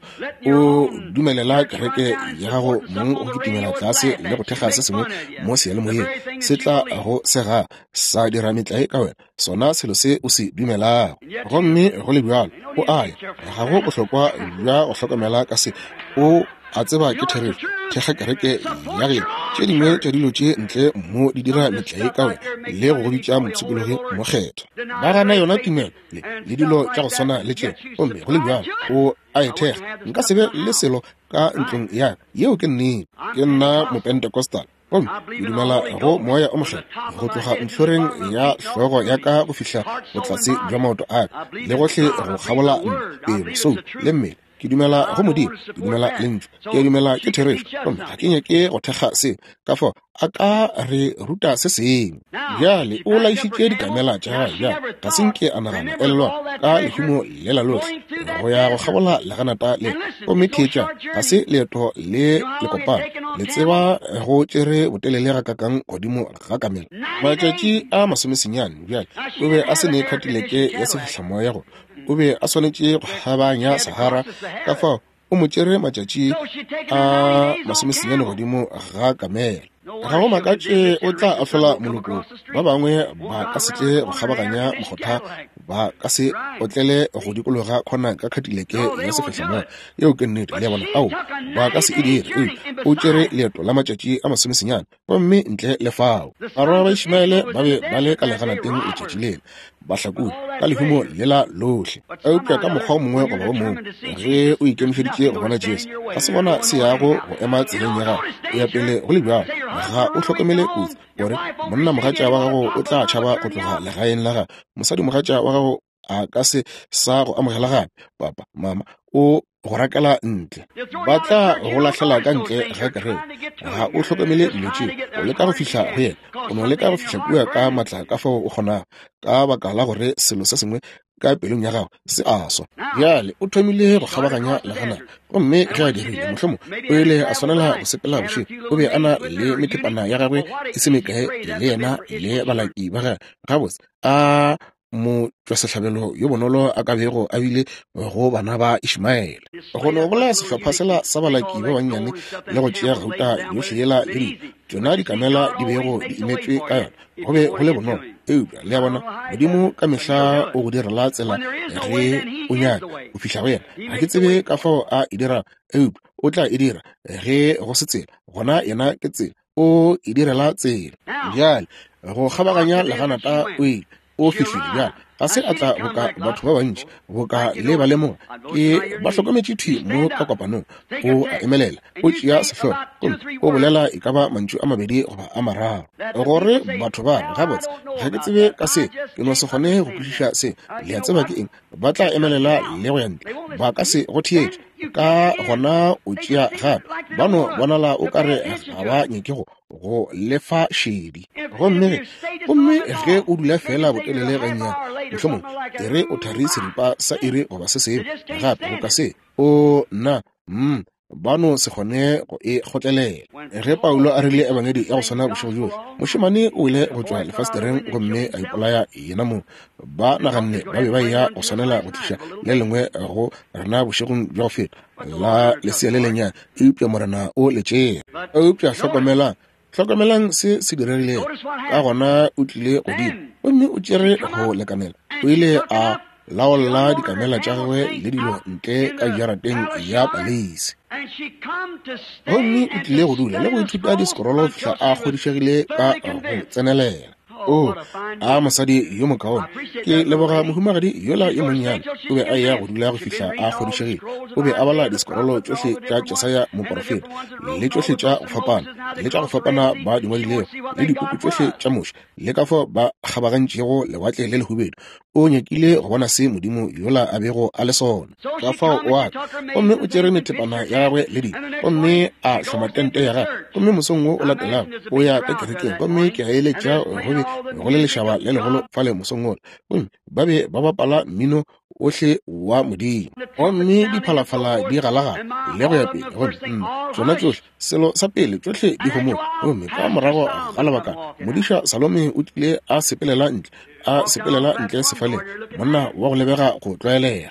O dumelela kereke ya gago mong go kitimela tlase le go thekga se sengwe mo seyalemoyeng, se tla go sega sa dira metlae ka wena, sona selo se o se dumelago. Gomme go le bjalo o a ya, ga go bohlokwa bja go hlokomela ka se, o a tseba ke therešo. Thekga kereke ya geno. Tše dingwe tša dilo tše ntle mo di dira metlae ka wena le go go bitša mopshikologi mokgethwa. Ba gana yona tumelo le, le dilo tša go swana le tšeo, gomme go le bjalo o a e thekga. Nka se be le selo ka ntlong ya ka. Yeo ke nnete. Ke nna Mopentecostal. Gomme ke dumela go Moya o Mokgethwa, go tloga ntlhoreng ya hlogo ya ka go fihla botlase bja maoto a ka, le gohle go kgabola nna, pelo, soulo, le mmele. Ke dumela go Modimo, ke dumela Lentšu, ke a dumela ke therešo, gomme ga ke nyake go thekga seo. Ka fao a ka re ruta se sengwe. Bjale o laišitše dikamela tša gagwe bjale, ga se nke a nagana, elelwa, ka lehumo lela lohle, go ya go kgabola leganata le. Gomme theetša, ga se leeto le lekopana. Le tseba go tšere botelele gakakang godimo ga kamela? Matšatši a masomesenyane. Bjale o be a se ne khatileke ya sefihlamoya go o be a swanetše go kgabaganya Sahara, ka fao o mo tšere matšatši a masomesenyane godimo ga kamela. Ga go makatše o tla ahlola moloko, ba bangwe ba ka se tle go kgabaganya mokgotha, ba ka se otlele go dikologa khona ka khatileke ya sefehlamoya. Yeo ke nnete, le a bona. Ao, ba ka se e dire. Eupša o tšere leeto la matšatši a masomesenyane, gomme ntle le fao barwa ba Ishmaele ba be ba le ka leganateng letšatši lela, bahlakodi ka lehumo lela lohle. Eupša ka mokgwa o mongwe goba o mongwe, ge o ikemišeditše go bona Jesu, ga se bona se yago go ema tseleng ya gago, o ya pele go le bjalo. Ga o hlokomele kotsi gore monnamogatša wa gago o tla tšhaba go tloga legaeng la gago, mosadimogatša wa gago a ka se sa go amogela gape, papa, mama o go rakela ntle, ba tla go lahlela ka ntle ga kereke. Ga o hlokomele dilo tše, o leka go fihla go yena, o no leka go fihla kua ka matla ka fao o kgonago, ka baka la gore selo se sengwe ka pelong ya gago se a swa. Bjale o thomile go kgabaganya leganata, gomme ge a dirile, mohlomong o ile a swanela go sepela bošego. O be a na le methepana ya gagwe e se mekae le yena le balaki ba gagwe. Gabotse, a motšwasehlabelo yo bonolo a ka bego a bile go bana ba Ishmaele. Go no bolaya sehlopha sela sa balaki ba bannyane le go tšea gauta yohle yela le dilo, tšona dikamela di bego di imetšwe ka yona, go be go le bonolo. Eupša, le a bona, Modimo ka mehla o go direla tsela ge o nyaka o fihla go yena. Ga ke tsebe ka fao a e dirago, eupša o tla e dira. Ge go se tsela, gona yena ke tsela. O e direla tsela. Bjale, go kgabaganya leganata o ile, o fihlile. Bjale, ga se a tla boka batho ba bantši, boka le ba lemoga. Ke ba hlokometše thwi mo ka kopanong. O a emelela, o tšea sehlogo, gomme o bolela e ka ba mantšu a mabedi goba a mararo, gore batho ba re, Gabotse, ga ke tsebe ka se, ke no se kgone go kwešiša se. Le a tseba ke eng? Ba tla emelela le go ya ntle, ba ka se go theetše. Ka gona o tšea gape, ba no bonala o ka re ga ba nyake go go lefa šedi. Gomme ge, gomme ge o dula feela botelele gannyane, mohlomongwe e re o thari seripa sa iri goba se sengwe gape, go ka se o nna, ba no se kgone go e kgotlelela. Ge Paulo a rile ebangedi ya go swana bošego bjohle, mošemane o ile go tšwa lefastereng gomme a ipolaya yena mong. Ba naganne ba be ba eya go swanela go tliša le lengwe go rena bošegong bja go feta la lesea le lennyane, eupša Morena o le tšea. Eupša hlokomelang, hlokomelang se se diregilego. Ka gona o tlile godimo gomme o tšere go lekanela, o ile a laolla dikamela tša gagwe le dilo ntle ka jarateng ya paleisi. Gomme o tlile go dula le go ithuta disekorolo go fihla a kgodišegile ka go tsenelela. O, a mosadi yo mokaone. Ke leboga mohumagadi yola yo monnyane. O be a eya go dula go fihla a kgodišegile. O be a bala disekorolo tšohle tša Jesaya moporofeta, le tšohle tša go fapana, le tša go fapana ba di ngwadilego, le dipuku tšohle tša Moshe, le ka fao ba kgabagantšego Lewatle le Lehubedu. O nyakile go bona se Modimo yola a bego a le sona. Ka fao o a tla, gomme o tšere methepana ya gagwe le dilo, gomme a hloma tente ya gagwe. Gomme mosong wo o latelago o ya ka kerekeng, gomme ke a eletša go be go le lešaba le legolo fale mosong wola. Gomme ba be ba bapala mmino ohle wa Modimo, gomme diphalafala di galagala le go ya pele, gomme tšona tšohle, selo sa pele, tšohle di homotše. Gomme ka morago ga lebakana, modiša Salome o tlile a sepelela ntle, a sepelela ntle sefaleng, monna wa go lebega go tlwaelega.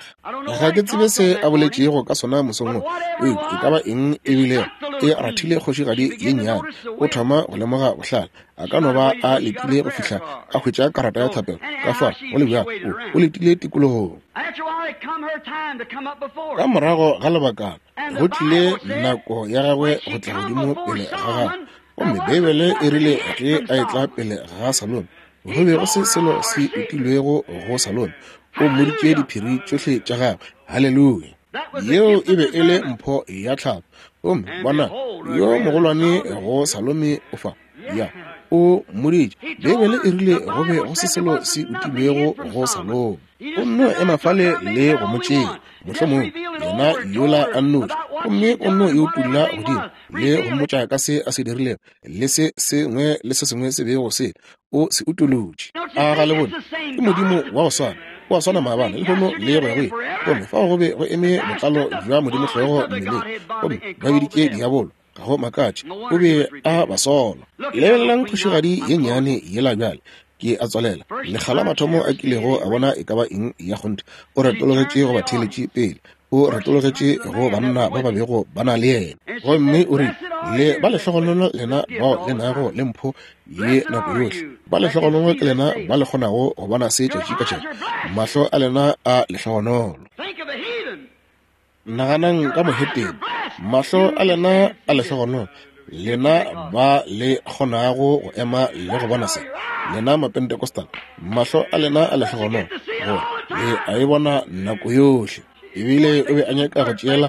Ga ke tsebe se a boletšego ka sona mosong wo, eupša e ka ba eng e bilego, e rathile kgošigadi ye nnyane. O thoma go lemoga bohlale. A ka no ba a letile go fihla a hwetša karata ya thapelo. Ka fao, go le bjalo, o, o letile tikologong. Ka morago ga lebakana, go tlile nako ya gagwe go tla godimo pele ga gagwe. Gomme Beibele e rile ge a etla pele ga Salome, go be go se selo se utilwego go Salome. O mmoditše diphiri tšohle tša gagwe. Haleluya! Yeo e be e le mpho ya tlhago. Gomme bona, yo mogolwane go Salome o fa. Ya, o mmoditše. Beibele e rile go be go se selo se utilwego go Salome. O nno ema fale le go mo tšea, mohlomongwe yena yola a nnoši, gomme o nno e utulla godimo le go mmotša ka se a se dirilego le se sengwe le se sengwe se bego se o se utolotše. A ga le bone? Ke Modimo wa go swana, o a swana maabane, lehono le go ya go ile. Gomme fao go be go eme botlalo bja Modimo hlogo mmeleng, gomme ba biditše diabolo. Ga go makatše, o be a ba sola. Lebelelang kgošigadi ye nnyane yela bjale. Ke a tswalela. Lekga la mathomo a kilego a bona e ka ba eng ya kgonthe, o retologetše go batheeletši pele. O retologetše go banna ba ba bego ba na le yena. Gomme o rile, Le ba lehlogonolo lena bao le nago le mpho ye nako yohle. Ba lehlogonolo ke lena ba le kgonago go bona se tšatši ka tšatši. Mahlo a lena a lehlogonolo. Naganang ka mohetene. Mahlo a lena a lehlogonolo, lena ba le kgonago go ema le go bona se. Lena Mapentecostal, mahlo a lena a lehlogonolo, gore le a e bona nako yohle. Ebile o be a nyaka go tšeela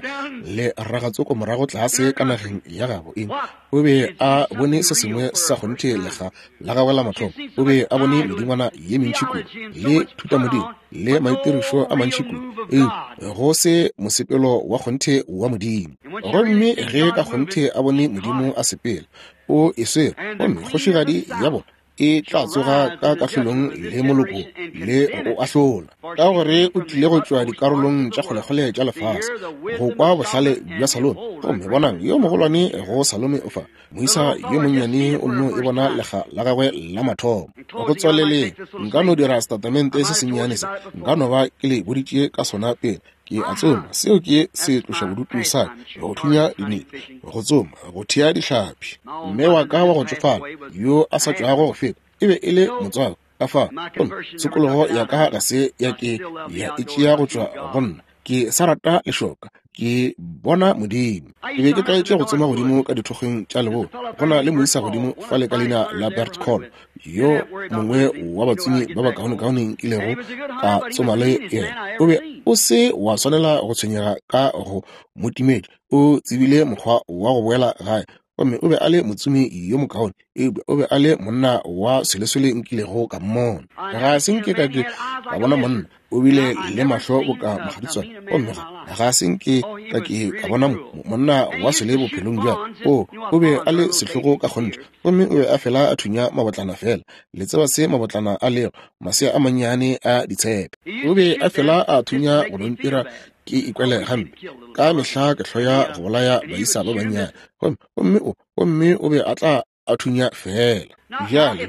le ragatsoko morago tlase ka nageng ya gabo. Eng? O be a bone se sengwe sa kgonthe lekga la gagwe la mathomo. O be a bone medingwana ye mentši kudu, le thutamodimo, le maitirišo a mantši kudu, eupša go se mosepelo wa kgonthe wa Modimo. Gomme ge ka kgonthe a bone Modimo a sepela, o e swere, gomme kgošigadi ya bona e tla tsoga ka kahlolong le moloko le go o ahlola, ka gore o tlile go tšwa dikarolong tša kgolekgole tša lefase go kwa bohlale bja Salome. Gomme bonang, yo mogolwane go Salome o fa, moisa yo monnyane o nno e bona lekga la gagwe la mathomo. Go tswaleleng, nka no dira setatamente se sennyane se, nka no ba ke le boditše ka sona pele. Ke a tsoma, seo ke se tloša bodutu sa ka, go thunya dinete, go tsoma, go thea dihlapi. Mme wa ka wa go tšofala yo a sa tšwago go feta e be e le motswako ka fa, gomme tshokologo ya ka ga se ya ke ya e tšea go tšwa go nna. Ke sa rata lešoka, ke bona Modimo. Ke be ke tlwaetše go tsoma godimo ka dithokgweng tša leboa. Go na le moisa godimo fale ka leina la Bert Call, yo mongwe wa batsomi ba bakaonekaone nkilego ka tsoma le yena. O be o se wa swanela go tshwenyega ka go mo timetša, o tsebile mokgwa wa go boela gae. Gomme o be a le motsomi yo mokaone, eupša o be a le monna wa selesele nkilego ka mmona. Ga se nke ka ke ka bona monna o bile le mahlo boka mogaditswane, gomme ga se nke ka ke ka bona monna wa sele bophelong bja. O be a le sehlogo ka kgonthe, gomme o be a fela a thunya mabotlana fela. Le tseba se mabotlana a lego, masea a mannyane a ditshepe. O be a fela a thunya go no ntira ke ikwele gampe. Ka mehla ke hloya go bolaya baisa ba bannyane, gomme o be a tla a thunya fela. Bjale,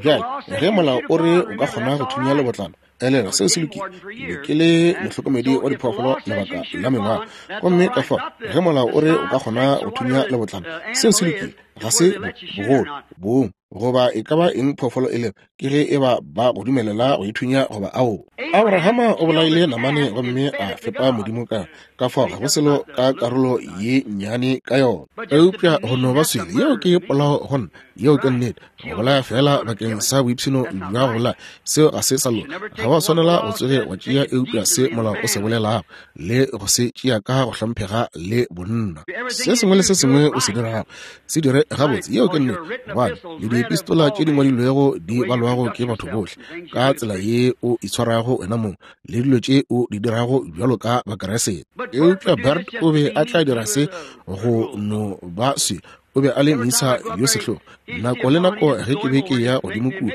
ge molao o re o ka kgona go thunya lebotlana, elelwa seo se lokile. Ke be ke le mohlokomedi wa diphoofolo lebaka la mengwaga, gomme ka fao ge molao o re o ka kgona go thunya lebotlana, seo se lokile. Ga se bogolo, bong, goba e ka ba eng phoofolo e lego, ke ge e ba ba go dumelela go ithunya goba ao. Abrahama o bolaile namane gomme a fepa Modimo ka fao ga go selo ka karolo ye nnyane ka yona. Eupša go no ba swele, yeo ke polao go nna, yeo ke nnete. Go bolaya fela bakeng sa boipshino bja go bolaya, seo ga se sa loka. Ga wa swanela go tsoge wa tšea eupša se molao o se bolelago, le go se tšea ka go hlomphega le bonna. Se sengwe le se sengwe o se dirago, se dire gabotse, yeo ke nnete, gobane le diepistola tše di ngwadilwego di balwago ke batho bohle, ka tsela ye o itshwarago wena mong le dilo tše o di dirago bjalo ka Bakeresete. Eupša Bert o be a tla dira se go no ba se. O be a le moisa yo sehlogo. Nako le nako ge ke be ke ya godimo kua,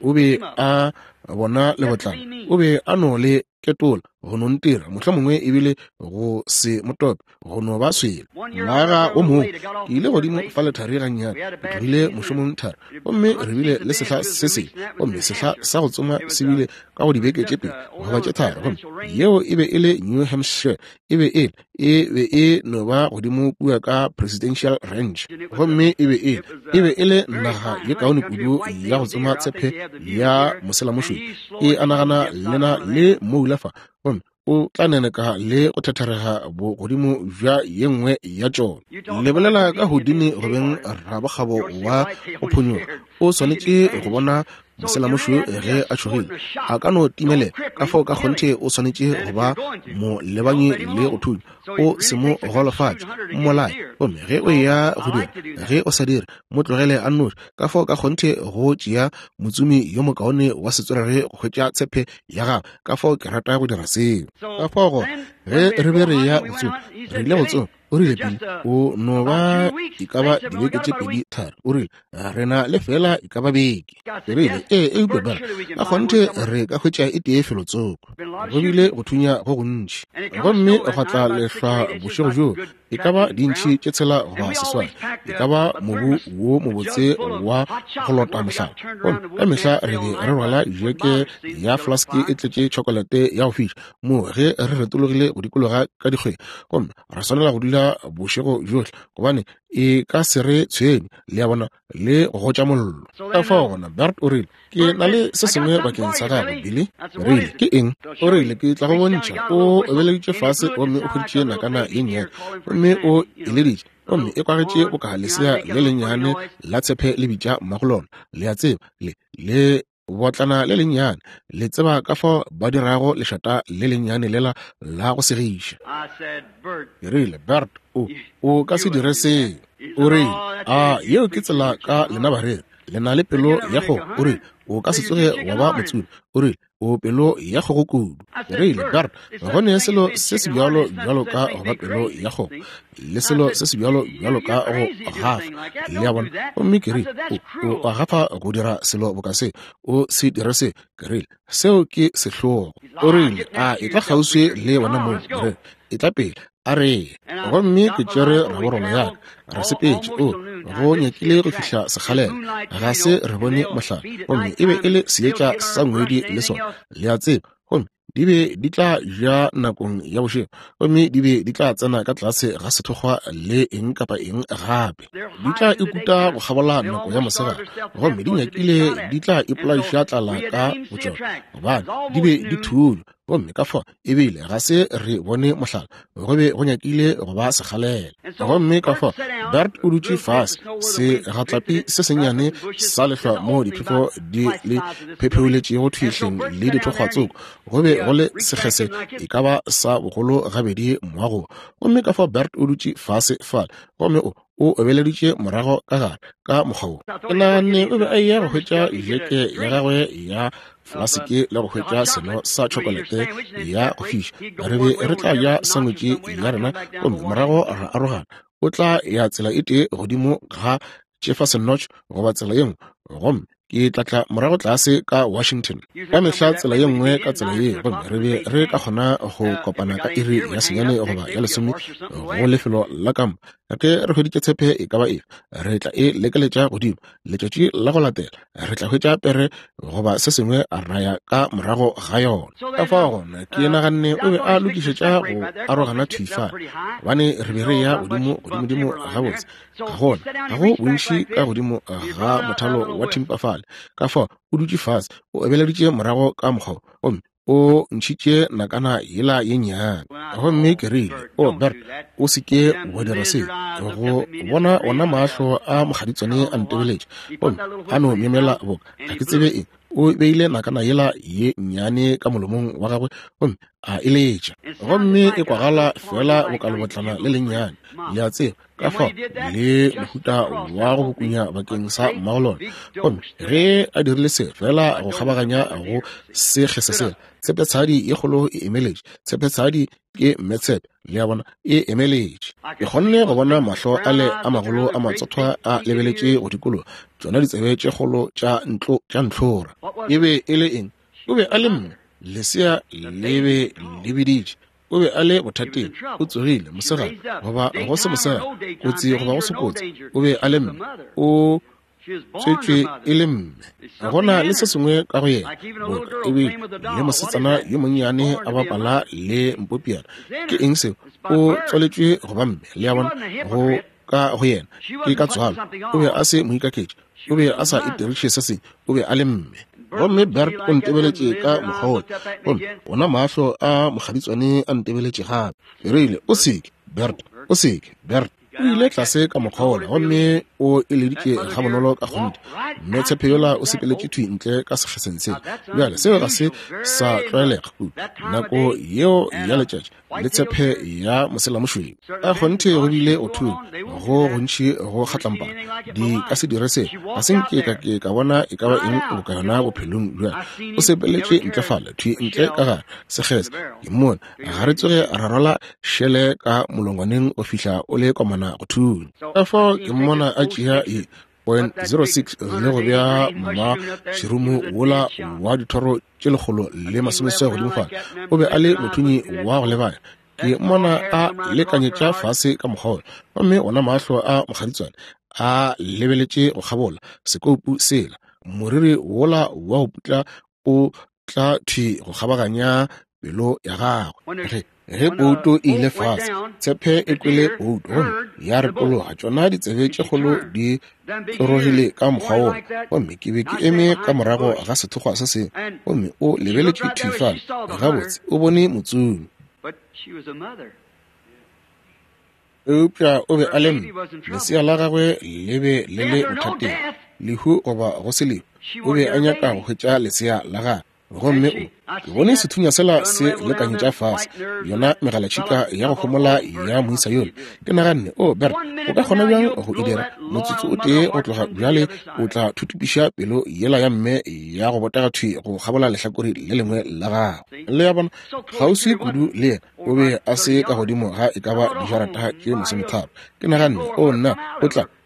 o be a bona lebotlana, o be a no le ketola go no ntira, mohlomongwe ebile go se motope, go no ba swele. Ngwaga o mongwe ke ile godimo fa lethari gannyane, ke tlogile mošomong thari, gomme re bile le sehla se sengwe, gomme sehla sa go tsoma se bile ka go dibeke tše 2 goba tše 3, gomme yeo e be e le New Hampshire, e be e be e no ba godimo kua ka Presidential Ranch, gomme e be e le naga ye kaone kudu ya go tsoma tshepe ya moselamošweu. E a nagana lena le moula fa, gomme o tla neneka le go thetherega bogodimo bja ye nngwe ya tšona. Le bolela ka Houdini go beng rabokgabo wa go phonyoga, o swanetše go bona Moselamošweu ge a tšhogile a ka no timelela, ka fao ka kgonthe o swanetše go ba molebanyi le go thunya, o se mo golofatše, mmolaye. Gomme ge o eya go dira, ge o sa dire, mo tlogele a nnoši. Ka fao ka kgonthe go tšea motsomi yo mokaone wa setswerere go hwetša tshepe ya gagwe. Ka fao ke rata go dira seo. Ka fao gona ge re be re eya go tsoma, re ile go tsoma. O rile, Billy, o no ba e ka ba dibeke tše 2-3. O rile, re na le fela e ka ba beke. Ke rile, ee, eupša bjale ka kgonthe re ka hwetša e tee felotsoko. Go bile go thunya go gontši, gomme gwa tla lehlwa bošego bjoo, e ka ba dintšhi tše 6 goba 8, e ka ba mobu wo mobotse wa go lota mohlala. Gomme ka mehla re be re rwala jeke ya flaske e tletše tšhokolete ya go fiša moo ge re retologile go dikologa ka dikgweng, gomme re swanela go dula bošego bjohle gobane e ka se re tshwenye, le a bona, le go gotša mollo. Ka fao gona Bert o rile, ke na le se sengwe bakeng sa gago, Billy. Rile, ke eng? O rile, ke tla go bontšha. O obeleditše fase gomme o hweditše nakana ye nnyane, gomme o e leditše, gomme e kwagetše boka lesea le lennyane la tshepe le bitša mmago lona, le a tseba, le, le botlana le lennyane, le tseba ka fao ba dirago lešata le lennyane lela la go segiša. Ke rile, Bert, o, o ka se dire seo. O rile, a yeo ke tsela ka lena bareri, le na le pelo ya kgogo. O rile, o ka se tsoge wa ba motsomi. O rile, o pelo ya kgogo kudu. Ke rile, Bert, go ne selo se se bjalo bjalo ka go ba pelo ya kgogo, le selo se se bjalo bjalo ka go gafa, le a bona. Gomme ke rile, o, o a gafa go dira selo boka se, o se dire se. Ke rile, seo ke sehlogo. O rile, a etla kgauswi le wena mong. Ke rile, etla pele, a re ye. Gomme ke tšere raborolo ya ka, re sepetše, o, go nyakile go fihla sekgalela, ga se re bone mohlala, gomme e be e le seetša sa ngwedi le sona, le a tseba, gomme di be di tla ja nakong ya bošego, gomme di be di tla tsena ka tlase ga sethokgwa le eng kapa eng gape, di tla ikuta go kgabola nako ya mosegare, gomme di nyakile di tla ipolaiša tlala ka botšona, gobane di be di thunywa. Gomme ka fao ebile ga se re bone mohlala, go be go nyakile go ba sekgalela. Gomme ka fao Bert o dutše fase, segatlapi se sennyane sa lehlwa moo diphefo di le phepheoletšego thwihleng le dithokgwatsoko, go be go le sekgese e ka ba sa bogolo gabedi moagong. Gomme ka fao Bert o dutše fase fale, gomme o o obeleditše morago ka gare ka mokgwa wo. Ke naganne o be a eya go hwetša jeke ya gagwe ya flaseke le go hwetša seno sa tšhokolete ya go fiša. Re be re tla ja sandwich ya rena gomme morago ra arogana. O tla ya tsela e tee godimo ga Jefferson Notch goba tsela ye nngwe, gomme ke tla tla morago tlase ka Washington ka mehla tsela ye nngwe ka tsela ye, gomme re be re ka kgona go kopana ka iri ya 9 goba ya 10 go lefelo la kampa. Ge re hweditše tshepe e ka ba efe, re tla e lekeletša godimo. Letšatši la go latela re tla hwetša pere goba se sengwe ra ya ka morago ga yona. Ka fao gona ke naganne o be a lokišetša go arogana thwi fale, gobane re be re ya godimo godimodimo gabotse. Ga gona, ga go bontši ka godimo ga mothalo wa thimpa fale. Ka fao o dutše fase, o obeleditše morago ka mokgwa wo, gomme o ntšhitše nakana yela ye nnyane. Gomme ke rile, O Bert, o se ke wa dira se. Go bona ona mahlo a mokgaditswane a ntebeletše, gomme a no myemyela boka ga ke tsebe eng. O beile nakana yela ye nnyane ka molomong wa gagwe gomme a e letša, gomme e kwagala feela boka lebotlana le lennyane, le a tseba, ka fao le mohuta wa go bukunya bakeng sa mmagolona. Gomme ge a dirile se feela go kgabaganya go sekgese sela, tshepetshadi ye kgolo e emeletše. Tshepetshadi ke mmetshepe, le a bona, e emeletše. Ke kgonne go bona mahlo ale a magolo a matsothwa a lebeletše go dikologa, tšona ditsebe tše kgolo tša ntlo tša ntlhora. E be e le eng? O be a le mme, lesea le be le biditše. O be a le bothateng, o tsogile mosegare goba go se mosegare, kotsi goba go se kotsi, o be a le mme, o tswetšwe e le mme. Go na le se sengwe ka go yena, boka ebile le mosetsana yo monnyane a bapala le mpopiana. Ke eng seo? O tswaletšwe go ba mme, le a bona, go ka go yena ke ka tswalo. O be a se moikaketši, o be a sa itiriše se sengwe, o be a le mme. Gomme Bert o ntebeletše ka mokgwa wola, gomme ona mahlo a mokgaditswane a ntebeletše gape. Ke rile, O seke, Bert, o seke, Bert. O ile tlase ka mokgwa wola gomme o e leditše gabonolo ka kgonthe. Mme tshepe yola o sepeletše thwi ntle ka sekgeseng sela. Bjale, seo ga se sa tlwaelega kudu, nako yeo ya letšatši le tshepe ya moselamošweu. Ka kgonthe go bile go thunya go gontši go kgatlampana. Di ka se dire seo. Ga se nke ka ke ka bona e ka ba eng boka yona bophelong bja. O sepeletše ntle fale, thwi ntle ka gare sekgese. Ke mmone. Ga re tsoge ra rwala šele ka molongwaneng go fihla o le komana go thunya. Ka fao ke mmona a tšea e 0.06 le go bea mma tšhirumu wola wa dithoro tše 160 godimo fale. O be a le mothunyi wa go lebanya. Ke mmona a lekanyetša fase ka mokgwa wola, gomme ona mahlo a mokgaditswane a lebeletše go kgabola sekoupu sela, moriri wola wa go putla o tla thwi go kgabaganya pelo ya gagwe. Ge pouto e ile fase, tshepe e kwele pouto gomme ya retologa, tšona ditsebe tše kgolo di tlorogile ka mokgwa wola, gomme ke be ke eme ka morago ga sethokgwa se sengwe, gomme o lebeletše thwi fale. Gabotse, o bone motsomi. Eupša o be a le mme, lesea la gagwe le be le le bothateng, lehu goba go se lehu, o be a nyaka go hwetša lesea la gagwe. Gomme o, ke bone sethunya sela se lekanyetša fase, yona megalatšhika ya go homola ya moisa yola. Ke naganne, o Bert, o ka kgona bjang go e dira? Motsotso o tee go tloga bjale o tla thutupiša pelo yela ya mme ya go botega thwi go kgabola lehlakore le lengwe la gagwe. Le ya bona, kgauswi kudu le yena, o be a se ka godimo ga e ka ba dijarata tše 30. Ke naganne, o nna,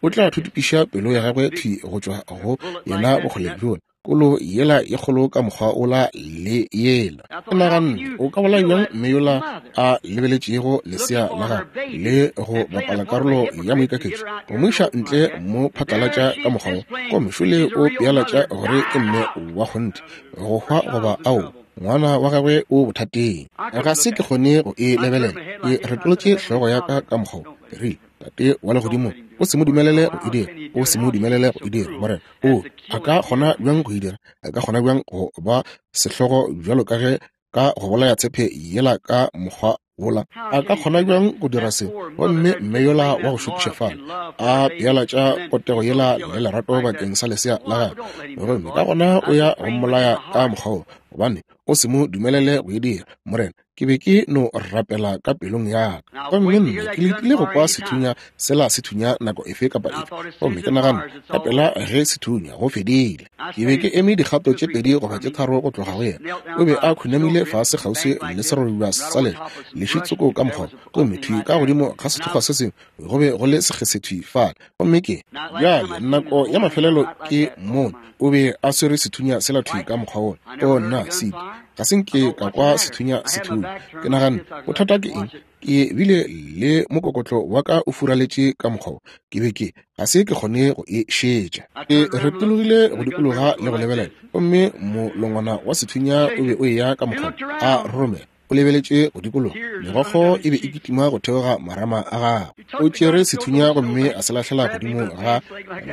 o tla thutupiša pelo ya gagwe thwi go tšwa go yena bokgole bjola, kolo yela ye kgolo ka mokgwa ola le yela. Ke naganne, o ka bolaya bjang mme yola a lebeletšego lesea la gagwe le go bapala karolo ya moikaketši, go mo iša ntle mo phatlalatša ka mokgwa wo, gomme šole o pealatša gore ke mme wa kgonthe, go hwa goba ao, ngwana wa gagwe o bothateng. Ga se ke kgone go e lebelela. Ke retolotše hlogo ya ka ka mokgwa wo. Ke rile, Tate wa legodimo, o se mo dumelele go e dira, o se mo dumelele go e dira, Morena. O a ka kgona bjang go e dira? A ka kgona bjang go ba sehlogo bjalo ka ge ka go bolaya tshepe yela ka mokgwa wola? A ka kgona bjang go dira se? Gomme mme yola wa go šokiša fale a pealatša potego yela le lerato bakeng sa lesea la gagwe, gomme ka gona o ya go mmolaya ka mokgwa wo, gobane o se mo dumelele go e dira, Morena. Ke be ke no rapela ka pelong ya ka, gomme nna ke letile go kwa sethunya sela se thunya nako efe kapa efe, gomme ke nagana ka pela ge se thunya go fedile. Ke be ke eme dikgato tše 2 goba tše 3 go tloga go yena. O be a khunamile fase kgauswi le serorobja sa lehlwa, lešitsoko ka mokgwa, gomme thwi ka godimo ga sethokgwa se sengwe go be go le sekgesethwi fale. Gomme ke bjale nako ya mafelelo ke mone o be a swere sethunya sela thwi ka mokgwa wola. O nna, Sid, ga se nke ka kwa sethunya se thunya. Ke naganne, bothata ke eng? Ke bile le mokokotlo wa ka o furaletše ka mokgwa wo. Ke be ke ga se ke kgone go e šetša. Ke retologile go dikologa le go lebelela, gomme molongwana wa sethunya o be o eya ka mokgwa a roromela. O lebeletše go dikologa, megokgo e be e kitima go theoga marama a gagwe. O tšere sethunya gomme a se lahlela godimo ga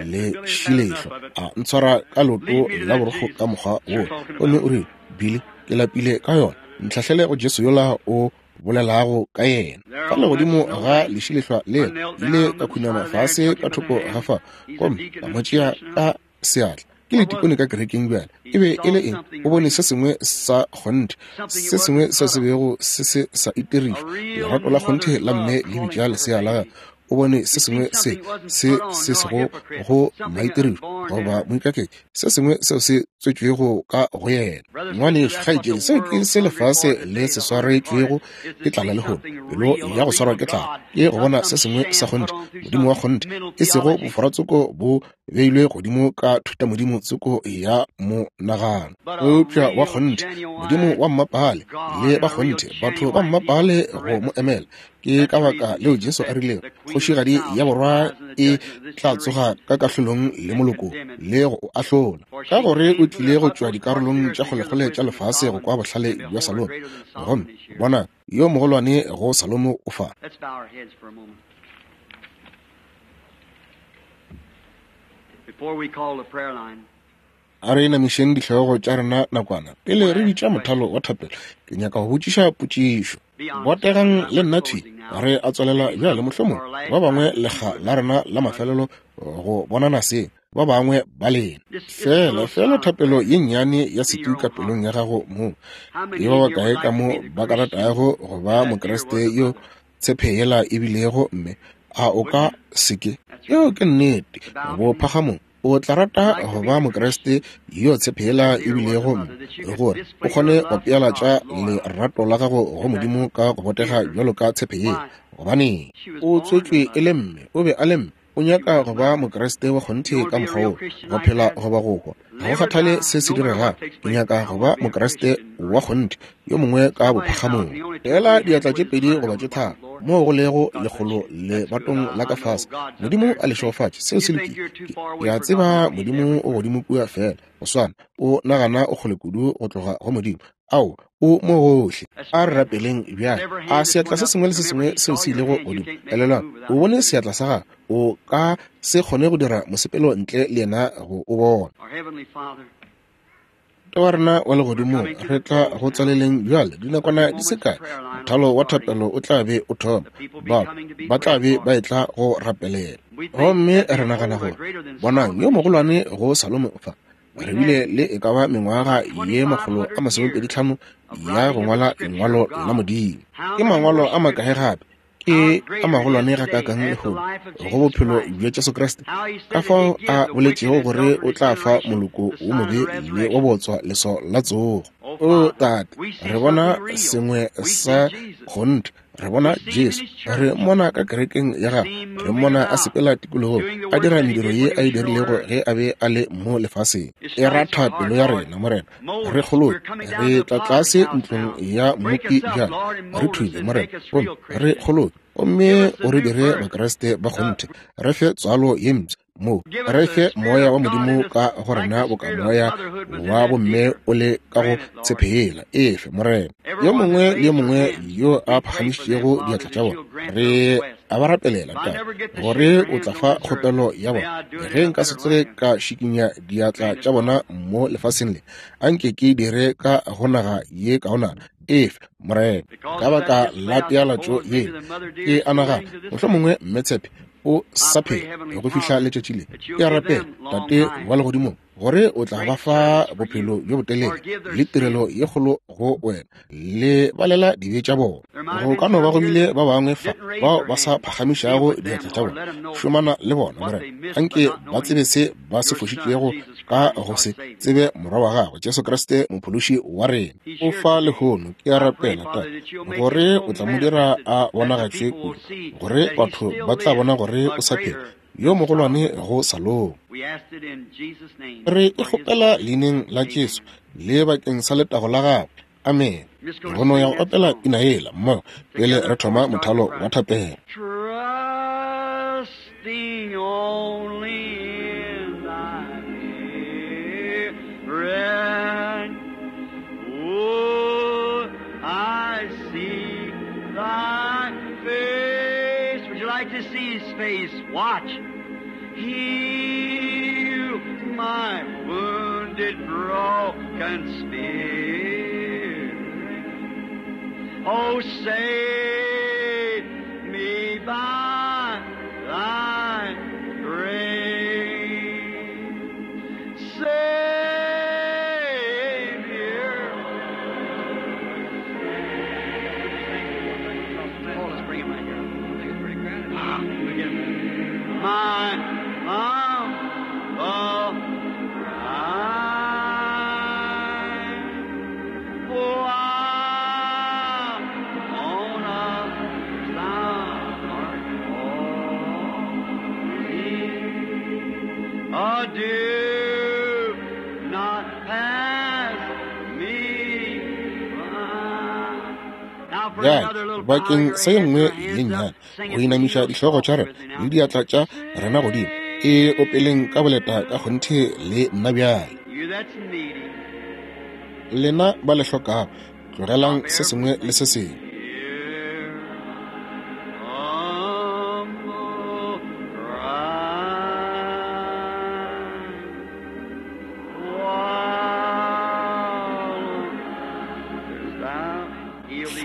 lešilehlo, a ntshwara ka leoto la borokgo ka mokgwa wo, gomme o rile, Billy, ke lapile ka yona. Ntlhahlele go Jesu yola o bolelago ka yena. Fa legodimo ga lešilehla lela, ile ka khunama fase ka thoko ga fa, gomme ka mo tšea ka seatla. Ke letikone ka kerekeng bjale. E be e le eng? O bone se sengwe sa kgonthe, se sengwe seo se bego se se sa itirišwa, lerato la kgonthe la mme le bitša lesea la gagwe. O bone se sengwe se se se sego go maitirišo goba moikaketši, se sengwe seo se tswetšwego ka go yena. Ngwanešu, kgaetšedi, seo ke se lefase le se swaretšwego ke tlala lehono, pelo ya go swarwa ke tlala, ke go bona se sengwe sa kgonthe, Modimo wa kgonthe, e sego boforatsoko bo beilwe godimo ka thutamodimo tsoko ya monagano, eupša wa kgonthe, Modimo wa mmapale le ba kgonthe, batho ba mmapale go mo emela. Ke ka baka leo Jesu a rilego, Kgošigadi ya borwa e tla tsoga ka kahlolong le moloko le go o ahlola, ka gore o tlile go tšwa dikarolong tša kgolekgole tša lefase go kwa bohlale bja Salomo, gomme bona, yo mogolwane go Salomo o fa. A re inamišeng dihlogo tša rena nakwana pele re bitša mothalo wa thapelo. Ke nyaka go botšiša potšišo. Botegang le nna thwi. Re a tswalela bjale, mohlomongwe ba bangwe lekga la rena la mafelelo go bonana seng, ba bangwe ba lena. Fela, fela thapelo ye nnyane ya setu ka pelong ya gago mong. Ke ba bakae ka mo ba ka ratago go ba Mokriste yo tshepe yela e bilego mme? A o ka se ke? Yeo ke nnete. Bophagamong, o tla rata go ba Mokriste yo tshepe yela e bilego mme, gore o kgone go pealatša lerato la gago go Modimo ka go botega bjalo ka tshepe yela. Gobaneng? O tswetšwe e le mme, o be a le mme. O nyaka go ba Mokriste wa kgonthe ka mokgwa wo, go phela goba go hwa. Ga go kgathale se se diregago, ke nyaka go ba Mokriste wa kgonthe, yo mongwe ka bophagamong. Feela diatla tše pedi goba tše tharo, moo go lego lekgolo lebatong la ka fase. Modimo a le šegofatše. Seo se lokile. Ke a tseba Modimo o godimo kua feela go swana. O nagana o kgole kudu go tloga go Modimo. Ao, o mo gohle. A re rapeleng bjale. A seatla se sengwe le se sengwe seo se ilego godimo. Elelwang, o bone seatla sa gago. O ka se kgone go dira mosepelo ntle le yena go o bona. Tate wa rena wa legodimong, re tla go tswaleleng bjale dinakwana di se kae. Mothalo wa thapelo o tla be o thoma. Bao ba tla be ba etla go rapelela. Gomme re nagana gore, bonang, yo mogolwane go Salomo fa, re bile le e ka ba mengwaga ye 125 ya go ngwala lengwalo la Modimo. Ke mangwalo a makae gape ke a magolwane gakaakang lehono go bophelo bja Jesu Kriste, ka fao a boletšego gore o tla fa moloko wo mobe le wa botswa leswao la tsogo. O Tate, re bona sengwe sa kgonthe. Re bona Jesu, re mmona ka kerekeng ya gagwe, re mmona a sepela tikologong, a dira mediro ye a e dirilego ge a be a le mo lefaseng. E ratha pelo ya rena, Morena. Re kgoloke, re tla tlase ntlong ya mmopi bjale. Re thube, Morena, gomme re kgoloke, gomme o re dire Bakriste ba kgonthe. Re fe tswalo ye mpsha mo, re fe moya wa Modimo ka go rena boka moya wa bomme o le ka go tshephela. Efe, Morena. Yo mongwe le yo mongwe yo a phagamišitšego diatla tša bona, re a ba rapelela, Tate, gore o tla fa kgopelo ya bona. Ge nka se tsoge ka šikinya diatla tša bona mo lefaseng le, anke ke dire ka go naga ye kaonana. Efe, Morena. Ka baka la pealatšo ye, ke a nagana mohlomongwe mme Tshepe o sa phela go fihla letšatši le. Ke a rapela, Tate wa legodimong, gore o tla ba fa bophelo bjo botelele le tirelo ye kgolo go wena, le balela dibe tša bona. Go ka no ba go bile ba bangwe fa bao ba sa phagamišago diatla tša bona. Šomana le bona, Morena. Anke ba tsebe se ba se fošitšego ka go se tsebe Morwa wa gago, Jesu Kriste, Mophološi wa rena. O fa lehono, ke a rapela, Tate, gore o tla mo dira a bonagatšwe kudu, gore batho ba tla bona gore o sa phela, yo mogolwane go Salomo. Re e kgopela leineng la Jesu le bakeng sa letago la gagwe. Amen. Re no ya go opela pina yela mmogo pele re thoma mothalo wa thapelo. Trusting only in thy spirit, oh, I see thy face. Would you like to see his face? Watch. Heal my wounded, broken spirit. Oh, save me by thy grace. Savior. Oh, let's bring him right here. I think it's pretty crowded. We'll get him. My humble cry. Oh, I wanna thou art calling. Oh, do not pass me by. Now for Bjale, another little bakeng choir, sa ye nngwe your ye hands nnyane, up, sing go it inamiša real dihlogo tša soft rena with me now. le diatla tša rena godimo, e opeleng ka boleta ka kgonthe le nna bjale. You that's needy, Lena ba le hlokago, tlogelang stop se sengwe le se everything. sengwe. Hear humble cry. While thou heal these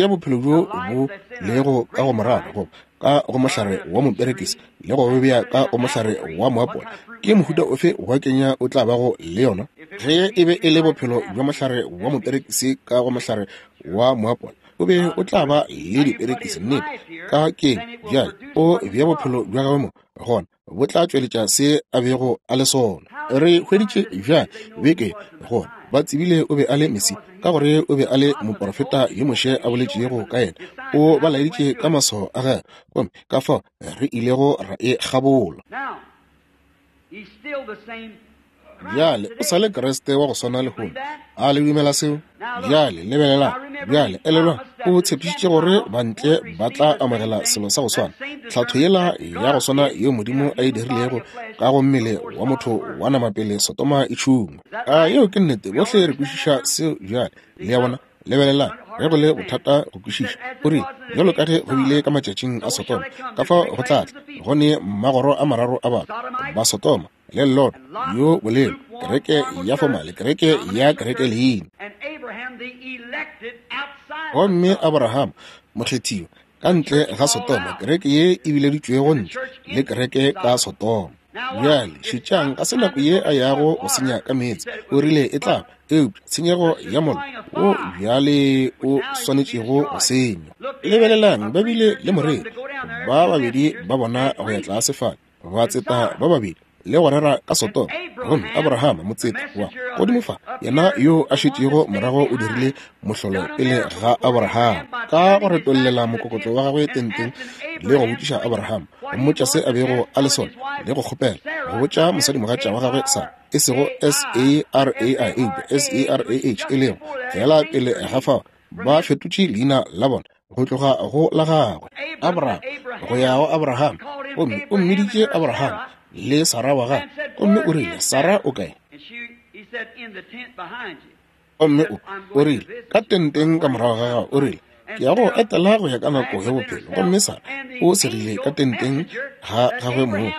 Tšea bophelo bjo bo lego ka go morara goba ka go mohlare wa moperekisi le go bo bea ka go mohlare wa moapola, ke mohuta ofe wa kenya o tla bago le yona? Ge e be e le bophelo bja mohlare wa moperekisi ka go mohlare wa moapola, o be o tla ba le diperekisi. Nnete. Ka keng bjale o bea bophelo bja gagwe mo, gona bo tla tšweletša se a bego a le sona. Re hweditše bjale beke gore Ba tsebile o be a le Mesia, ka gore o be a le moprofeta yo Moshe a boletšego ka yena. O ba laeditše ka maswao a gagwe, gomme ka fao re ilego ra e kgabola. Bjale o sa le Kriste wa go swana lehono. A le dumela seo? Bjale lebelelang. Bjale elelwang, o tshepišitše gore bantle ba tla amogela selo sa go swana, tlhatho yela ya go swana yeo Modimo a e dirilego ka go mmele wa motho wa nama pele Sodoma e tšhungwa. A yeo ke nnete? Bohle re kwešiša seo bjale. Le a bona? Lebelelang, ge go le bothata go kwešiša. O rile, Bjalo ka ge go bile ka matšatšing a Sodoma, ka fao go tla tla go ne magoro a mararo a batho, ba Sodoma, le Lot, yo bolelo, kereke ya fomale, kereke ya kereke leina. Gomme Abraham, mokgethiwa, ka ntle ga Sodoma, kereke ye e bileditšwego ntle, le kereke ka Sodoma. Bjale, šetšang, ga se nako ye a yago go senya ka meetse. O rile e tla ba, eupša tshenyego ya mollo wo bjale o swanetšego go senywa. Lebelelang, ba bile le moreri, ba babedi ba bona go ya tlase fale, batseta ba babedi, le go rera ka Sodoma. Gomme Abraham, motseta wa godimo fa, yena yo a šetšego morago o dirile mohlolo pele ga Abraham, ka go retollela mokokotlo wa gagwe tenteng le go botšiša Abraham, go mmotša se a bego a le sona, le go kgopela go botša mosadimogatša wa gagwe Sara, e sego S-A-R-A-I, eupša S-A-R-A-H, e lego feela pele ga fao ba fetotše leina la bona go tloga go la gagwe Abraham go ya go Abraham. Gomme o mmiditše Abraham le Sara wa gagwe, gomme o rile, Sara o kae? Gomme o rile, ka tenteng ka morago ga gago. O rile, ke ya go etela go ya ka nako ya bophelo. Gomme Sara o segile ka tenteng ga gagwe moo.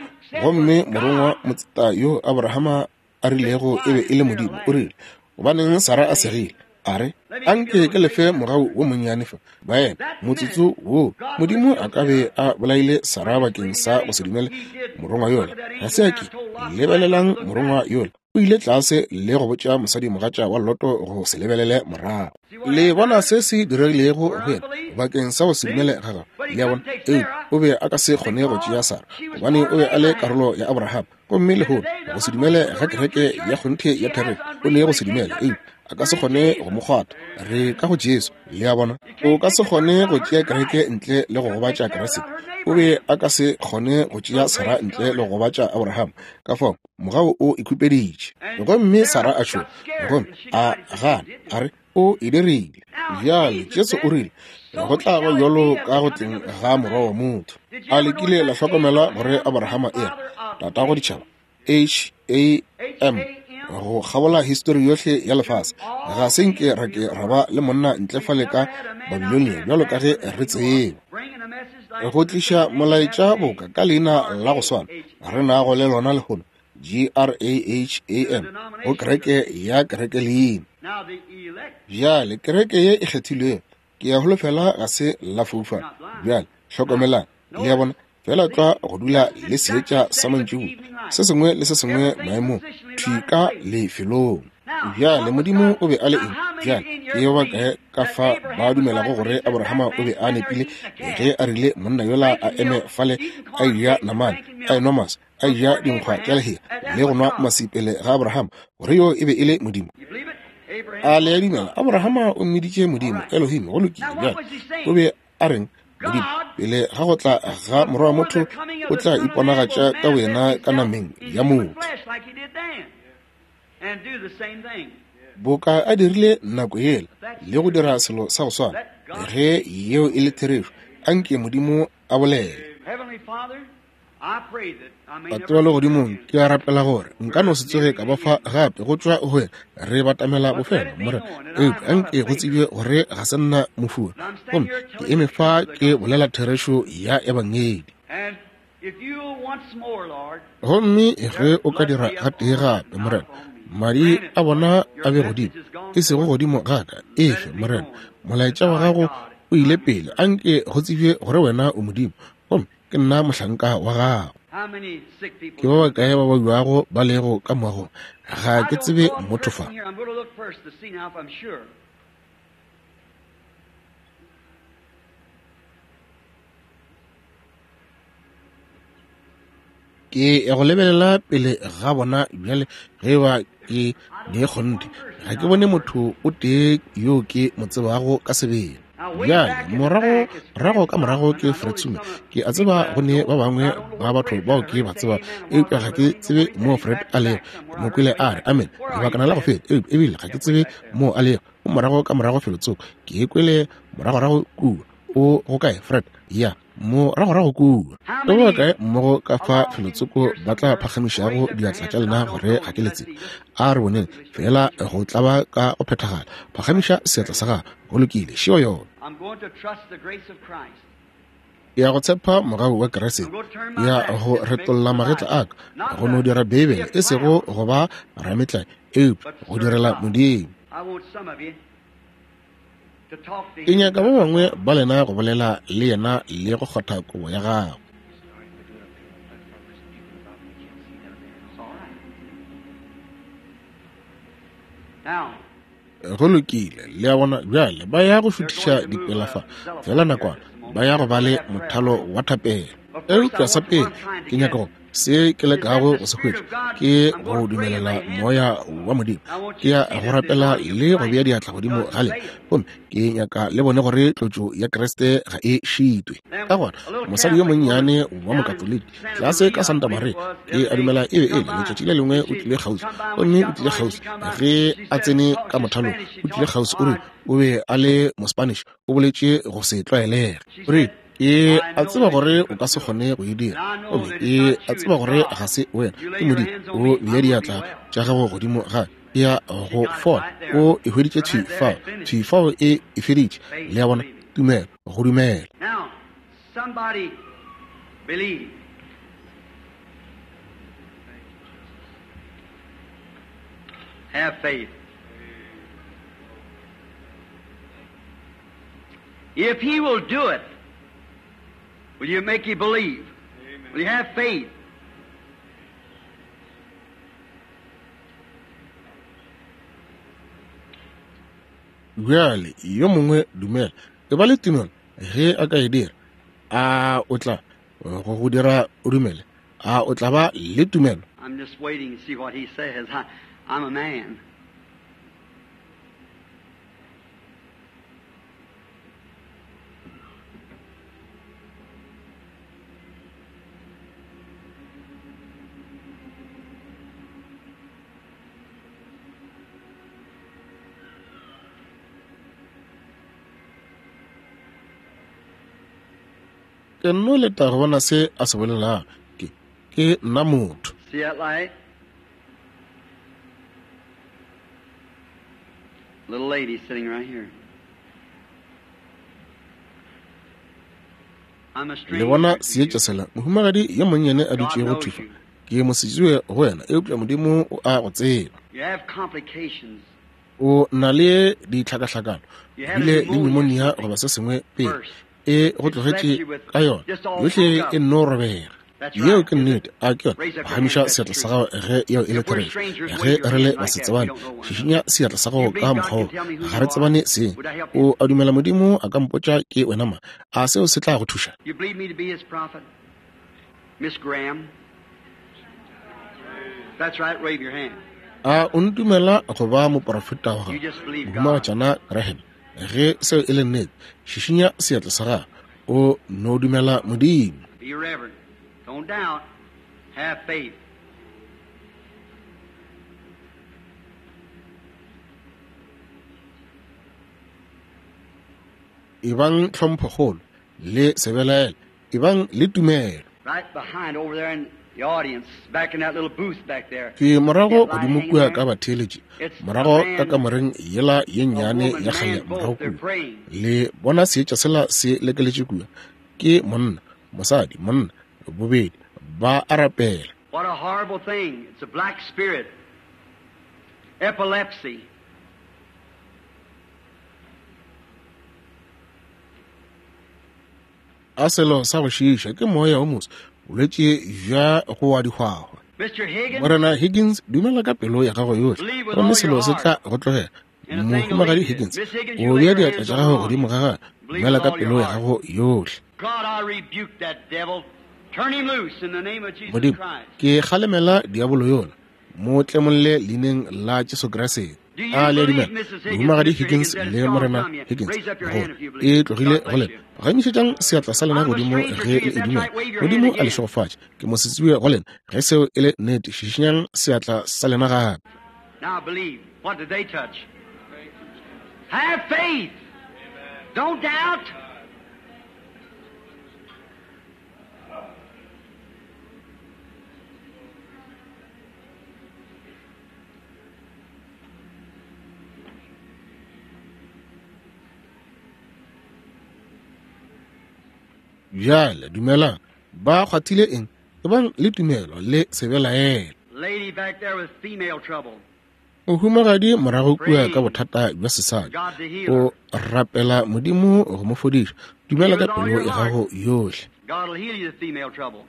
Gomme morongwa motseta yo Abrahama a rilego e be e le Modimo, o rile, gobaneng Sara a segile? A re, anke ke lefe mogau wo monnyane fa, baena, motsotso wo. Modimo a ka be a bolaile Sara bakeng sa go se dumele morongwa yola. Ga se a ke. Lebelelang morongwa yola. O ile tlase le go botša mosadimogatša wa Loto go se lebelele morago. Le bona se se diregilego go yena bakeng sa go se dumele ga gagwe. Le a bona? Eupša o be a ka se kgone go tšea Sara, gobane o be a le karolo ya Abraham. Gomme lehono go se dumele ga kereke ya kgonthe ya therešo, o ne go se dumele, eupša a ka se kgone go mo kgwatha. Re ka go Jesu. Le a bona? O ka se kgone go tšea kereke ntle le go gobatša Kriste. O be a ka se kgone go tšea Sara ntle le go gobatša Abraham. Ka fao mogau o ikhupeditše. Gomme Sara a tšhoga, gomme a gana, a re, o e dirile. Bjale Jesu o rile, go tla ba bjalo ka go tleng ga Morwa wa motho. A le kile la hlokomela gore Abrahama e re tatago ditšhaba, H-A-M, go kgabola histori yohle ya lefase? Ga se nke ra ke ra ba le monna ntle fale ka Babilonia bjalo ka ge re tseba, go tliša molaetša boka ka leina la go swana re nago le lona lehono, G-R-A-H-A-M, go kereke ya kereke leina. Bjale kereke ye e kgethilwego, ke ya holofela ga se la foufala. Bjale hlokomelang, le a bona, fela tlwa go dula le seetša sa mantšiboa, se sengwe le se sengwe maemong, thwi ka lefelong. Bjale Modimo o be a le eng? Bjale ke ba bakae ka fa ba dumelago gore Abrahama o be a nepile ge a rile monna yola a eme fale a eja namane, a enwa maswi, a eja dinkgwa tša lehea le go nwa maswi pele ga Abrahama, gore yo e be e le Modimo? A le a dumela? Abrahama o mmiditše Modimo, Elohim. Go lokile. Bjale o be a reng? Modimo, pele ga go tla ga Morwa wa motho, o tla iponagatša ka boyena ka nameng ya motho, boka a dirile nako yela, le go dira selo sa go swana. Ge yeo e le therešo, anke Modimo a bolele. Tate wa Legodimong, ke a rapela gore nka no se tsoge ka ba fa gape go tšwa go wena. Re batamela bofelo, Morena, eupša anke go tsebje gore ga se nna mofura, gomme ke eme fa ke bolela therešo ya Ebangedi. Gomme ge o ka dira gatee gape, Morena, madi a bona a be godimo, e sego godimo ga ka, efe, Morena, molaetša wa gago o ile pele. Anke go tsebje gore wena o Modimo, gomme ke nna mohlanka wa gago. Ke ba bakae ba babjago ba lego ka moagong? Ga ke tsebe motho fa. Ke ya go lebelela pele ga bona bjale ge ba ke ne kgonthe. Ga ke bone motho o tee yo ke mo tsebago ka sebele. Bjale morago rago ka morago ke Fred Sume. Ke a tseba go ne ba bangwe ba batho bao ke ba tseba, eupša ga ke tsebe mo Fred a lego. Mo kwele a re amen lebakana la go feta, eupša ebile ga ke tsebe mo a lego. O morago ka morago felotsoko. Ke kwele moragorago kua. O go kae Fred? Ya, moragorago kua. Ke ba kae mmogo ka fa felotsoko ba tla phagamišago diatla tša lena gore ga ke le tsebe? A re boneng fela go tlaba ka go phethagala. Phagamiša seatla sa gago. Go lokile, šeo yona. Ya go tshepa mogau wa Kriste, ya go retolla magetla a ka go no dira Beibele, e sego go ba rametlae, eupša go direla Modimo. Ke nyaka ba bangwe ba lena go bolela le yena le go kgotha kobo ya gago. Go lokile, le a bona bjale ba ya go šuthiša dipela fa fela nakwana, ba ya go ba le mothalo wa thapelo. Eupša sa pele ke nyaka go se ke lekago go se hwetša ke go dumelela moya wa Modimo. Ke ya go rapela le go bea diatla godimo ga lena, gomme ke nyaka le bone gore tlotšo ya Kriste ga e šitwe. Ka gona mosadi yo monnyane wa Mokatoliki tlase ka Santa Maria, ke a dumela e be e le letšatši le lengwe, o tlile kgauswi, gomme o tlile kgauswi ge a tsene ka mothalong, o tlile kgauswi, o re o be a le Mospanish, o boletše go se tlwaelege. O re, ke a tseba gore o ka se kgone go e dira, gomme ke a tseba gore ga se wena, ke Modimo. O bea diatla tša gago godimo ga ya go fola, o e hweditše thwi fao, thwi fao e e feditše. Le a bona, tumelo, go dumela. Have faith. If he will do it, will you make you believe? Amen. Will you have faith? Bjale yo mongwe dumela, e ba le tumelo ge a ka e dira. A o tla go go dira o dumele? A o tla ba le tumelo? I'm just waiting to see what he says. I'm a man. Ke nno leta go bona se a se bolelago. Ke, ke nna motho. See that light? Little lady sitting right here. I'm a Le stranger bona to you. seetša sela, mohumagadi yo monnyane a dutšego God thwi knows fa. you. Ke mosetsebje go wena, eupša Modimo o a go tseba. You have complications. O na le ditlhakahlakano, You had a bile le pneumonia pneumonia something goba se sengwe pele. first. E go It left tlogetše you with ka yona, just all yohle broke e up. nno robega. That's Yeo right, ke is it? nnete, a ke yona? Raise up your hand Phagamiša if that's seatla sa true. gago ge yeo e le If we're therešo. strangers, Ge wave your re le hand like that. We basetsebane, don't know one another. šišinya seatla sa You gago believe ka God mokgwa can wo. tell me who Ga you re are? tsebane seng. Would that help you? O a dumela Modimo a ka mpotša ke wena mang? A seo se tla go thuša? You believe me to be his prophet? Miss Graham? That's right, wave your hand. A o ntumela go ba moporofeta wa You gago, just believe God. Mohumagatšana Graham? Ge seo e le nnete, šišinya seatla sa gago. O no dumela Modimo. Be reverent. Don't doubt. Have faith. Ebang tlhomphokgolo le sebelaela, ebang le tumelo. Right behind over there in the audience, back in that little booth back there. Ke morago That light godimo hanging kua there. ka batheeletši, It's a morago ka man, kamoreng yela ye a nnyane woman, ya kgale man, morago both. They're kua. praying. Le bona seetša sela se lekeletše kua. Ke monna, mosadi, monna, bobedi ba a rapela. What a horrible thing. It's a black spirit. Epilepsy. A selo sa go šiiša ke moya o moso, bolwetši bja go wa dihwahwa. Mr. Higgins, Morena Higgins, dumela ka pelo ya gago yohle, believe with gomme all your selo se heart, tla go tlogela. and a thing will Mohumagadi leave you. Higgins, Miss Higgins, you o lay bea your diatla hands tša on gago her godimo ga gagwe, Believe dumela with ka all your pelo ya heart. gago yohle. God, I rebuke that devil. Modimo, ke kgalemela diabolo yola, mo tlemolle leineng la Jesu Kriste. A le a dumela, Mohumagadi Higgins le Morena Higgins, gore e tlogile go lena? Gamišetšang seatla sa lena godimo ge le e dumela. Modimo a le šegofatše. Ke mo setsiwe go lena. Ge seo e le nnete, šišinyang seatla sa lena gape. Now believe. What did they touch? Have faith. Don't doubt. Bjale dumelang. Ba kgwathile eng? Ebang le tumelo le se belaele. Lady back there with female trouble. Mohumagadi morago kua ka bothata bja sesadi, o rapela Modimo go mo fodiša. Dumela ka pelo ya gago yohle. God will heal you the female trouble.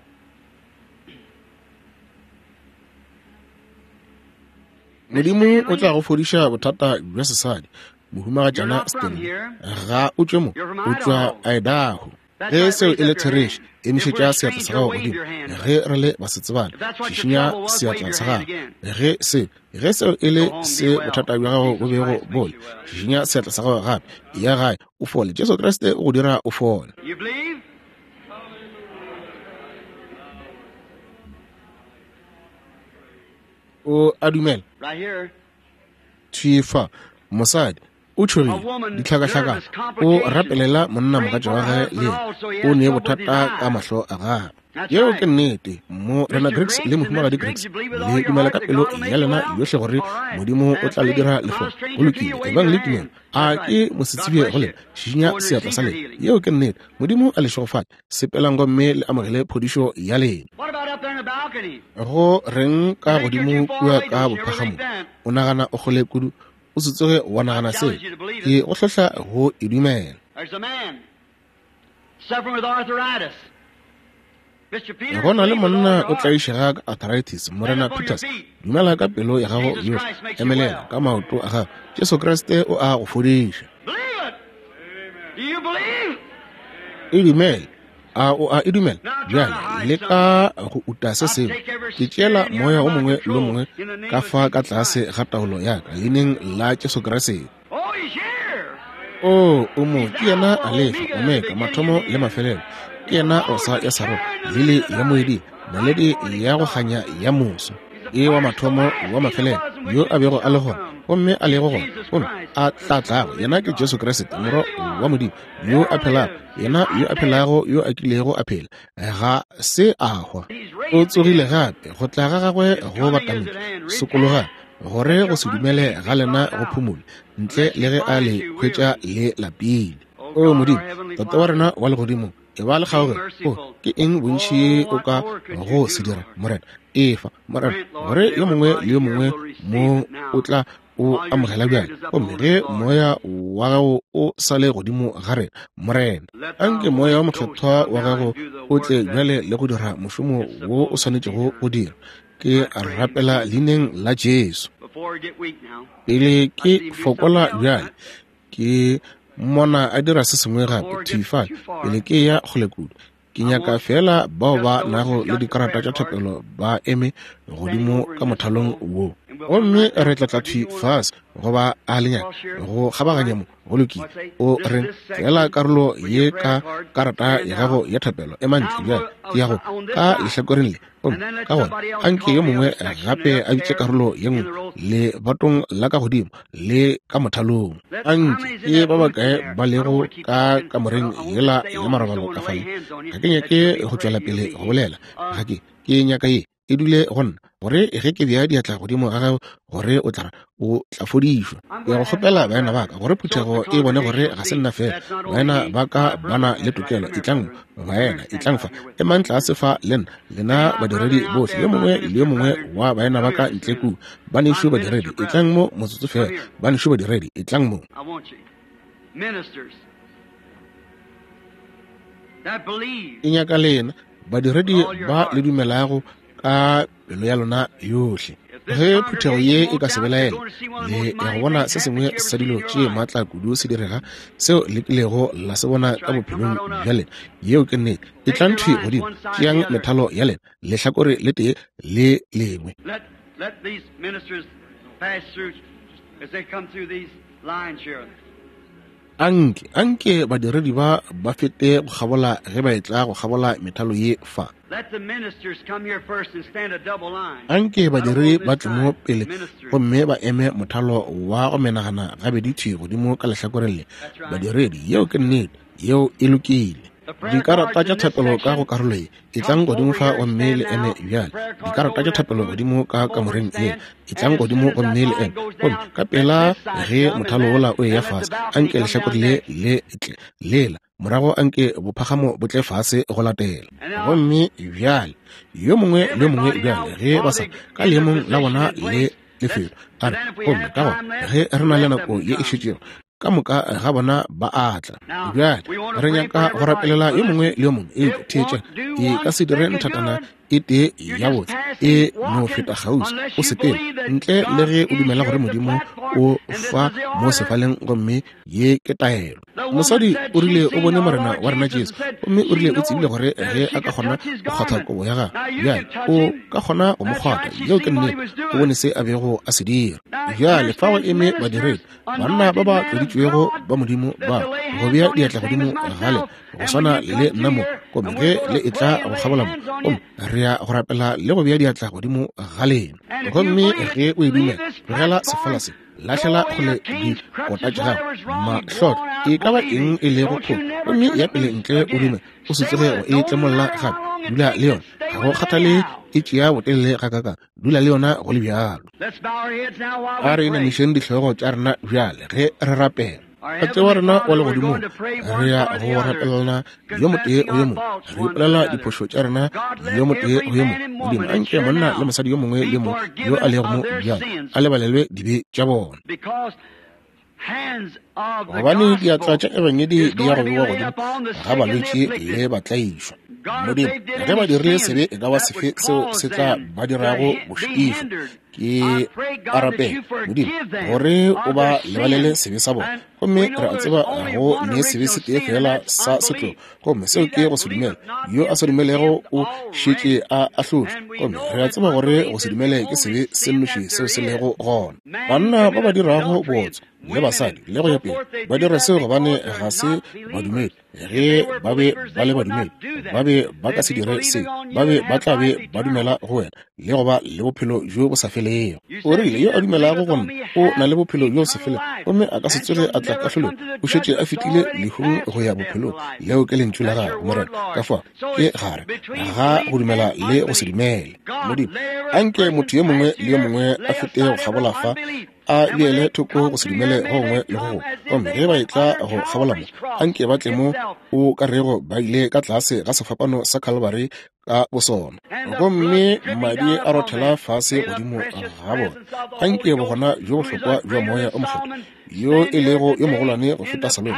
Modimo o tla go fodiša bothata bja sesadi. Mohumagatšana Stanley, ga o tšwe mo, o tšwa Idaho. Ge seo e le therešo, emišetša seatla sa gago godimo. Ge re le basetsebane, šišinya seatla sa gago. Ge se, ge seo e le se bothata bja gago bo bego bo le, šišinya seatla sa gago gape. Ya gae, o fole. Jesu Kriste o go dira o fole. You believe? O a dumela? Right here. Thwi fa, mosadi o tšhogile, ditlhakahlakano, o rapelela monnamogatša wa gagwe le yena o ne bothata ka mahlo a gagwe. Yeo ke nnete. Morena Griggs le Mohumagadi Griggs, le dumela ka pelo ya lena yohle gore Modimo o tla le dira le fole? Go lokile, ebang le tumelo. A ke mosetsebje go lena? Šišinya seatla sa lena. Yeo ke nnete. Modimo a le šegofatše. Sepelang gomme le amogele phodišo ya lena. What about up there in the balcony? Go reng ka godimo kua ka bophagamong? O nagana o kgole kudu? O se tsoge wa nagana seo. Ke go hlohla go e dumela. There's a man suffering with arthritis. Mr. Peters, Go na le believe with all monna your o heart. tlaišega ka arthritis. Morena Peters, dumela ka pelo ya gago yohle. Emelela ka maoto a gago. Jesu Kriste o a go fodiša. Believe it. Do you believe? E dumele. A o a e dumela? Bjale leka go uta se sengwe. Ke tšeela moya o mongwe le o mongwe ka fa ka tlase ga taolo ya ka, leineng la Jesu Kriste. Oh, he's here. O, o mo, ke yena Alefa, Omega, mathomo le mafelelo. Ke yena Rosa ya Sarona, lili ya moeding, naledi ya go kganya ya moso. E wa mathomo, wa mafelelo, yo a bego a le gona, gomme a lego gona, gomme a tla tlago. Yena ke Jesu Kriste, Morwa wa Modimo, yo a phelago, yena yo a phelago, yo a kilego a phela, ga se a hwa. O tsogile gape, go tla ga gagwe go batametše. Sokologang, gore go se dumele ga lena go phumole, ntle le ge a le hwetša le lapile. O Modimo, Tate wa rena wa legodimong, e ba le kgaogelo. O, ke eng bontši o ka go se dira, Morena? Efa, Morena, gore yo mongwe le yo mongwe mo o tla o amogela bjale. Gomme ge moya wa gago o sa le godimo ga rena, Morena, anke moya wa mokgethwa wa gago o tle bjale le go dira mošomo wo o swanetšego go dira. Ke rapela leineng la Jesu. Before we get weak now. Pele ke fokola bjale, ke mmona a dira se sengwe gape, thwi fale, pele ke ya kgole kudu. Ke nyaka feela bao ba nago le dikarata tša thapelo ba eme godimo ka mothalong wo. Gomme re tla tla thwi fase, goba a le nyaka go kgabaganya mo. Go lokile. O reng feela karolo ye ka karata ya gago ya thapelo, ema ntle bjale, ke ya go ka lehlakoreng le. Gomme ka gona anke yo mongwe gape a bitše karolo ye nngwe lebatong la ka godimo le ka mothalong. Anke ke ba bakae ba lego ka kamoreng yela ya marobalo ka fale. Ga ke nyake go tšwela pele go bolela. Ga ke, ke nyaka ye e dule go nna, gore ge ke bea diatla godimo ga gago, gore o tla, o tla fodišwa. Ke go kgopela baena ba ka, gore phuthego e bone gore ga se nna fela. Baena ba ka ba na le tokelo. Etlang mo, baena, etlang fa. Emang tlase fa le nna, lena badiredi bohle, yo mongwe le yo mongwe wa baena ba ka ntle kua. Banešu badiredi, etlang mo motsotso fela. Banešu badiredi, etlang mo. I want you, ministers that believe. Ke nyaka lena badiredi ba le dumelago ka pelo ya lona yohle. Ge phuthego ye e ka se belaele, le ya go bona se sengwe sa dilo tše maatla kudu se direga seo le kilego la se bona ka bophelong bja lena. Yeo ke nnete. Etlang thwi godimo, tšeang methalo ya lena, lehlakore le tee le lengwe. Anke, anke badiredi ba ba fete go kgabola ge ba etla go kgabola methalo ye fa. Anke badiredi ba tle mo pele gomme ba eme mothalo wa go menagana gabedi thwi godimo ka lehlakoreng le. Badiredi, yeo ke nnete, yeo e lokile. Dikarata tša thapelo ka go karolo ye, etlang godimo fa gomme le eme bjale. Dikarata tša thapelo godimo ka kamoreng ye, etlang godimo gomme le eme. Gomme ka pela ge mothalo wola o eya fase, anke lehlakore le le tle lela, morago anke bophagamo bo tle fase go latela. Gomme bjale yo mongwe le yo mongwe bjale ge ba sa ka leemong la bona le lefelo, a re, gomme ka gona ge re na le nako ye e šetšego, ka moka ga bona ba a tla. Bjale re nyaka go rapelela yo mongwe le yo mongwe. Eupša theetša, e ka se dire nthatana e tee ya botse e no feta kgauswi o sepele ntle le ge o dumela gore Modimo o fa mo sefaleng, gomme ye ke taelo. Mosadi o rile o bone Morena wa rena Jesu, gomme o rile o tsebile gore ge a ka kgona go kgwatha kobo ya gagwe, bjale o ka kgona go mo kgwatha. Yeo ke nnete, o bone se a bego a se dira. Bjale fa go eme badiredi, banna ba ba tloditšwego ba Modimo ba go bea diatla godimo ga lena, go swana le nna mo, gomme ge le etla go kgabola mo, gomme re ya go rapela le go bea diatla godimo ga lena. Gomme ge o e dumela, tlogela sefala se, lahlela kgole dikota tša gago, mahlotlo, e ka ba eng e lego kgole, gomme ya pele ntle o dume, o se tsoge go e tlemolla gape. Dula le yona, ga go kgathale e tšea botelele gakakang, dula le yona go le bjalo. A re inamišeng dihlogo tša rena bjale ge re rapela. Tate wa rena wa legodimong, re ya go rapelelana yo motee go yo mongwe, re ipolela diphošo tša rena yo motee go yo mongwe. Modimo, anke monna le mosadi yo mongwe le yo mongwe yo a lego mo bjale a lebalelwe dibe tša bona, gobane diatla tša ebangedi di ya go bewa godimo ga balwetši le batlaišwa. Modimo, ge ba dirile sebe e ka ba sefe seo se tla ba dirago go šitišwa, ke a rapela Modimo gore o ba lebalele sebe sa bona. Gomme re a tseba go ne sebe se tee fela sa setlogo, gomme seo ke go se dumela. Yo a sa dumelego o šetše a ahlotšwe, gomme re a tseba gore go se dumele ke sebe se nnoši seo se lego gona. Banna ba ba dirago bootswa le basadi le go ya pele ba dira seo gobane ga se badumedi. Ge ba be ba le badumedi, ba be ba ka se dire se, ba be ba tla be ba dumela go wena le go ba le bophelo bjo bo sa felego. O rile, yo a dumelago go nna o na le bophelo bjo bo sa felego, gomme a ka se tsoge a tla kahlolong, o šetše a fetile lehung go ya bophelong. Leo ke lentšu la gago, Morena. Ka fao ke gare ga go dumela le go se dumele. Modimo, anke motho yo mongwe le yo mongwe a fete go kgabola fa, a beele thoko go se dumele go gongwe le go gongwe, gomme ge ba etla go kgabola mo, anke ba tle mo o ka rego ba ile ka tlase ga sefapano sa Calvary ka bosona, gomme madi a rothela fase godimo ga bona. Anke bogona bjo bohlokwa bja Moya o Mokgethwa, yo e lego yo mogolwane go feta Salomo,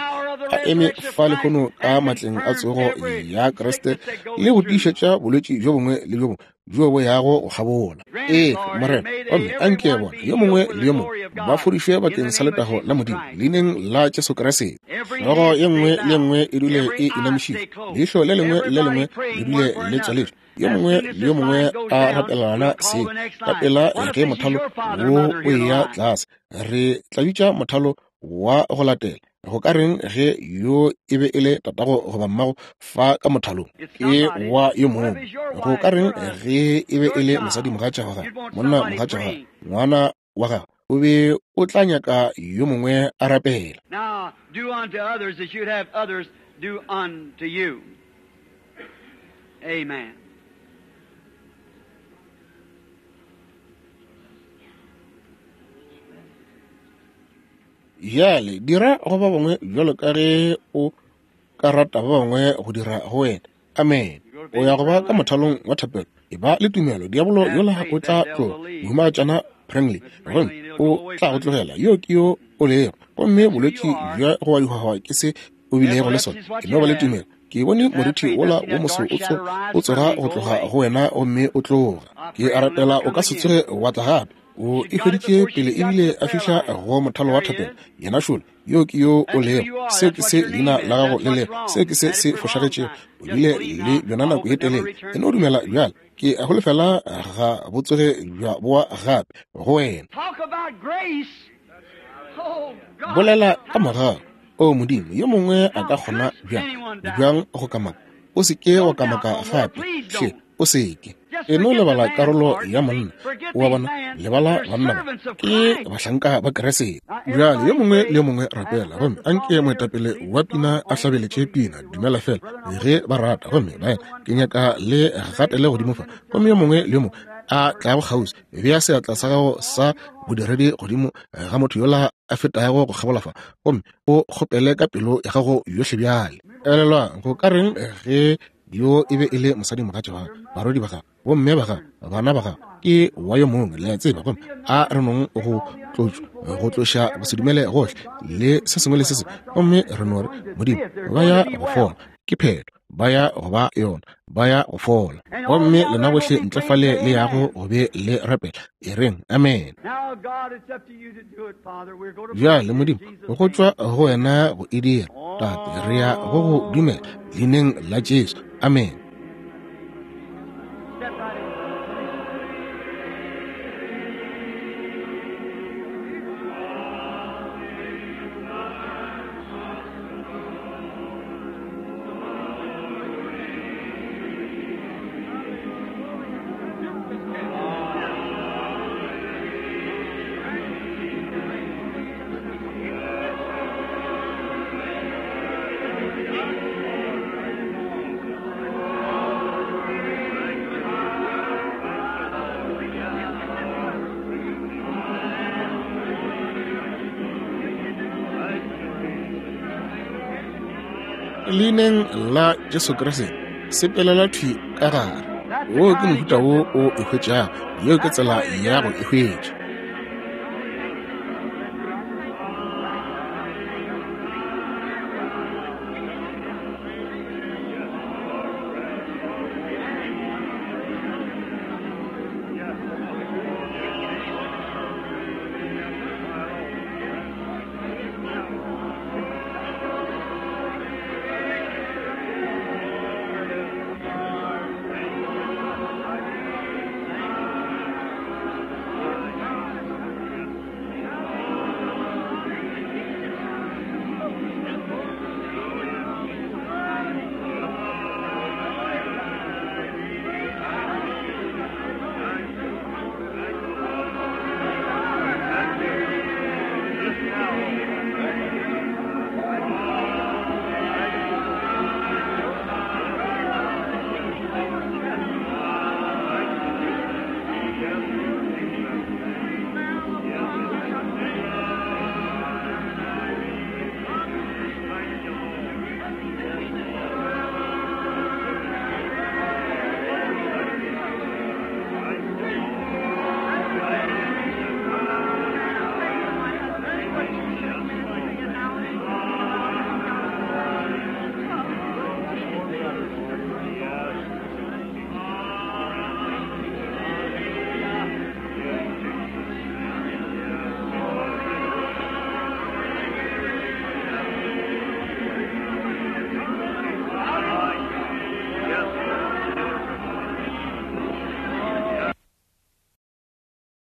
a eme fa lehono ka matleng a tsogo ya Kriste le go tiišetša bolwetši bjo bongwe le bjo bongwe bjo bo yago go kgabola. Ee, Morena, gomme anke bona yo mongwe le yo mongwe ba fodišwe bakeng sa letago la Modimo, leineng la Jesu Kriste. Hlogo ye nngwe le ye nngwe e dule e inamišitšwe, leihlo le lengwe le lengwe le dule le tswaletšwe, yo mongwe le yo mongwe a rapelana se ka pela ge mothalo wo o eya tlase. Re tla bitša mothalo wa go latela. Go ka reng ge yo e be e le tatago goba mmago fa ka mothalong ke wa yo mongwe? Go ka reng ge e be e le mosadi mogatša wa gagwe, monna mogatša wa gagwe, ngwana wa gagwe? O be o tla nyaka yo mongwe a rapela. Now do unto others as you'd have others do unto you. Amen. Bjale dira go ba bangwe bjalo ka ge o ka rata ba bangwe go dira go wena. Amen. O ya go ba ka mothalong wa thapelo. E ba le tumelo. Diabolo yola o tla tloga. Mohumagatšana Prangley, gomme o tla go tlogela. Yo ke yo o lego. Gomme bolwetši bja go wa dihwahwa ke se o bilego le sona. Ke no ba le tumelo. Ke bone morithi wola wo moso o tsoga go tloga go wena gomme o tloga. Ke a rapela o ka se tsoge wa tla gape. O e hweditše pele ebile a fihla go mothalo wa thapelo. Yena šole, yo ke yo o lego. Seo ke se leina la gago le lego. Seo ke se se fošagetšego. O bile le bjona nako ye telele. E no dumela bjale. Ke a holofela ga bo tsoge bja boa gape go wena. Bolela ka mogau. O Modimo, yo mongwe a ka kgona bjang, bjang go kamaka? O se ke wa kamaka gape, hle, o se ke. E no lebala karolo ya monna, o a bona, lebala banna ba, ke bahlanka ba Kriste. Bjale yo mongwe le yo mongwe rapela, gomme anke moetapele wa pina a hlabeletše pina, Dumela Fela, ge ba rata. Gomme baena, ke nyaka le gatele godimo fa, gomme yo mongwe le yo mongwe a tlago kgauswi, bea seatla sa gago sa bodiredi godimo ga motho yola a fetago go kgabola fa, gomme o kgopele ka pelo ya gago yohle bjale. Elelwang, go ka reng ge yo e be e le mosadimogatša wa gago, barwedi ba gago, bomme ba gago, bana ba gago, ke wa yo mongwe, le a tseba, gomme a re nong go tlotšwa, go tloša gosedumele gohle le se sengwe le se sengwe, gomme re no re, Modimo, ba ya go fola, ke phetho, ba ya go ba yona, ba ya go fola. Gomme lena bohle ntle fale le yago go be le rapela, e reng amen. Bjale Modimo, go tšwa go wena go e dira, Tate, re ya go go dumela leineng la Jesu. Amen. Leineng la Jesu Kriste, sepelela thwi ka gare. Wo ke mohuta wo o e hwetšago. Yeo ke tsela ya go e hwetša.